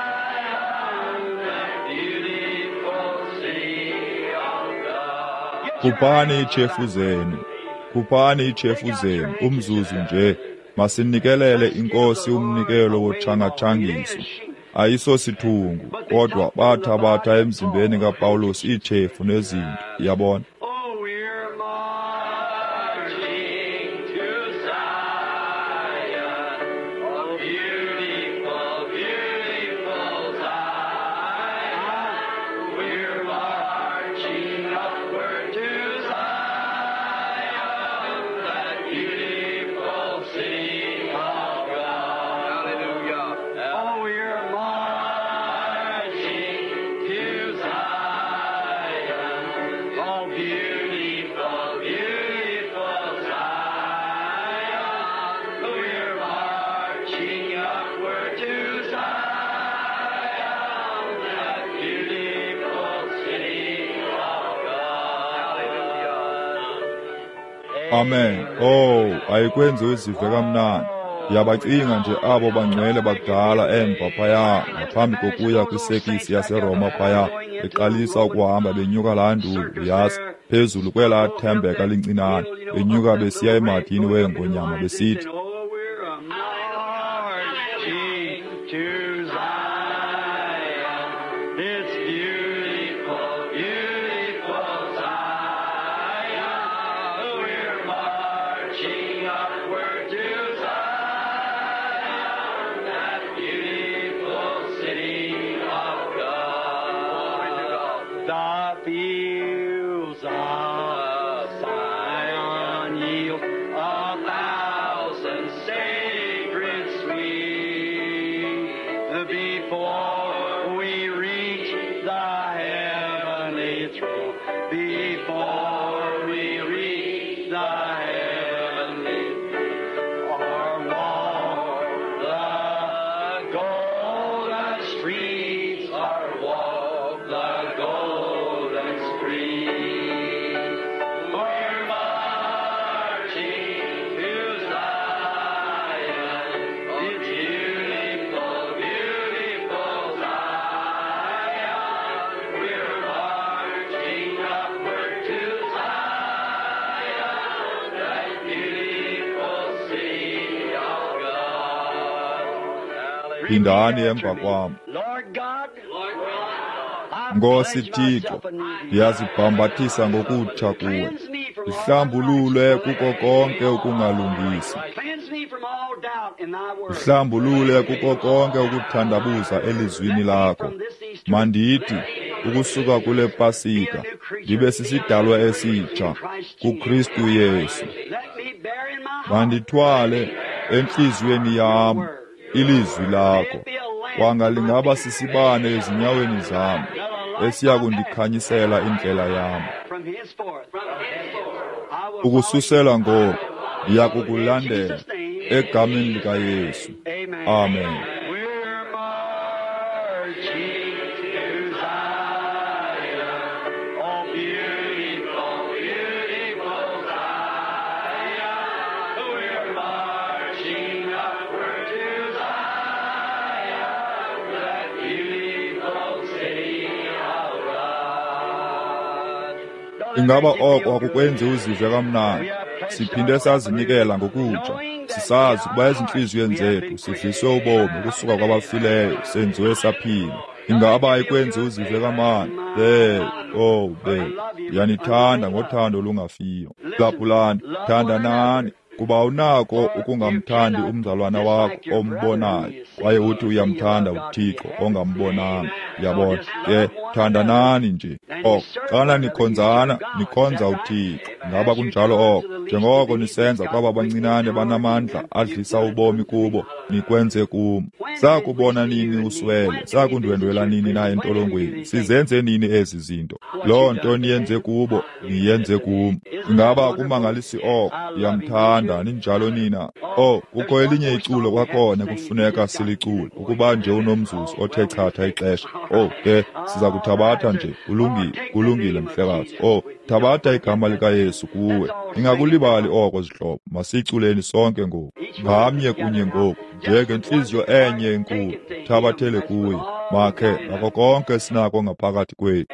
Zion, that beautiful city of God. Khuphani iitshefu zenu, khuphani iitshefu zenu umzuzu nje. Masinikelele iNkosi umnikelo wotshangatshangiso. Ayisosithungu, kodwa bathabatha emzimbeni kaPawulos iitshefu nezinto, yabona. Oh, we're marching to Zion, oh, beautiful, beautiful Zion. We're marching upward to Zion, that beautiful city of God. Hallelujah. Oh, we're marching to Zion, oh, beautiful, beautiful Zion. We're marching upward to Zion, that beautiful city of God. Hallelujah. Amen. Oh, ayikwenzi uzive kamnandi. Ndiyabacinga nje abo bangcwele bakudala emva phaya ngaphambi kokuya kwisekisi yaseRoma phaya, beqalisa ukuhamba benyuka laa nduli, uyazi, phezulu kwelaa thembeka lincinane, benyuka besiya emadini weengonyama besithi, Oh, we're marching to Zion. It's beautiful, beautiful Zion. We're marching upward to Zion, that beautiful city of God. The fields of Zion yield a thousand sacred sweet before we reach the heavenly throne. Before we reach the heavenly throne, or walk the golden streets, or walk the golden streets. We're marching to Zion, it's beautiful, beautiful Zion. We're marching upward to Zion, that beautiful city of God. Phindani emva kwam. Lord God, I Nkosi pledge Thixo, myself anew. ndiyazibhambathisa ngokutsha kuwe. Cleanse me from all Ndihlambulule kuko konke ukungalungisi. Cleanse me from all doubt in thy word. Ndihlambulule kuko konke ukuthandabuza elizwini lakho. Mandithi ukusuka kule Pasika ndibe sisidalwa esitsha kuKristu Yesu. Let me bear in my heart Mandithwale entliziyweni yam ilizwi lakho. Kwanga lingaba sisibane ezinyaweni zam esiya kundikhanyisela indlela yam. from henceforth. I will Ukususela follow you. ngoku ndiya kukulandela egameni likaYesu. Amen. Amen. We're marching to Zion, oh beautiful, beautiful Zion. We're marching upward to Zion, that beautiful city of Ingaba oko akukwenzi uzive kamnandi? Siphinde sazinikela ngokutsha, sisazi ukuba ezintliziyweni zethu sidliswe ubomi ukusuka kwabafileyo, senziwe saphila. Ingaba ayikwenzi uzive kamnandi? Oh, ndiyanithanda ngothando olungafiyo. Phulaphulani, thandanani, kuba unako ukungamthandi umzalwana wakho ombonayo, kwaye uthi uyamthanda uThixo ongambonanga. Yabona ke, thandanani nje. Oko xana nikhonzana, nikhonza uThixo. Ngaba kunjalo oko? Njengoko nisenza kwaba bancinane banamandla adlisa ubomi kubo, nikwenze kum. Sakubona nini uswele? Sakundwendwela nini na entolongweni? Sizenze nini ezi zinto? Loo nto niyenze kubo, niyenze kum. Ingaba akumangalisi oko? Ndiyamthanda, ninjalo nina. Oh, kukho elinye iculo kwakhona kufuneka silicule, ukuba nje unomzuzu othe chatha ixesha. Oh, ke siza kuthabatha nje. Kulungile, kulungile mhlekazi. Oh, thabatha igama likaYesu kuwe. Ningakulibali oko, zihlobo. Masiyiculeni sonke ngoku, ngamnye kunye ngoku, njengentliziyo enye enkulu. Thabathele kuye, makhe ngako konke sinako ngaphakathi kwethu.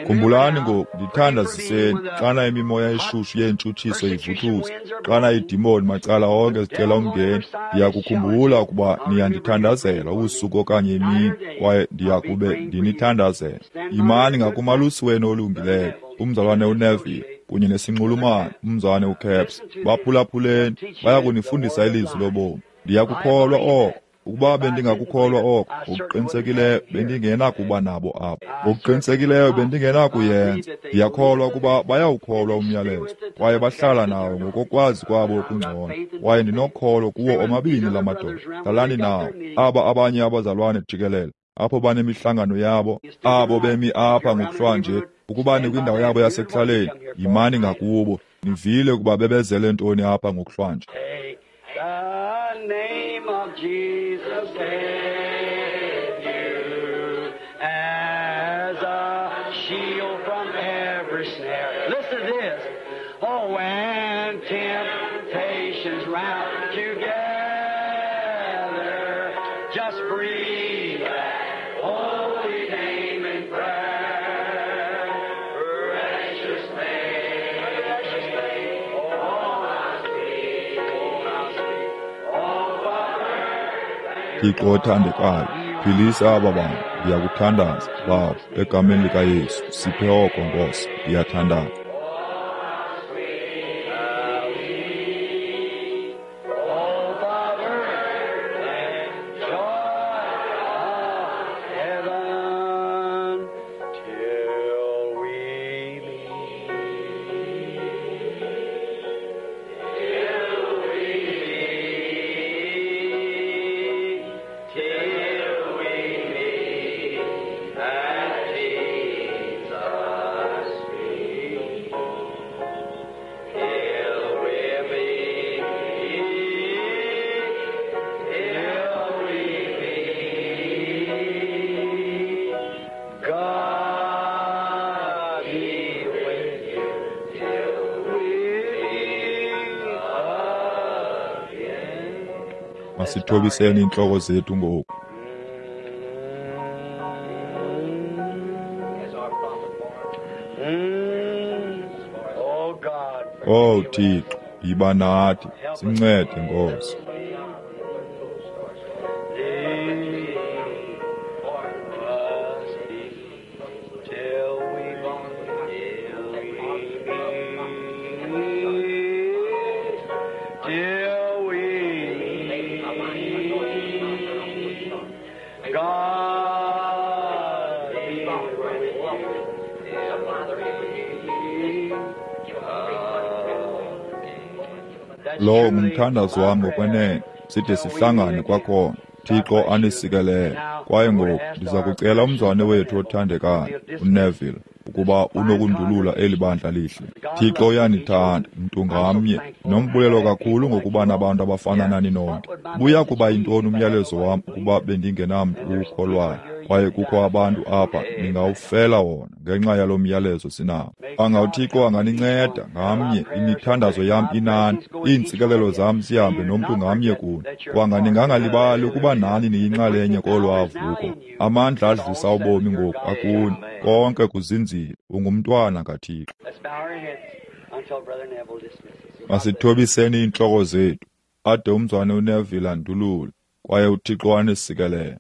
Khumbulani ngoku, ndithandaziseni xana imimoya eshushu yeentshutshiso ivuthuza, xana iidimoni macala onke zicela umngeni. Ndiyakukhumbula ukuba niyandithandazela ubusuku okanye imini, kwaye ndiyakube ndinithandazela. Yimani ngakumalusi wenu olungileyo, umzalwane uNeville, kunye nesinxulumane, umzalwane uCaps. Baphulaphuleni, baya kunifundisa ilizwi lobomi. Ndiyakukholwa oko. Ukuba bendingakukholwa oko, ngokuqinisekileyo bendingenakuba nabo apha. Ngokuqinisekileyo bendingenakuyenza. Ndiyakholwa ukuba bayawukholwa umyalezo, kwaye bahlala nawo ngokokwazi kwabo okungcono. Kwaye ndinokholo kuwo omabini la madoda. Hlalani nawo. Aba abanye abazalwane jikelele, apho banemihlangano yabo, abo bemi apha ngokuhlwanje, ukuba nikwindawo yabo yasekuhlaleni, yimani ngakubo. Nivile ukuba bebezele ntoni apha ngokuhlwanje. The name of Jesus save you as a shield from every snare. Listen to this. Oh, when temptations round you gather, just breathe that holy name in prayer. Precious name, precious name. Oh, how sweet, oh, how sweet. Oh, Father. Thixo othandekayo, philisa aba bantu. Ndiyakuthandaza, Baba, egameni likaYesu. Siphe oko, Nkosi. Ndiyathandaza. Oh, Father, and joy of heaven till we meet. Till we meet, till we meet at Jesus' feet. Till we meet, till we meet, God be with you till we meet again. Masithobiseni iintloko zethu ngoku. As our prophet warned. Oh God, Oh Thixo, yiba nathi, sincede Nkosi. Till we meet, till we meet, God. Lowo ngumthandazo wam ngokwenene, side sihlangane kwakhona. Thixo anisikelele. Kwaye ngoku ndiza kucela umzwane wethu othandekayo, uNeville, ukuba unokundulula eli bandla lihle. Thixo uyanithanda, mntu ngamnye. Nombulelo kakhulu ngokuba nabantu abafana nani nonke. Buya kuba yintoni umyalezo wam ukuba bendingenamntu uwukholwayo? Kwaye kukho abantu apha ningawufela wona ngenxa yalo myalezo sinawo. Anga uThixo anganinceda ngamnye, imithandazo yam inani, iintsikelelo zam zihambe nomntu ngamnye kuni. Kwanga ningangalibali ukuba nani niyinxalenye kolwaa vuko. Amandla adlisa ubomi ngoku akuni, konke kuzinzile, ungumntwana kaThixo. Masithobiseni iintloko zethu, ade umzwane uNeville andulule, kwaye uThixo anisikelele.